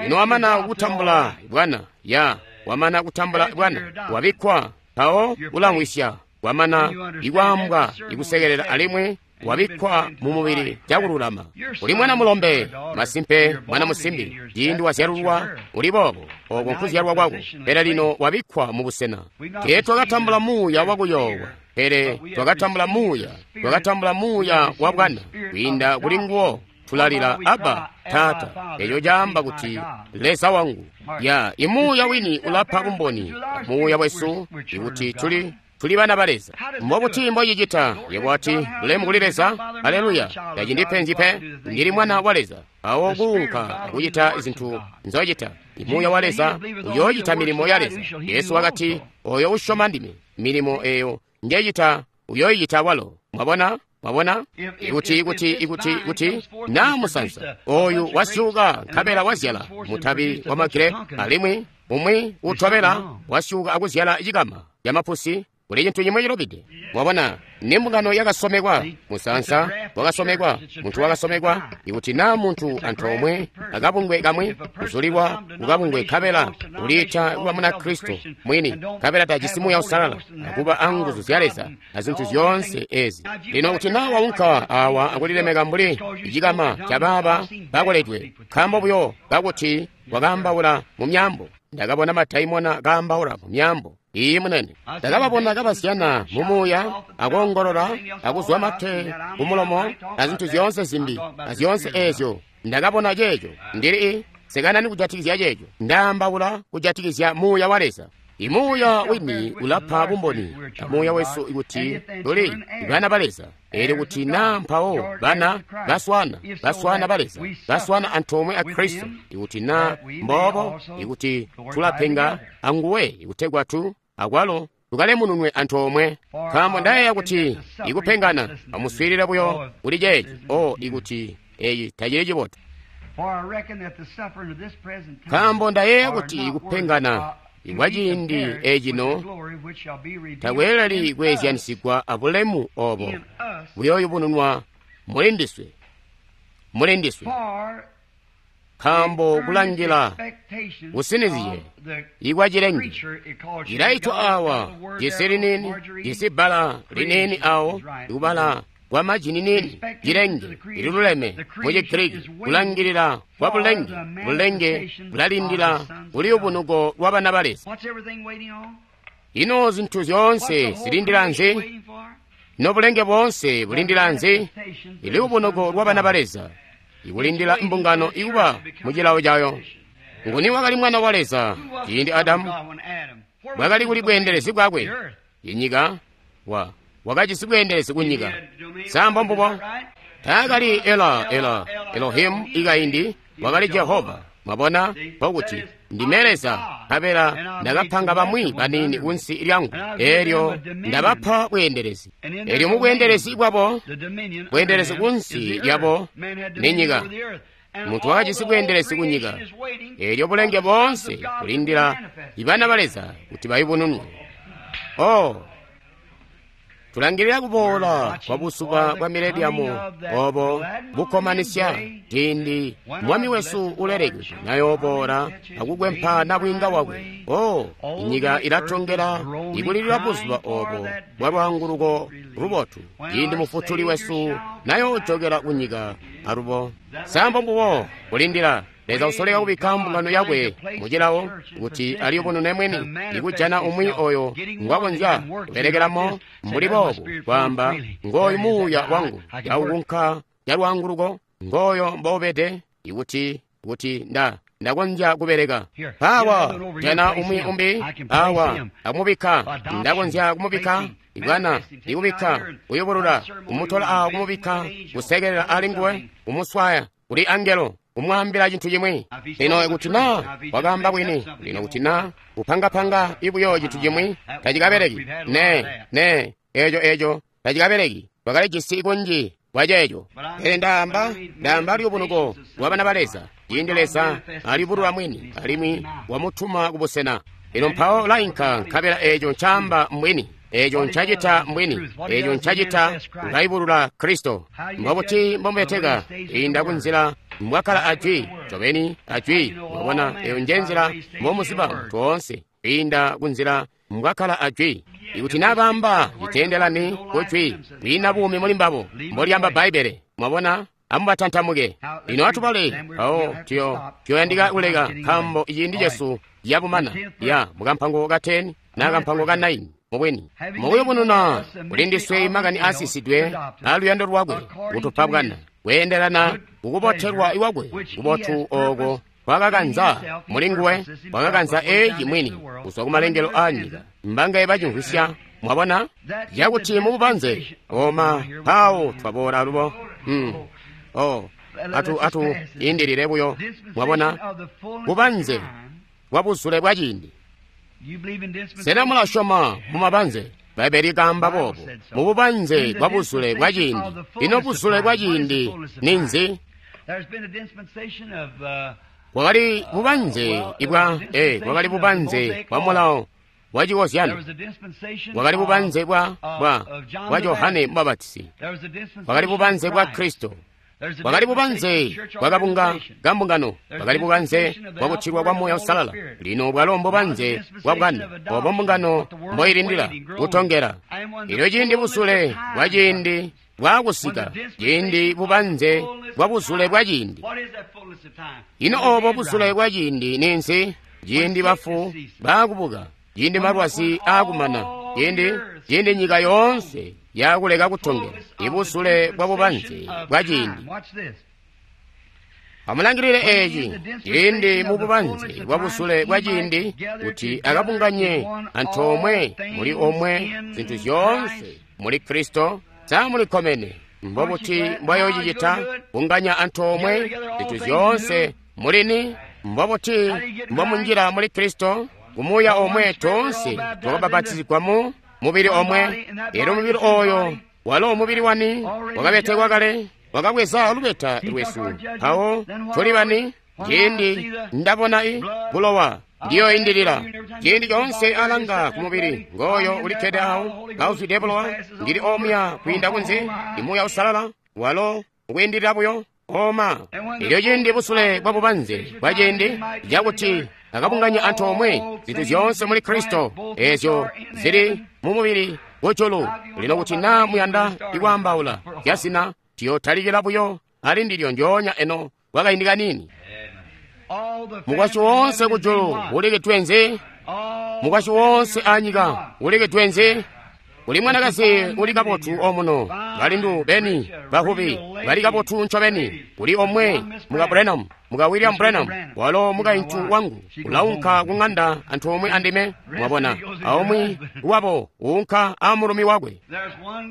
Lino wamana kutambula bwana ya wamana kutambula bwana wabikkwa mpawo ulamwisya wamana ikwaambwa ikusekelela alimwi wabikkwa mu mubili cakululama. Uli mwana mulombe masimpe mwana musimbi ciindi wazyalulwa uli boobo oko nkuzyalwa kwako, pele lino wabikkwa mu busena. Tee twakatambula muuya wakuyoowa, pele twakatambula muuya twakatambula muuya wa bwana. Kwiinda kuli nguwo tulalila Abba Taata, eco caamba kuti Leza wangu. Ya imuuya wini ulapa bumboni muuya wesu ikuti tuli tuli bana ba Leza. Mbobuti mbocicita? Yebo ati, bulemu kuli Leza, aleluya, tacindipenzi pe, ndili mwana wa Leza. Awo kuunka akucita zintu nzocita. Imuuya wa Leza uyoocita milimo ya Leza. Yesu wakati, oyo usyoma ndime, milimo eyo njecita uyoyicita walo. Mwabona? Mwabona? Ikuti, ikuti, ikuti, ikuti, naa musanza oyu wasyuka nkabela wazyala mutabi wa magirepu, alimwi umwi utobela wasyuka akuzyala cikama camapusi, kuli cintu cimwe cilubide. Mwabona, ni mbungano yakasomekwa, musansa wakasomekwa, muntu wakasomekwa. Ikuti naa muntu antoomwe akabungwe kamwe kuzulilwa kukabungwe nkabela uliita kuba muna Kristo mwini, nkabela tajisi muuya usalala akuba anguzu zya Leza azintu zyoonse ezi. Lino kuti naa waunka awa akulilemeka mbuli cikama cabaaba bakoledwe, nkaambo buyo kakuti wakaambaula mu myaambo. Ndakabona madaimona kaambaula mu myaambo. Iyi munene, ndakababona kabazyana mu muuya, akoongolola, akuzwa mate ku mulomo, azintu zyoonse zimbi, azyoonse ezyo. Ndakabona ceeco. Ndili sekanani kujatikizya ceeco. Ndaambaula kujatikizya muuya wa Leza. Imuuya wini ulapa bumboni muuya wesu kuti tuli bana ba Leza. Elyo kuti naa mpawo bana baswana baswana ba Leza baswana antoomwe a Kristo, ikuti naa mboobo, ikuti tulapenga anguwe ikutegwa tu akwalo tukalemununwe antoomwe. Nkaambo ndayeeya kuti ikupengana amuswiilile buyo kuli ceeci. O ikuti eyi tacili cibotu. Nkaambo ndayeeya kuti kupengana kwaciindi ecino takweeleli kweezyanisigwa abulemu obo buyooyubununwa muli ndiswe muli ndiswe. Nkaambo kulangila kusinizye ikwa cilenge cilaitwa awa jisi liniini, jisi bbala liniini awo ikubala kwa maji niniini, cilenge ililuleme mu Chigiriki, kulangilila kwa bulenge, bulenge bulalindila kuliyubunuko lwa bana ba Leza. Ino zintu zyoonse zilindila nzi? Ino bulenge boonse bulindila nzi? Iliyubunuko lwa bana ba Leza, ikulindila mbungano ikuba mu cilawo cayo. Nguni wakali mwana wa Leza ciindi Adamu bwakali kuli bweendelezi bwakwe? Inyika wa wakajisi bweendelezi kunyika. Sambo mbubo taakali Ela Ela Elohimu ikaindi, wakali Jehova. Mwabona nkokuti ndime Leza, nkabela ndakapanga bamwi baniini kunsi lyangu, eelyo ndabapa bweendelezi. Eelyo mu bweendelezi bwabo, bweendelezi kunsi lyabo ni nyika. Muntu wakajisi bweendelezi kunyika. Eelyo bulenge boonse bulindila ibana ba Leza kuti bayubununwe. Oh, tulangilila kuboola kwa buzuba bwa mileniamu obo bukkomanisya, ciindi Mwami wesu ulelekwe nayooboola akukwempa nabwiinga wakwe. Oh, inyika ilatongela ikulilila buzuba obo bwa lwaanguluko lubotu, ciindi Mufutuli wesu nayoojokela kunyika alubo. Sambo mbubo kulindila Leza usoleka kubikka mbungano yakwe mucilawo kuti aliyubunune mwini, ikujana umwi oyo ngwakonzya kubelekelamo mbuli boobu, kwaamba ngooyu muuya wangu yaukunka yalwaanguluko, ngooyo mboubede, ikuti kuti nda ndakonzya kubeleka awa, jana umwi umbi awa akumubikka, ndakonzya kumubikka ibwana, ikubikka kuyubulula, kumutola awa kumubikka, kusekelela ali nguwe, kumuswaya kuli angelo, kumwaambila cintu cimwi. Lino kuti na wakaamba bwini, lino kuti na kupangapanga ibuyo cintu cimwi tacikabeleki. Ne ne eco eco tacikabeleki. Twakalijisi kunji kwa ceeco. Pele ndaamba ndaamba luyubunuko lwa bana ba Leza, ciindi Leza aliyubulula mwini alimwi wamutuma kubusena. Lino mpawo lainka, nkabela eco ncaamba mbwini, eco ncacita mbwini, eco ncacita ulayubulula Kristo. Mbobuti mbomubeteka inda kunzila mbwakkala ajwi? Ncobeni ajwi. Mwabona, eyo nje nzila mbomuziba muntu woonse, kwiinda kunzila mbwakkala ajwi. Ikuti nabaamba citeendelani kujwi, kwiina buumi muli mbabo, mbolyamba Bbaibbele. Mwabona, amubatantamuke. Lino atubale mpawo tuyo tuyoyandika kuleka, nkaambo ciindi cesu yabumana ya mukampango ka ten na kampango ka nine. Mubwini mukuyubununa kuli ndiswe makani aasisidwe aluyando lwakwe kutupa bwana kweendelana kukubotelwa iwakwe kubotu ooko kwakakanza muli nguwe, kwakakanza eci mwini kuzwa kumalengelo a nyika. Mbangaye bacimvwisya? Mwabona yakuti mububanze oma mpawo twaboola alubo. Hmm. Oh, atu atu indilile buyo. Mwabona bubanze bwa buzule bwa ciindi. Sena mulasyoma mumabanze? Bbaibbele likaamba boobo, mububanze bwa buzule bwa ciindi. Ino buzule bwa ciindi ninzi? Kwakali bubanze ibwa eh, kwakali bubanze bwa mulawo wa chikozyano, kwakali bubanze bwa bwa bwa Johane Mubapatizi, kwakali bubanze bwa Kristo, kwakali bubanze bwa kabunga ka mbungano, kwakali bubanze bwa kutilwa kwa Muuya Uusalala. Lino bwalo mbubanze bwa bwana obo mbungano mboilindila kutongela. Elyo ciindi buzule bwa ciindi bwakusika, ciindi bubanze bwa buzule bwa ciindi. Ino obo buzule bwa ciindi ninzi? Ciindi bafu baakubuka, ciindi malwazi aakumana, ciindi ciindi nyika yoonse yakuleka kutongela, ibuzule bwa bubanze bwa ciindi. Amulangilile eci, ciindi mu bubanze bwa buzule bwa ciindi, kuti akabunganye antoomwe muli omwe zintu zyoonse muli Kristo. Sa mulikkomene? Mbobuti mbwayoocicita? Bunganya antoomwe zintu zyoonse mulini? Mbobuti mbomunjila muli Kristo? Kumuuya omwe toonse twakabapatizigwa mu mubili omwe. Elyo mubili oyo walo mubili wani wakabetekwa kale, Wakabweza lubeta lwesu. Mpawo tuli bani? Ciindi ndabona i bulowa ndiyoindilila. Ciindi coonse alanga ku mubili ngooyo ulikkede awo kauzwide bulowa, ndili omuya kwiinda kunze, imuuya usalala walo ukwiindilila buyo oma. Elyo ciindi busule bwa bubanze bwa ciindi cakuti akabunganya antoomwe zintu zyoonse muli Kristo ezyo zili mu mubili kujulu. Lino kuti naa muyanda ikwaambaula zyazina, tiyotalikila buyo ali ndilyo ndyoonya eno kwakaindi kaniini. Mukwasyi woonse kujulu ulikidwe nzi? Mukwasyi woonse anyika ulikidwe nzi? Kuli mwanakazi uli kabotu omuno, balindu beni bahubi bali kabotu ncobeni. Kuli omwe muka Branham, muka William Branham, walo mukaintu wangu ulaunka ku ng'anda antoomwe andime, mwabona, aumwi wabo uunka amulumi wakwe.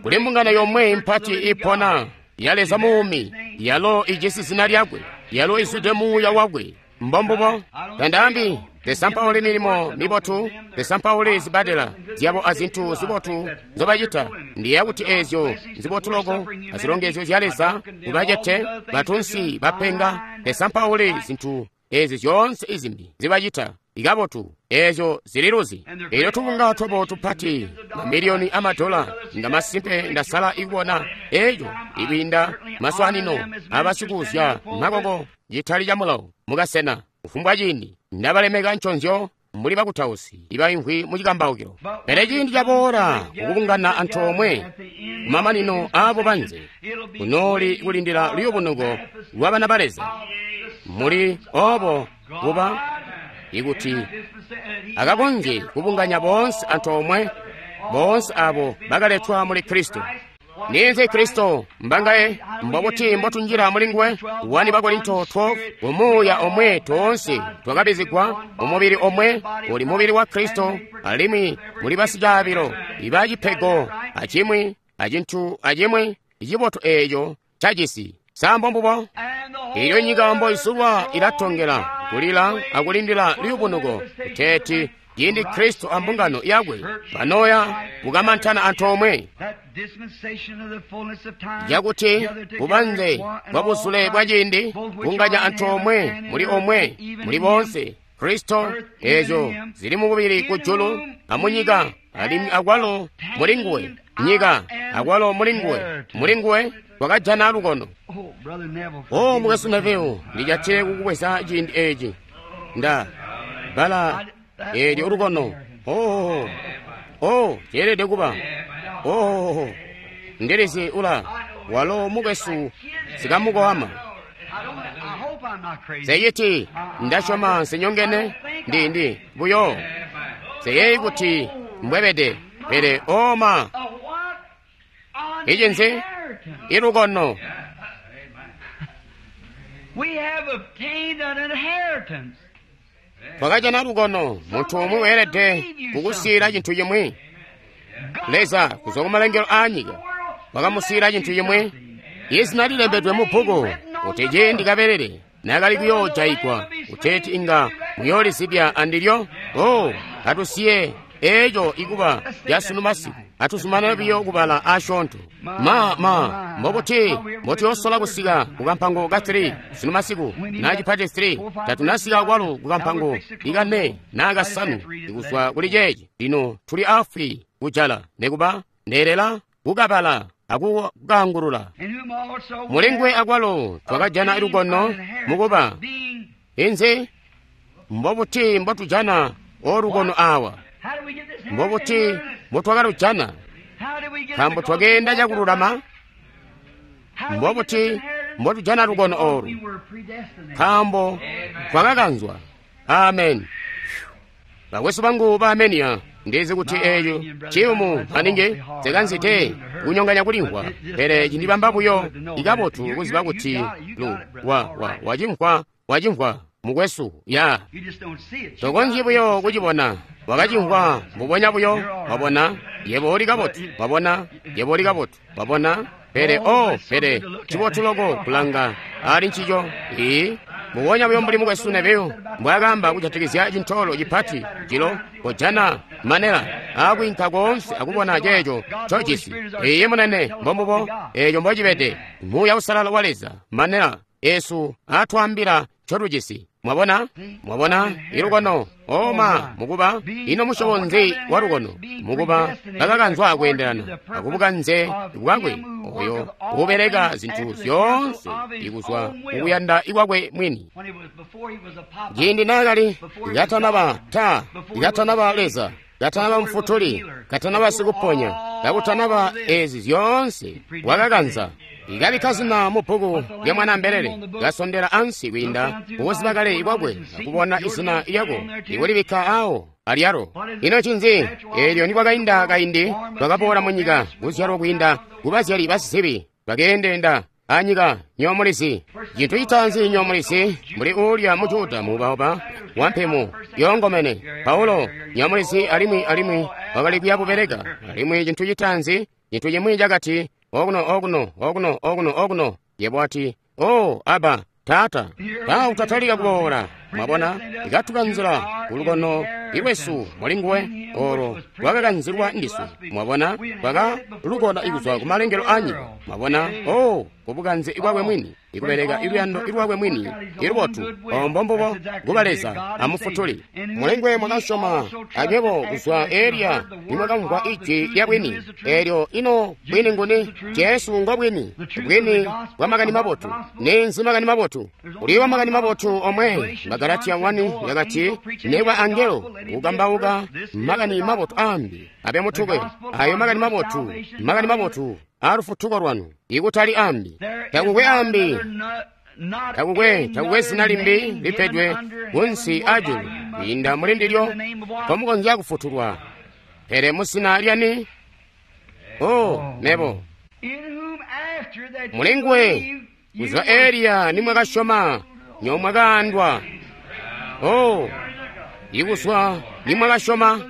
Kuli mbungano yomwe mpati ipona ya Leza muumi, yalo ijisi zina lyakwe, yalo izwide muuya wakwe. Mbombubo. Tandaambi tesampauli milimo mibotu, tesampauli zibadela zyabo azintu zibotu nzobacita. Ndiyeeya kuti ezyo nzibotu loko azilongezyo zya Leza kubacete batunsi bapenga. Tesampauli zintu ezi zyoonse izimbi zibacita ikabotu, ezyo zililuzi. Elyo tubunga twabo tupati mamiliyoni amadola nga masimpe ndasala ikubona eco ikwiinda maswanino abasikuuzya makoko citali ca mulawo mukasena. Kufumbwa ciindi ndabalemeka nconzyo mbuli bakutausi ibaimvwi mu cikambaukilo. Pele ciindi caboola kukubungana antoomwe kumamanino aabo banze kunooli kulindila luyubunuko lwa bana ba Leza. Muli obo kuba ikuti akakonzye kubunganya boonse antoomwe, boonse abo bakaletwa muli Kristo. Ninzi Kristo mbangaye mbobuti mbotunjila muli nguwe? wani Bakorinto twelve, umuuya omwe toonse twakabizigwa umubili omwe, uli mubili wa Kristo, alimwi muli basicaabilo iba cipego acimwi acintu acimwi icibotu eeco cacisi. Sambo mbubo. Iyo nyika mboisulwa ilatongela kulila akulindila liyubunuko kuteeti ciindi Kristo ambungano yakwe banoya kukamantana antoomwe, yakuti bubanze bwa buzule bwa ciindi bunganya antoomwe muli omwe muli bonse Kristo, ezo zili mubili kujulu amunyika, alimwi akwalo muli nguwe nyika, akwalo muli nguwe muli nguwe twakajana lukono. O mukwesu Neville, ndijatile kukubweza ciindi eci nda bala eelyo lukono. Oh, oh, ceelede kuba. Oh, ndilizi ula walo mukwesu sikamukoama. Seyiti ndasyoma nsinyongene ndi ndi buyo seyeyi kuti mbwebede, pele oma icinzi ilukono. Twakajana lukono. Muntu umwi weelede kukusiila cintu cimwi. Leza kuzwa kumalengelo aanyika wakamusiila cintu cimwi. Izina lilembedwe mu bbuku kuti ciindi kabelele nakali kuyoojayigwa kuteeti inga muyoolizibya andilyo. Oh, atusiye eco ikuba lyasunu masiku, atuzumanane biyo kubala asyoonto. Ma ma mbobuti mbotuyosola kusika kukampango ka three sunu masiku na cipati three tatunasika kwalo kukampango ikane na kasanu ikuzwa kuli ceeci. Lino tuli afwi kujala nekuba ndeelela kukabala akukangulula. Mulingwe akwalo twakajana lukono mukuba inzi. Mbobuti mbotujana olukono awa? Mbobuti mbotwakalujana? Nkaambo twakeenda cakululama. Mbobuti mbotujana lukono olu? Nkaambo twakakanzwa. Amen. Bakwesu bangu ba Amenia, ndizi kuti eeco ciyumu maningi nsekanzite kunyonganya kulimvwa, pele cindibamba buyo ikabotu kuziba kuti lu wa wa wacimvwa wacimvwa mukwesu ya tokonzyi buyo kucibona, wakacimvwa mbubonya buyo. Wabona yebo uli kabotu, wabona yebo uli kabotu, wabona. Pele oh, pele cibotu loko kulanga ali ncico. Ii. Mbubonya buyo mbuli Mukwesu Neville mbwaakaamba kujatikizya cintoolo cipati jilo, kojana manela aakwiinka koonse akubona ceeco ncojisi. Iiyi, munene, mbombubo eeco mbocibede. Muuya Uusalala wa Leza, manela esu aatwaambila ncotujisi. Mwabona? Mwabona? Ilukono. Oma, mukuba, ino musyobo nzi wa lukono? Mukuba, bakakanzwa kweendelana akubukanze bwakwe oyo ubeleka zintu zyoonse ikuzwa mukuyanda ikwakwe mwini. Ciindi naakali katanaba ta, katanaba Leza, katanaba mufutuli, katanaba sikuponya, kakutanaba ezi zyoonse, wakakanza. Ikabikka zina mu bbuku lya Mwanaambelele, kasondela ansi kwiinda kukuziba kale kwakwe akubona izina lyako ikulibikka awo alyalo. Ino ncinzi? Eelyo nikwakainda kaindi twakaboola munyika kuzyalwa kwiinda kubazyali basizibi bakeendeenda anyika nyomulizi. Cintu citaanzi nyomulizi mbuli uulya mu Juda muubauba wampemu yoongomene Paulo nyomulizi alimwi alimwi wakali kuya bubeleka. Alimwi cintu citaanzi cintu cimwi cakati okuno okuno okuno okuno okuno. Yebo ati, "Oh, Aba, Taata." Ta utatalika kuboola. Mwabona, ikatukanzila kulukono ilwesu mulinguwe olo lwakakanzilwa ndiswe. Mwabona, lwakalukona ikuzwa kumalengelo anyika. Mwabona, oh, kubukanze kwakwe mwini, ikubeleka iluyando ilwakwe mwini ilubotu. Ombo mbubo kuba Leza amufutuli. Mulengwe mwakasyoma anywebo kuzwa elya nimwakamvwa ijwi lya bwini. Eelyo ino bwini nguni? Jesu ngo bwini, bwini bwa makani mabotu. Ninzi makani mabotu? Uliwa makani mabotu omwe. Magalatiya wani yakati, nekwa angelo kukambauka makani mabotu ambi abe mutukwe. Ayo makani mabotu, makani mabotu alufutuko lwanu, ikutali ambi. Takukwe ambi, takukwe takukwe zina limbi lipedwe kunsi ajulu kwiinda muli ndilyo mpomukonzya kufutulwa. Pele muzina lyani? Oh, mebo mulinguwe kuzwa eliya nimwakasyoma nyomwakaandwa. Oh, ikuzwa nimwakasyoma.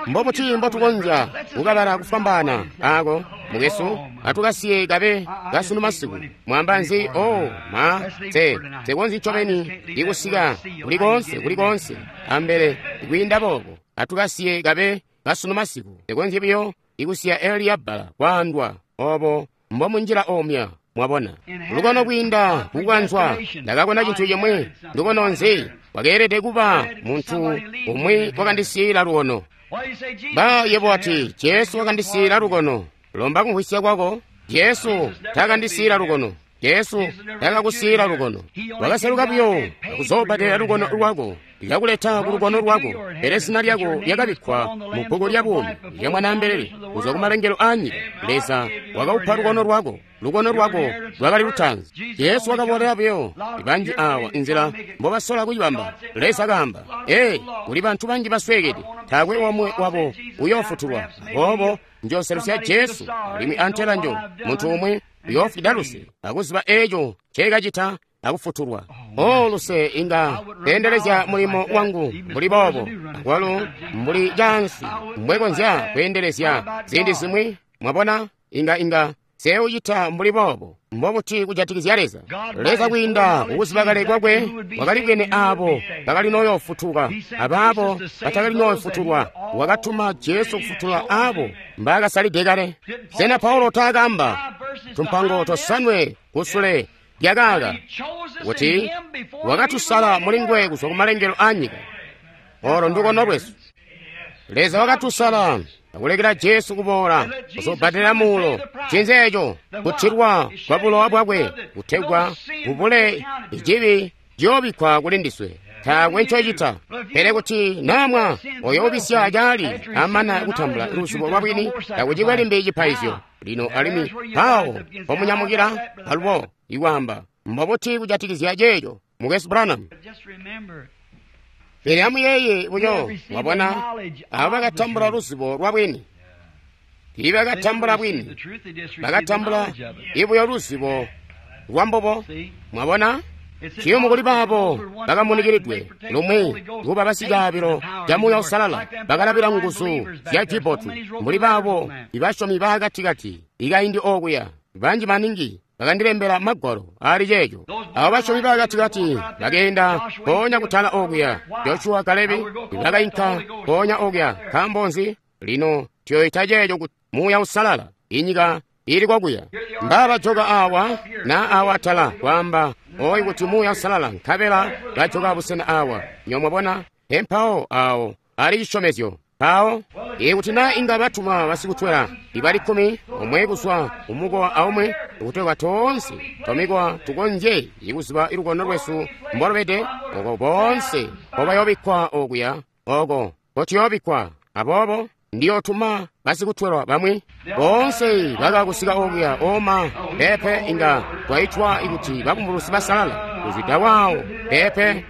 Mbobuti mbotukonzya kukabala kufwambaana ako mukwesu? Atukasiye kabe kasunu masiku. Mwamba nzi? Oh, ma te tekonzi ncobeni ikusika kulikonse kulikonse ambele kwiinda boobo. Atukasiye kabe kasunu masiku. Tekonzyi buyo ikusiya eliya bbala kwaandwa obo mbomunjila omya. Mwabona, lukono kwiinda kukanzwa. Ndakakona cintu cimwi. Lukono nzi? Wakeelede kuba muntu umwi wakandisiila lukono. Ba yebo ati, Jesu wakandisiila lukono. Lomba kumvwisya kwako. Jesu takandisiila lukono. Jesu takakusiila lukono. Wakaseluka buyo akuzoobadela lukono lwako, likakuleta ku lukono lwako. Pele zina lyako lyakabikkwa mu bbuku lya buumi lya Mwanaambelele kuzwa ku malengelo anyika. Leza wakaupa lukono lwako. Lukono lwako lwakali lutaanzi. Jesu wakaboolera buyo banji awa inzila mbobasola kucibamba. Leza kaamba, ee, kuli bantu banji basweekede, taakwe omwe wabo uyoofutulwa. Aboobo njooselusya Jesu alimwi antela njo muntu umwe uyoofwida luse akuziba eeco nceekacita akufutulwa. O luse inga kweendelezya mulimo wangu mbuli boobo, akwalo mbuli caansi mbwekonzya kweendelezya ziindi zimwi. Mwabona, inga inga seucita mbuli boobo. Mbobuti kujatikizya Leza? Leza kwiinda kukuziba kale kwakwe wakalibwene aabo bakali noyoofutuka abaabo batakali noofutulwa. Wakatuma Jesu kufutula aabo mbaakasalide kale. Sena Paulo taakaamba tumpango tosanwe kusule lyakaaka kuti wakatusala mulinguwe kuzwa kumalengelo anyika? Olo ndukono lwesu. Leza wakatusala akulekela Jesu kuboola kuzobbadela muulo. Ncinzi eco? Kutilwa kwa bulowa bwakwe kutegwa kubule icibi ciyoobikkwa kuli ndiswe. Taakwe ncocita. Pele kuti namwa oyo ubisya caali amana kutambula luzubo lwa bwini, takucikwe limbi cipaizyo. Lino alimwi mpawo mpomunyamukila alubo ikwaamba, mbobuti kujatikizya ceeco, Mukwesu Branham? Pele amuyeeye buyo, mwabona, abo bakatambula luzibo lwa bwini. Tiibakatambula bwini, bakatambula ibuyo luzibo lwa mbubo. Mwabona, ciyumu kuli baabo bakamunikiridwe lumwi kuba basicaabilo ca Muuya Uusalala, bakalabila nguzu zya cibotu mbuli baabo ibasyomi baakatikati ikaindi okuya banji maningi bakandilembela magwalo ali ceeco. Abo basyomi bakatikati bakeenda mpoonya kutala okuya. Joshua Kalebi bakainka mpoonya okuya. Nkaambo nzi? Lino tuyoita ceeco kuti Muuya Uusalala. Inyika ili kokuya. Mbabajoka awa na awa atala kwaamba oyu kuti Muuya Uusalala, nkabela bajoka busena awa. Nyo mwabona empawo awo ali cisyomezyo. Mpawo ikuti na inga batuma basikutwela ibali kkumi omwe kuzwa kumukowa aumwi, kutegwa toonse twamikowa tukonzye ikuziba ilukono lwesu mbolubede, oko boonse mpobayobikkwa okuya, oko mpotuyobikkwa. Aboobo ndiyotuma basikutwelwa bamwi boonse bakakusika okuya. Oma pepe inga twaitwa ikuti babumbulusi basalala kuzwida waawo pepe.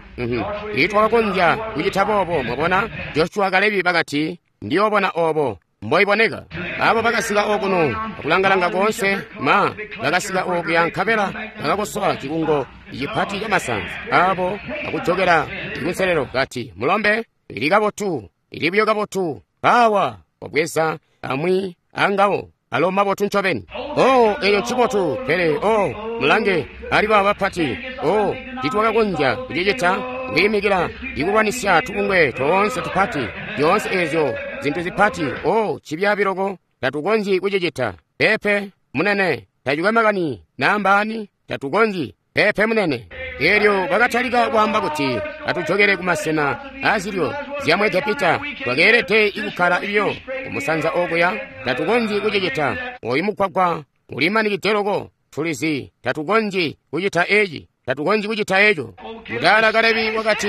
Itwakakonzya kucita boobo. Mwabona, Joshua Kalebi bakati ndiyobona obo mboiboneka. Abo bakasika okuno akulangalanga koonse ma bakasika okuya, nkabela bakakosola cikungo cipati camasanza abo akujokela ikunselelo kati, mulombe, ili kabotu, ili buyo kabotu. Awa wabweza amwi angawo alo mabotu ncobeni. Oh, eyo ncibotu, pele oh, mulange ali baba bapati. Oh, titwakakonzya kucicita kwiimikila ikulwanisya tubungwe toonse tupati, zyoonse ezyo zintu zipati. Oh, cibyaabiloko, tatukonzyi kucicita. Pepe munene, tacikwe makani naambaani, tatukonzyi. Pepe munene. Elyo bakatalika kwaamba kuti atujokele kumasena azilyo zya mu Egepita. Twakeelede ikukkala biyo kumusanza okuya, tatukonzyi kucicita. Oyu mugwagwa ulimanikide loko, tulizi tatukonzyi kucita eci, tatukonzyi kucita eco. Mudala Kalebi wakati,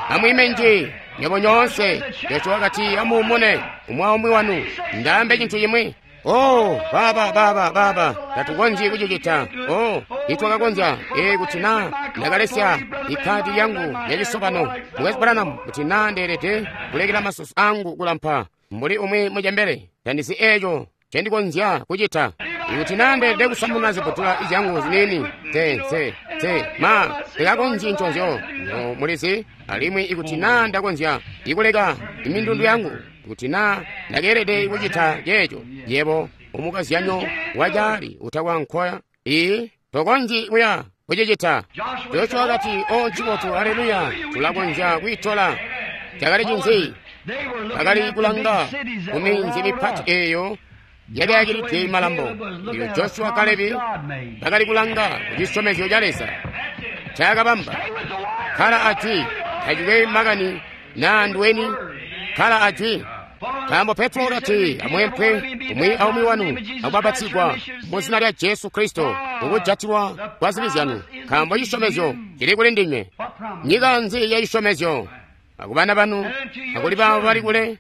amwiime nji nywebo nyoonse. Joshua wakati, amuumune umwi aumwi wanu, ndaambe cintu cimwi. Oh, baba baba baba, tatukonzyi kucicita. Oh, itwakakonzya. E kuti na ndakalesya ikadi yangu ya cisobano, Mukwesu Branham, kuti na ndeelede kulekela masusu angu kulampa mbuli umwi mucembele, tandizi eco ncendikonzya kucita. Ikuti na ndeelede kusamuna zibutula zyangu ziniini, te te te ma ndikakonzyi nconzyo. No mulizi. Alimwi ikuti na ndakonzya ikuleka imindundu yangu, kuti na ndakeelede kucita ceeco, yebo umukazyanyo wacaali utakwa nkoya, ii tokonzyi kuya kucicita. Joshua wakati, o ncibotu, aleluya, tulakonzya kwiitola. Cakali cinzi? Bakali kulanga ku minzi mipati eyo yakayakilidwe malambo. Iyo Joshua Kalebi bakali kulanga ku cisyomezyo ca Leza cakabamba. Kala ajwi, tacikwe makani na ndweni, kala ajwi. Nkaambo Petro wakati, amwempwe umwi aumwi wanu akubapatizigwa mu zina lya Jesu Kristo kukujatilwa kwa zibi zyanu, nkaambo cisyomezyo cili kuli ndinywe. Nyika nzi ya cisyomezyo? Akubana banu, akuli baabo bali kule,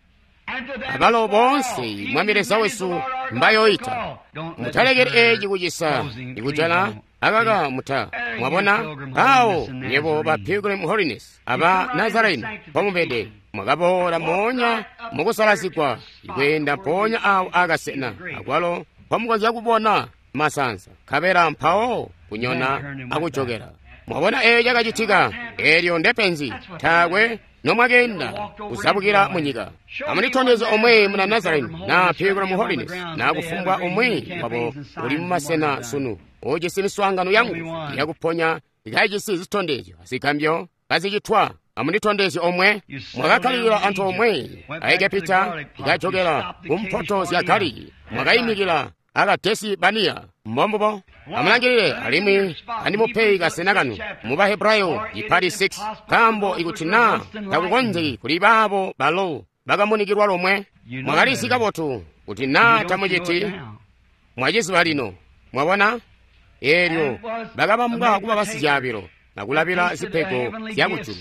abalo boonse Mwami Leza wesu mbayoita. Mutalekeli eci kucisa ikujala akaka muta. Mwabona awo nyebo ba Pilgrim Holiness aba Nazarene pomubede mwakaboola moonya mukusalazigwa ikweenda mpoonya awo akasena akwalo mpomukonzya kubona masansa, nkabela mpawo kunyona akujokela. Mwabona eco cakacitika. Elyo ndepenzi, taakwe nomwakeenda kuzabukila munyika. Amunditondeze omwe muna Nazarene na Pilgrim Holiness na kufumbwa umwi wabo uli mumasena sunu ujisi miswaangano yangu yakuponya ikajisi zitondezyo zigambyo kazicitwa. Amunditondeze omwe. Mwakakkalilila anthu omwe a Egepita ikajokela kumpoto zya Galili, mwakayimikila akadesi baniya. Mbombubo. Amulangilile alimwi andimupe kasena kanu mu Bahebrayo ipali six, nkaambo ikuti na takukonzeki kuli baabo balo bakamunikilwa lomwe. Mwakalizi kabotu kuti na tamuciti, mwaciziba lino. Mwabona, eelyo bakabambwa kuba basicaabilo akulabila zipego zyakujulu.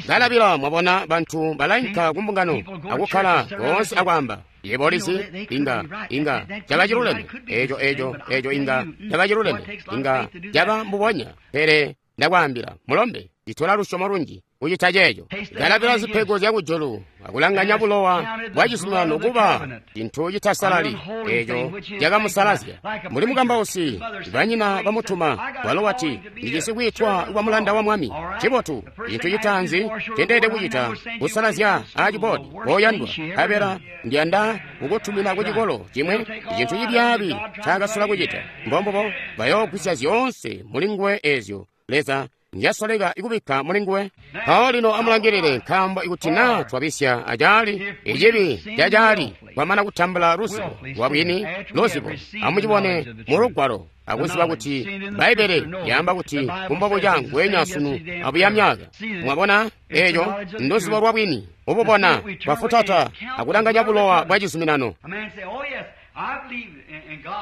Kalabila, mwabona, bantu balainka kumbungano akukkala koonse akwaamba, yebo ulizi, inga inga caba ciluleme eco eco eco inga caba ciluleme, inga caba mbubonya. Pele ndakwaambila mulombe, Citola lusyomo lunji kucita ceeco. Kalabila zipego zya kujulu akulanganya bulowa bwa cizuminano kuba cintu citasalali eeco cakamusalazya. Mbuli mukambausi, banyina bamutuma, walo wati, ndijisi kwiitwa kwa mulanda wa Mwami. Cibotu, cintu citaanzi ncendeelede kucita kusalazya aciboodi koyandwa, nkabela ndiyanda kukutumina ku cikolo cimwe cintu cibyaabi ncaakasola kucita. Mbombubo bayoogwisya zyoonse mulinguwe eezyo Leza njasoleka ikubikka mulinguwe. Mpawo lino amulangilile, nkaambo ikuti naa twabisya acaali, icibi cacaali kwamana kutambula luzibo lwabwini luzibo. Amucibone mu Lugwalo akuziba kuti Bbaibbele lyaamba kuti kumbobuca ngweenya sunu abuya myaka. Mwabona eeco nduzibo lwabwini ububona bwafutata akulanganya bulowa bwa cizuminano.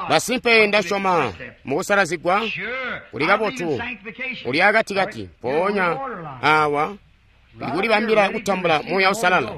Masimpe ndasyoma mukusalazigwa kuli kabotu kuli akatikati, mpoonya awa ndikulibambila kutambula Muuya Uusalala.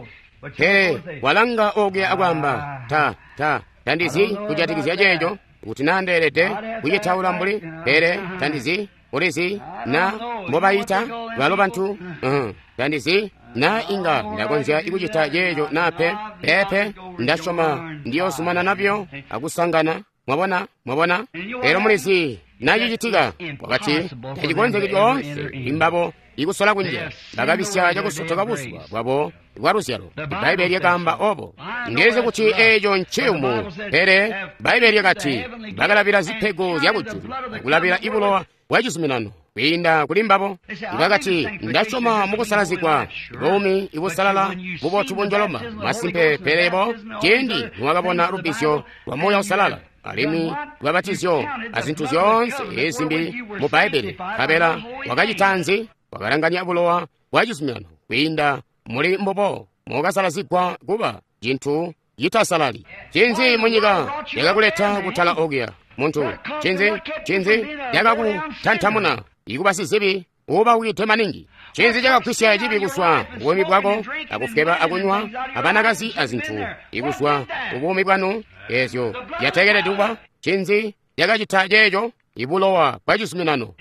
Pele walanga okuya akwaamba, ta ta tandizi kujatikizya ceeco, kuti naa ndeelede kucitaula mbuli, pele tandizi ulizi na mbobayita balo bantu, uh, tandizi na inga ndakonzya ikucita ceeco naa pe. Peepe, ndasyoma ndiyoozumana nabyo akusangana. Mwabona, mwabona? Pele mulizi nacicitika wakati tacikonzeki lyoonse imbabo ikusola kunjila. Bakabisya cakusotoka buzuba bwabo bwa luzyalo. Bbaibbele lyakaamba obo. Ndilizi kuti eeco nciyumu, pele Bbaibbele lyakati bakalabila zipego zya kujulu akulabila ibulowa bwa cizuminano kwiinda kuli mbabo. Bakati ndasyoma mukusalazigwa buumi ibusalala bubotu bunjoloma. Masimpe, pele bo ciindi niwakabona lubbizyo lwa Muuya Uusalala alimwi lwabatizyo azintu zyoonse ezimbi mu Bbaibbele, nkabela wakacita nzi? Wakalanganya bulowa bwa cizuminano kwiinda muli mbubo mukasalazigwa kuba cintu citasalali. Cinzi munyika yakakuleta kutala okuya muntu? Cinzi cinzi yakakutantamuna ikuba sizibi uubawukide maningi? Cinzi cakagwisya cibi kuzwa kubuumi bwako akufweba akunywa abanakazi azintu ikuzwa kubuumi bwanu eezyo zyateekelede kuba? Cinzi cakacita ceeco? Ibulowa bwa cizuminano.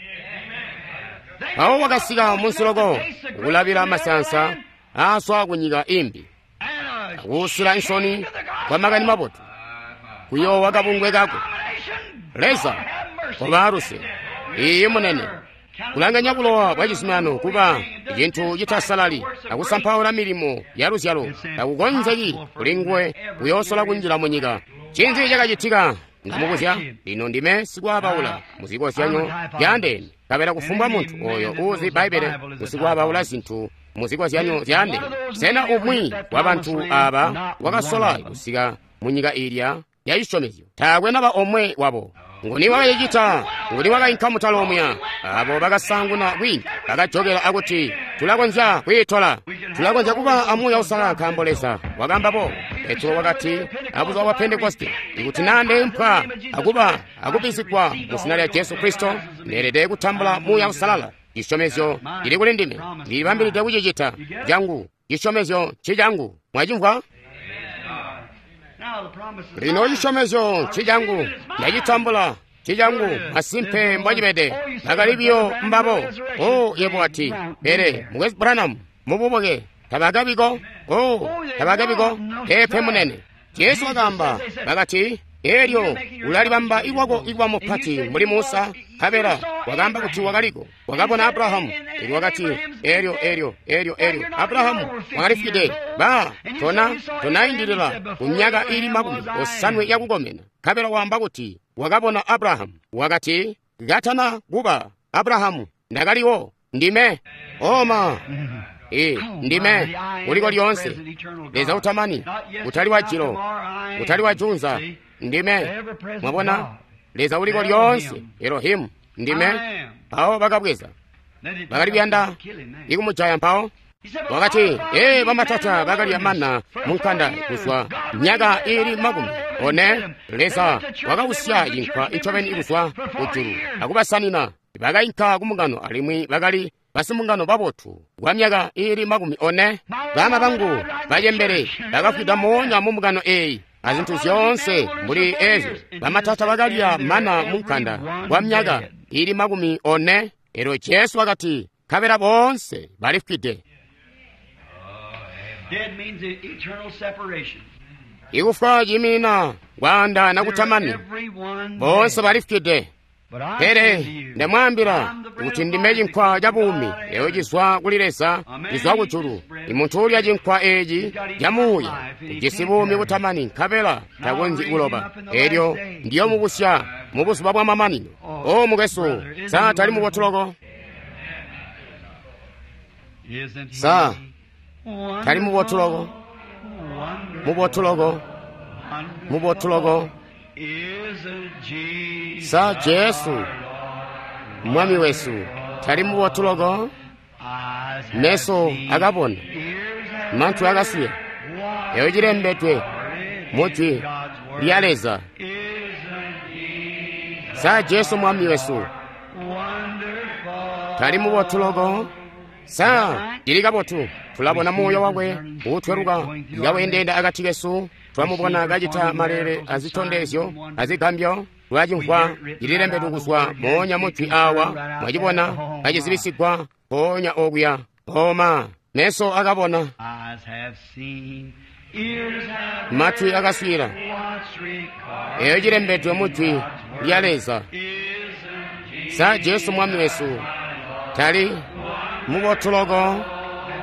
Mpawo wakasika munsi loko kulabila masansa aaswa kunyika imbi akuusila insoni kwa makani mabotu kuyoowa kabungwe kako. Leza koba luse. Iiyi munene. Kulanganya bulowa bwa cizuminano kuba cintu citasalali akusampaula milimo ya luzyalo takukonzeki kuli nguwe kuyoosola kunjila munyika. Cinzi cakacitika? Ndamubuzya lino, ndime sikwaabaula muzikozyanyo zyaandeene, nkabela kufumbwa muntu oyo uuzi Bbaibbele usikwabaula zintu muzikozyanyo zyaandeene. Sena umwi wa bantu aaba wakasola kusika munyika ilya ya cisyomezyo? Taakwe naba omwe wabo. Nguni wakacicita? Nguni wakainka mutala omuya? Abo bakasaanguna kwiinka bakajokela akuti, tulakonzya kwiitola, tulakonzya kuba a Muuya Uusalala nkaambo Leza wakaamba boobo. Petro wakati abuzuba bwa Pentekoste, ikuti naa ndeempwa akuba akubbizigwa mu zina lya Jesu Kristo, ndeelede kutambula Muuya Uusalala. Cisyomezyo cili kuli ndime, ndilibambilide kucicita cangu. Cisyomezyo ncicangu. Mwacimvwa? Lino cisyomezyo ncicangu, ndacitambula ncicangu. Masimpe mbwacibede. Bakali biyo mbabo. O yebo wati, pele Mukwesu Branham mububuke tabakabiko. O tabakabiko. Peepe munene. Jesu wakaamba, bakati, elyo ulalibamba ilwako ikuba mupati mbuli Musa. Nkabela wakaamba kuti wakaliko, wakabona Abrahamu. Elyo wakati, elyo elyo elyo elyo Abrahamu wakalifwide. Ba tona tonaindilila ku myaka ili makumi osanwe yakukomena. Nkabela waamba kuti wakabona Abrahamu. Wakati, katana kuba Abrahamu ndakaliwo. Ndime oma e ndime uliko lyonse, Leza utamani, utali wa jilo, utali wa junza. Ndime. Mwabona, Leza uliko lyonse, Elohimu. Ndime. Mpawo bakabweza, bakali kuyanda ikumujaya. Mpawo wakati, ee, bamatata bakalya mana munkanda kuzwa myaka ili makumi one. Leza wakawusya cinkwa ncobeni kuzwa kujulu akubasanina. Bakainka kumungano alimwi bakali basimungano babotu kwa myaka ili makumi one. Bama bangu bacembele bakafwida moonya mu mungano eeyi azintu zyoonse mbuli ezyo. Bamatata bakalya mana munkanda kwa myaka ili makumi one. Elyo Jesu wakati, nkabela boonse balifwide. Dead means eternal separation. Ikufwa ciiminina kwaandaana kutamani. Everyone Boonse dead. balifwide. But I Pele say to you, ndamwaambila I'm the bread kuti of ndime life cinkwa that ca comes buumi out of eyo cizwa kuli Leza cizwa kujulu. Imuntu uulya cinkwa eeci ca muuya ujisi buumi butamani nkabela takonzyi kuloba. Elyo ndiyomubusya mu buzuba bwa mamanino. O mukwesu, sa tali mubotu loko? Isn't he Sa tali mubotu loko? wonderful, Mubotu loko, wonderful, mubotu loko. Isn't Jesus Sa Jesu Mwami wesu tali mubotu loko? Eyes have Meso seen, akabona, ears have manthu akasiya. heard, Eyo cilembedwe what mu Jwi in God's word. lya Leza. Isn't Jesus Sa Jesu Mwami wesu wonderful? tali mubotu loko? Sa cili kabotu. Tulabona muuya wakwe uutweluka kawendeenda akati kesu. Twamubona kacita malele azitondezyo azigambyo. Twacimvwa cililembedwe kuzwa moonya mujwi awa. Mwacibona kacizibisigwa mpoonya okuya. Oma meso akabona, Eyes have seen, ears have matwi akaswira. heard, what's recorded Eyo cilembedwe mu Jwi lya Leza. Isn't Sa Jesu Mwami wesu tali mubotu loko?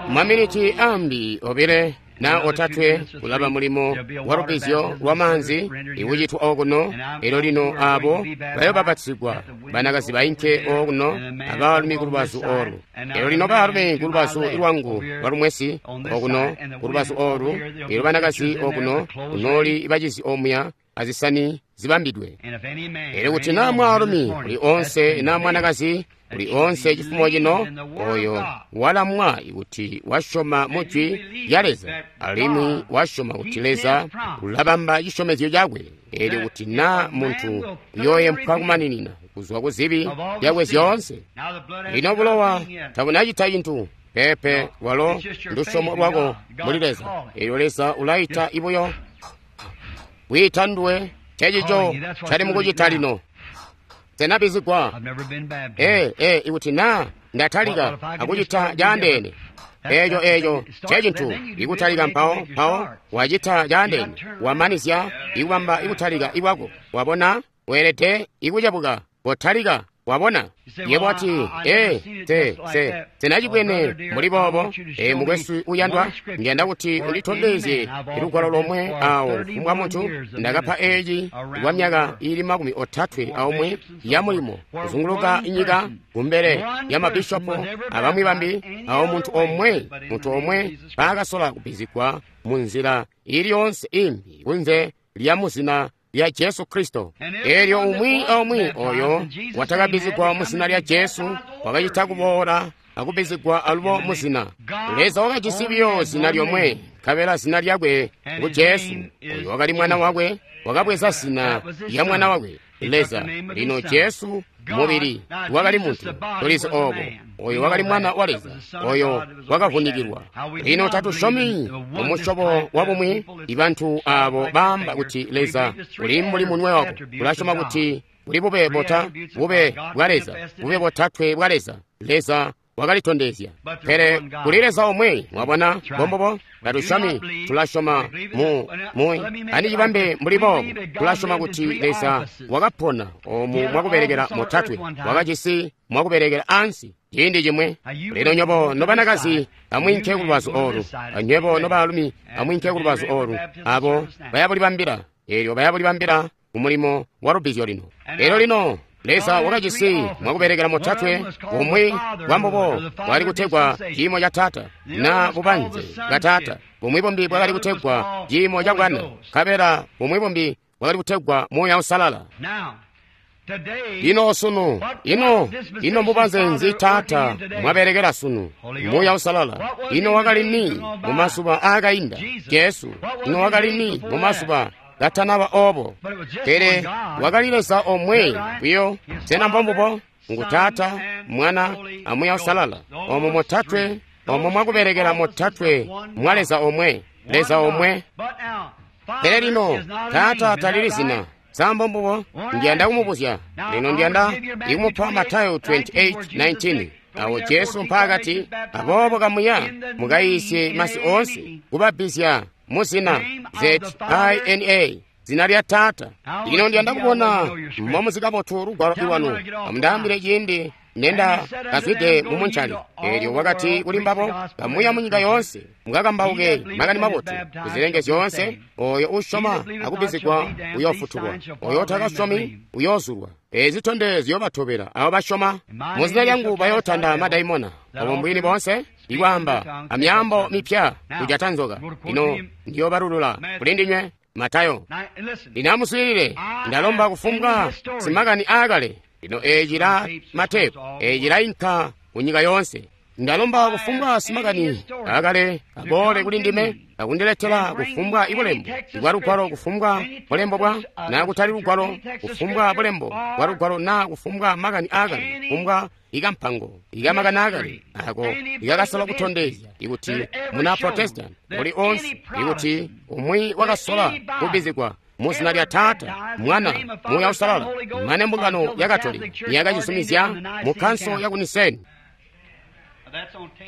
Maminiti ambi obile na otatwe kulaba mulimo wa lubbizyo lwa maanzi ikucitwa okuno. Elyo lino abo bayobapatizigwa banakazi bainke okuno abaalumi ku lubazu olu. Elyo lino baalumi ku lubazu lwangu lwa lumwesi okuno ku lubazu olu. Elyo banakazi okuno kunooli bacizi omuya azisani zibambidwe. And if any man Elyo or kuti any na woman mwaalumi this morning uli onse that's na mwanakazi uli onse chifumo chino oyo walamwa kuti wasyoma mu Jwi lya Leza alimwi wasyoma kuti Leza ulabamba cisyomezyo cakwe. Elyo kuti na munthu uyooyempwa kumaninina kuzwa ku zibi zyakwe zyoonse. Now the blood has Lino bulowa nothing yet. tabunacita cinthu pepe lwalo lusyomo lwako muli Leza. Elyo Leza ulayita ibuyo kwiita nduwe cecico cali mukucita lino. Senabizigwa I've never been baptized. ee ee ikuti na ndatalika akucita caandeene eeco eeco cecintu ikutalika mpawo mpawo wacita caandeene wamanizya ikubamba ikutalika ikwako. Wabona weelede ikucebuka potalika. Wabona yebo wati ee te se senacibwene muli boobo. Ee mukwesu uyandwa, ndiyanda kuti unditondezye lugwalo lomwe awo kumbwa munthu ndakapha eeci kwa myaka ili makumi otatwe aomwe ya mulimo kuzunguluka nyika kumbele ya mabishopo abamwi bambi awo munthu omwe munthu omwe paakasola kubizigwa mu nzira iliyonse imbi kunze lya muzina lya Jesu Kristo. Elyo umwi aumwi oyo watakabizigwa mu zina lya Jesu wakacita kuboola akubizigwa alubo mu zina. Leza wakajisi biyo zina lyomwe, nkabela zina lyakwe ngu Jesu. Oyo wakali mwana wakwe, wakabweza zina lya mwana wakwe Leza. Lino Jesu mubili wakali muntu, tulizi obo. Oyo wakali mwana wa Leza, oyo wakavunikilwa. Lino tatusyomi mu musyobo wa bumwi ibantu abo baamba kuti Leza uli mbuli munwe wako. Tulasyoma kuti kuli bube bota bube bwa Leza, bube botatwe bwa Leza. Leza wakalitondezya, pele kuli Leza omwe. Mwabona bombobo tatusyomi, tulasyoma mu mu andicibambe mbuli boobo. Tulasyoma kuti Leza wakapona omu mwakubelekela motatwe, wakajisi mwakubelekela ansi ciindi cimwe. Lino nywebo nobanakazi amwinke ku lubazu olu, anywebo nobaalumi amwinke ku lubazu olu. Abo bayabulibambila, elyo bayabulibambila ku mulimo wa lubbizyo lino. Elyo lino Leza wakajisi mwakubelekela motatwe. Bumwi bwambubo bwali kutegwa ciimo ca Taata na bubanze bwa Taata. Bumwi bumbi bwakali kutegwa ciimo ca Bwana, nkabela bumwi bumbi bwakali kutegwa Muuya Usalala. Now, today, Lino sunu ino ino mbubanze nzi Taata mwabelekela sunu? Muuya Usalala. Ino wakali ni mu mazuba aakainda? Jesu. Ino wakali ni mu mazuba katanaba obo? Pele wakali Leza omwe buyo. Sena mbombubo? Ngu Taata, Mwana a Muuya Usalala. Omo motatwe, omo mwakubelekela motatwe mwa Leza omwe, Leza omwe. But now, Pele lino Father is not a Taata name, is talili that zina. right? Sa mbombubo? Ndiyanda kumubuzya lino, ndiyanda ikumupa Matayo twenty-eight nineteen Awo Jesu mpaakati, aboobo kamuya mukayiisye masi oonse, kubabbizya mu zina Z I N A, zina lya Taata. Lino ndiyanda kubona momuzi kabotu lugwalo lwanu. Amundaambile ciindi nenda kazwide mu muncali. Eelyo wakati kuli mbabo, kamuya mu nyika yoonse, mukakambauke makani mabotu kuzilenge zyoonse. Oyo usyoma akubbizigwa uyoofutulwa, oyo utakasyomi uyoozulwa. Ezi zitondezyo ziyoobatobela abo basyoma. Mu zina lyangu bayootanda madaimona. Obo mbwini boonse ikwaamba amyaambo mipya, kujata nzoka. Lino ndiyoobalulula kuli ndinywe. Matayo. Lino amuswiilile, ndalomba kufumbwa simakani aakale. Lino eeci la matepu, eeci lainka ku nyika yoonse. Ndalomba kufumbwa simakani aakale aboole kuli ndime akundiletela kufumbwa ibulembo bwa lugwalo, kufumbwa bulembo bwa naa kutali lugwalo, kufumbwa bulembo bwa lugwalo naa kufumbwa makani aakale, kufumbwa ikampango ikamakani aakale ako ikakasola kutondezya ikuti muna Protestant uli onse, ikuti umwi wakasola kubbizigwa mu zina lya Taata, Mwana, Muuya Uusalala, mane mbungano ya Katolika yakacizumizya mu Kkanso ya ku Niseni.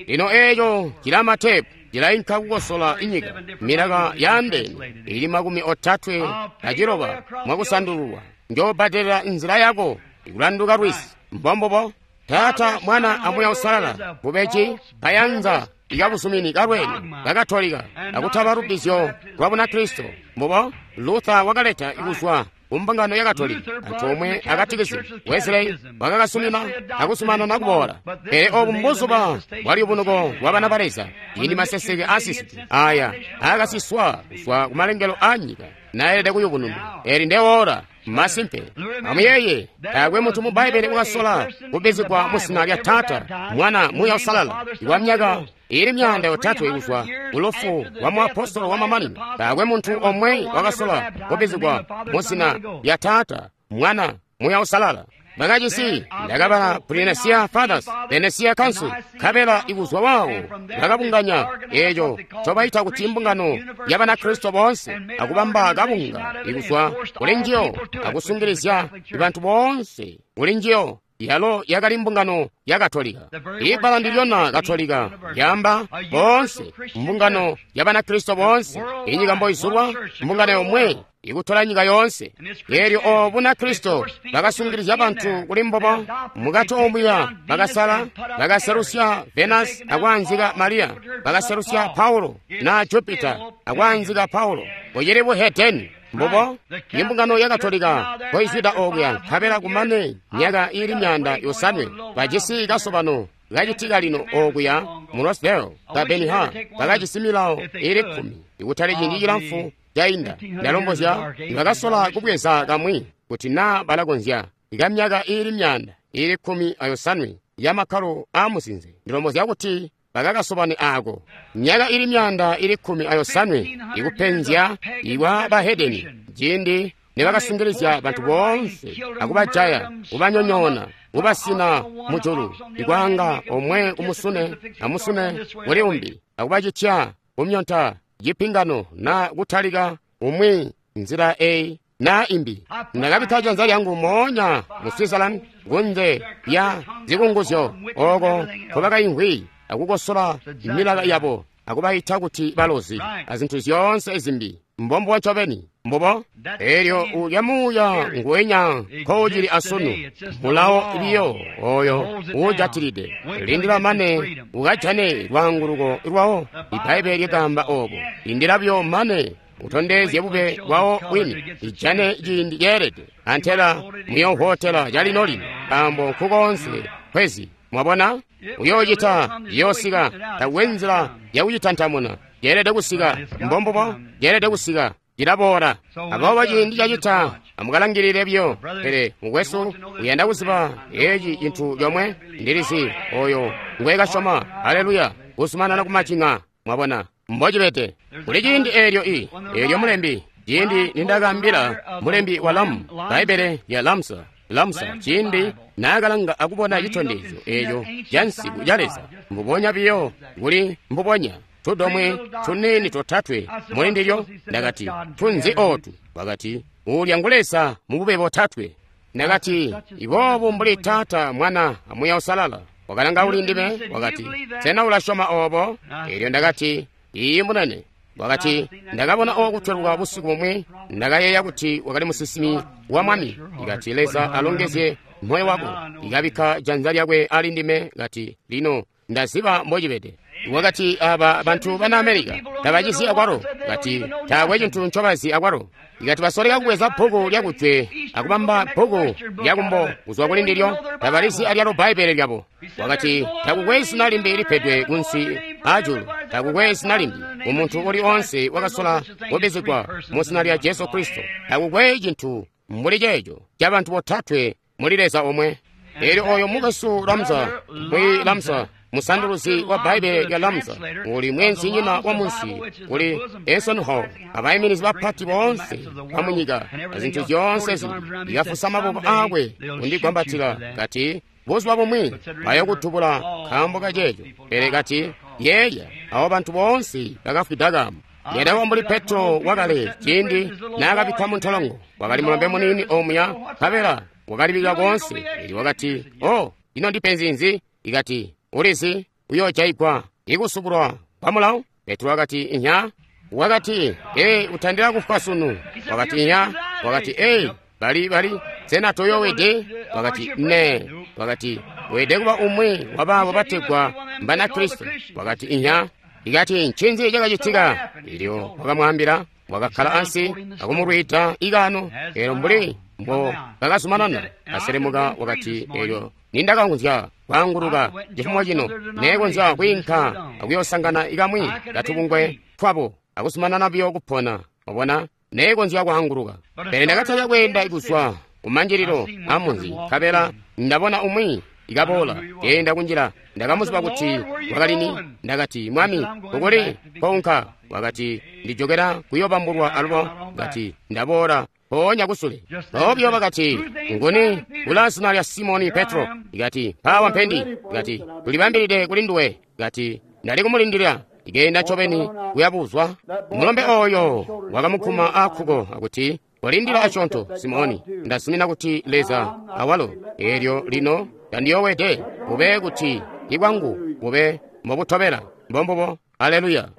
Lino eeco cila matepu cilainka kukosola inyika milaka yaandeene ili makumi otatwe aciloba mwakusandululwa. Njoobbadelela nzila yako ikulanduka lwizi. Mbombubo. Taata, Mwana a Muuya Uusalala bubeji kayanza ikabuzumini kalweni kakatolika akutaba lubbizyo lwa Bunakristo. Mbubo Luther wakaleta ikuzwa kumbungano ya Katolika antoomwe akatikisi. Wesley wakakasumina akuzumanana kuboola. Pele obu mbuzuba bwaliyubunuko bwa bana ba Leza, ciindi maseseke aasisiki aya aakasiswa kuzwa kumalengelo a nyika naelede kuyubununwa. Eli ndewoora masimpe. Amuyeeye, taakwe munthu mu Bbaibele wakasola kubbizigwa mu zina lya Taata, Mwana, Muuya Uusalala kwa myaka ili myaanda yotatwe kuzwa kulufu lwa muapostolo wa mamanino. Taakwe munthu omwe wakasola kubbizigwa mu zina lya Taata, Mwana, Muuya Uusalala. Bakacisi ndakabala Pre-Nicene Fathers, Nicene Council, nkabela ikuzwa wawo bakabunganya eeco ncobaita kuti mbungano ya Banakristo boonse, akubamba kabunga ikuzwa kuli njiyo, akusungilizya bantu boonse kuli njiyo. Yalo yakali mbungano ya Katolika. Ibbala ndilyona Katolika lyamba boonse, mbungano ya Banakristo boonse, inyika mboizulwa, mbungano yomwe ikutola nyika yoonse. Eelyo obo Bunakristo bakasungilizya bantu kuli mbobo mukati omuya bakasala, bakaselusya Venus akwaanzika Mariya, bakaselusya Paulo na Jupiter akwaanzika Paulo. Bucili buhedeni. Mbubo imbungano ya Katolika koizwida okuya nkabela kumane myaka ili myaanda yosanwe bajisi kasobano kacitika lino okuya mu Rosedale ka Benihur bakajisi milawo ili kkumi ikutali ciindi cilamfu cainda. Ndalombozya bakasola kubweza kamwi kuti naa balakonzya ikamyaka ili myaanda ili kkumi ayosanwe ya makkalo aamusinze. Ndilombozya kuti bakakasobane ako myaka ili myaanda ili kkumi ayosanwe ikupenzya ikwa bahedeni, ciindi nibakasungilizya bantu boonse akubajaya, kubanyonyoona, kubasina mujulu, ikwaanga omwe kumusune amusune kuli umbi, akubacitya kumyonta cipingano na kutalika umwi nzila eyi na imbi. Ndakabikka janza lyangu moonya mu Switzerland kunze lya zikunguzyo oko nkobakaimvwi akukosola milaka yabo akubayita kuti balozi azinthu zyoonse zimbi. Mbombo ncobeni. Mbubo eelyo ulya muuya nguwenya nkoucili asunu, mulawo biyo oyo uujatilide. Lindila mane ukajane lwaanguluko lwawo. Ibbaibele lyakaamba obo. Lindila buyo mane utondezye bube bwawo bwini, ijane ciindi ceelede. Antela muyoohotela calino lino, nkaambo nkukoonse kwezi. Mwabona, uyoocita yoosika, takwe nzila yakucitantamuna. Ceelede kusika. Mbombubo, ceelede kusika. Cilaboola. Aboobo ciindi cacita, amukalangilile buyo. Pele mukwesu uyanda kuziba eci cintu comwe, ndilizi oyo ngwekasyoma. Haleluya! Kuzumanana kumacinga. Mwabona mbocibede. Kuli ciindi eelyo i eelyo mulembi, ciindi nindakaambila mulembi wa Lamu, Bbaibbele lya Lamsa, Lamsa, ciindi naakalanga akubona citondezyo eeco ca nsiku ca Leza, mbubonya biyo kuli mbubonya tudomwe tuniini totatwe muli ndilyo. Ndakati, tunzi ootu? Wakati, uulya ngu Leza mubube botatwe. Ndakati, iboobu mbuli Taata, Mwana, a Muuya Uusalala. Wakalanga kuli ndime, wakati, sena ulasyoma obo? Elyo ndakati, iiyi munene. Wakati, ndakabona okutweluka busiku bumwi, ndakayeeya kuti wakali musinsimi wa Mwami. Ikati, Leza alongezye moyo wako. Ikabikka janza lyakwe ali ndime, kati, lino ndaziba mbocibede. Wakati, aba bantu bana Amerika tabacizi akwalo. Kati, taakwe cintu ncobazi akwalo. Ikati basoleka kubweza bbuku lyakujwe akubamba bbuku lyakumbo kuzwa kuli ndilyo, tabalizi alyalo Bbaibbele lyabo. Wakati, takukwe zina limbi lipedwe kunsi ajulu, takukwe zina limbi umuntu uli onse wakasola kubizigwa mu zina lya Jesu Kristo. Takukwe cintu mbuli ceeco ca bantu botatwe muli Leza omwe. Elyo oyo mukwesu Lamza, mwi Lamza, musanduluzi wa Bbaibbele lya Lamza, uli mwenzinyina wa munsi kuli Enson Hall, abayiminizi bapati boonse bamunyika azintu zyoonse zimbi. Ikafusa maboko akwe kundigwambatila, kati, buzuba bumwi bayokutubula nkaambo kaceeco. Pele kati, yeeya, abo bantu boonse bakafwida kaambo. Yadawa mbuli Petro wakale ciindi naakabikkwa mu ntolongo, wakali mulombe muniini omuya, nkabela wakalibika koonse. Elyo wakati, oh, ino ndipenzi nzi? Ikati, ulizi uyoojayigwa ikusubulwa kwa mulawo? Petro wakati, inya. Wakati, ee, utandila kufwa sunu. Wakati, inya. Wakati, ee, bali bali sena toyoowede? Wakati, ne. Wakati, weede kuba umwi wabaabo bategwa Mbanakristo. Wakati, inya. Ikati, ncinzi cakacitika? Elyo wakamwaambila. Wakakkala ansi akumulwiida ikano. Elyo mbuli mbo bakazumanana aselemuka, wakati, elyo nindakakonzya kwaanguluka cifumo cino, neekonzya kwiinka akuyoosangana ikamwi katubungwe twabo akuzumanana buyo kupona. Wabona, neekonzya kwaanguluka. Pele ndakatalika kweenda kuzwa kumanjililo amunzi, nkabela ndabona umwi ikaboola keenda kunjila. Ndakamuziba kuti wakalini. Ndakati, Mwami, ukuli kounka? Wakati, ndijokera kuyobambulwa alubo. Kati, ndaboola mpoonya kusule. Mpoonya bakati, nguni ula zina lya Simoni Petro? Ikati, mpaawa mpendi. Ikati, tulibambilide kuli nduwe. Ikati, ndali kumulindilila. Ikeenda ncobeni kuyabuzwa. Mulombe oyo wakamukuma akkuko akuti, walindila asyoonto, Simoni, ndazumina kuti Leza awalo. Elyo lino tandiyowede, bube kuti ibwangu bube mbobutobela. Mbombubo. Aleluya.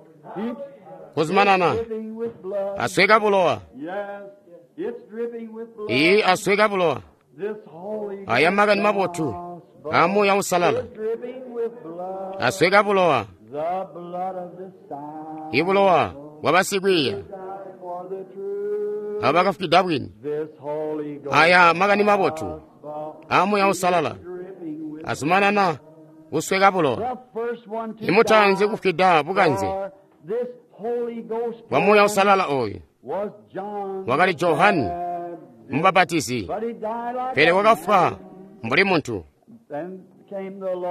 Kuzumanana asweka bulowa. Iyi asweka bulowa. Aya makani mabotu a Muuya Uusalala asweka bulowa, ibulowa bwa basikwiiya abo bakafwida bwini. Aya makani mabotu a Muuya Uusalala azumanana kusweka bulowa. Imutaanzi kufwida bukanze bwa Muuya Uusalala oyu wakali Johane Mubapatizi, pele wakafwa mbuli muntu.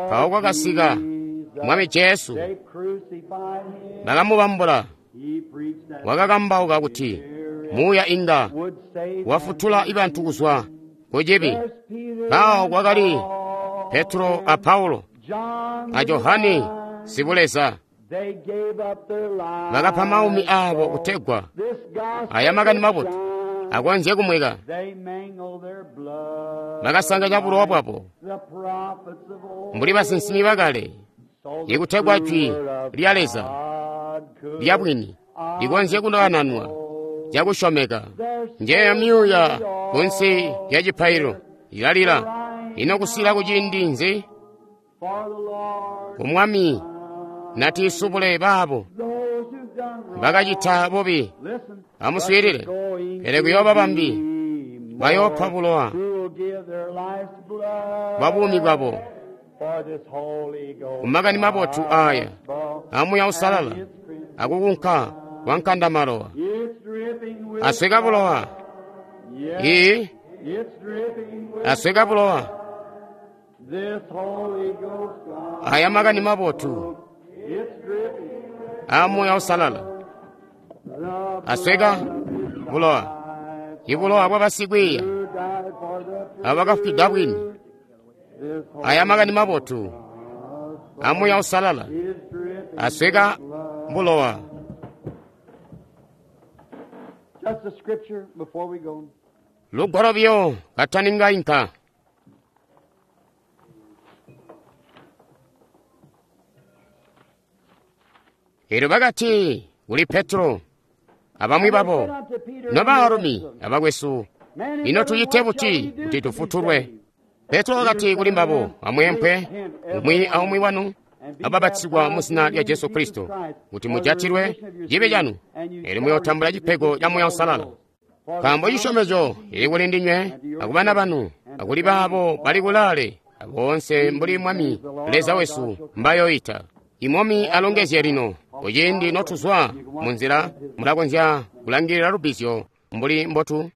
Mpawo kwakasika Mwami Jesu, bakamubambula. Wakakambauka kuti Muuya inga wafutula ibantu kuzwa ku cibi. Mpawo kwakali Petro a Paulo a Johane Sibuleza, bakapa maumi aabo kutegwa aya makani mabotu akonzye kumweka. Bakasanganya bulowa bwabo mbuli basinsimi bakale, ikutegwa jwi lya Leza lya bwini likonzye kunananwa cakusyomeka. Njeeyo myuuya kunsi lya cipaililo ilalila. Ino kusila kuciindi nzi? Umwami natiisubule baabo bakacita bubi. Amuswiilile, pele kuyooba bambi bayoopa bulowa bwa buumi bwabo kumakani mabotu aaya a Muuya Uusalala akukunka kwa nkandamalowa. Asweka bulowa. Ii, asweka bulowa. Aya makani mabotu a Muuya Uusalala asweka bulowa, ibulowa bwa basikwiiya abo bakafwida bwini. Aya makani mabotu a Muuya Uusalala asweka bulowa. Just a scripture before we go. Lugwalo buyo kataninga inka. Elyo bakati kuli Petro abamwi babo, Nobaalumi abakwesu, ino tucite buti kuti tufutulwe? Petro wakati kuli mbabo, Amweempwe umwi aumwi wanu ababatizigwa mu zina lya Jesu Kristo kuti mujatilwe cibi canu, elyo muyootambula cipego ca Muuya Uusalala. Nkaambo cisyomezyo cili kuli ndinywe akubana banu akuli baabo bali kulaale aboonse mbuli Mwami Leza wesu mbayoyita. Imwami alongezye lino kuciindi notuzwa munzila mulakonzya kulangilila lubbizyo mbuli mbotu.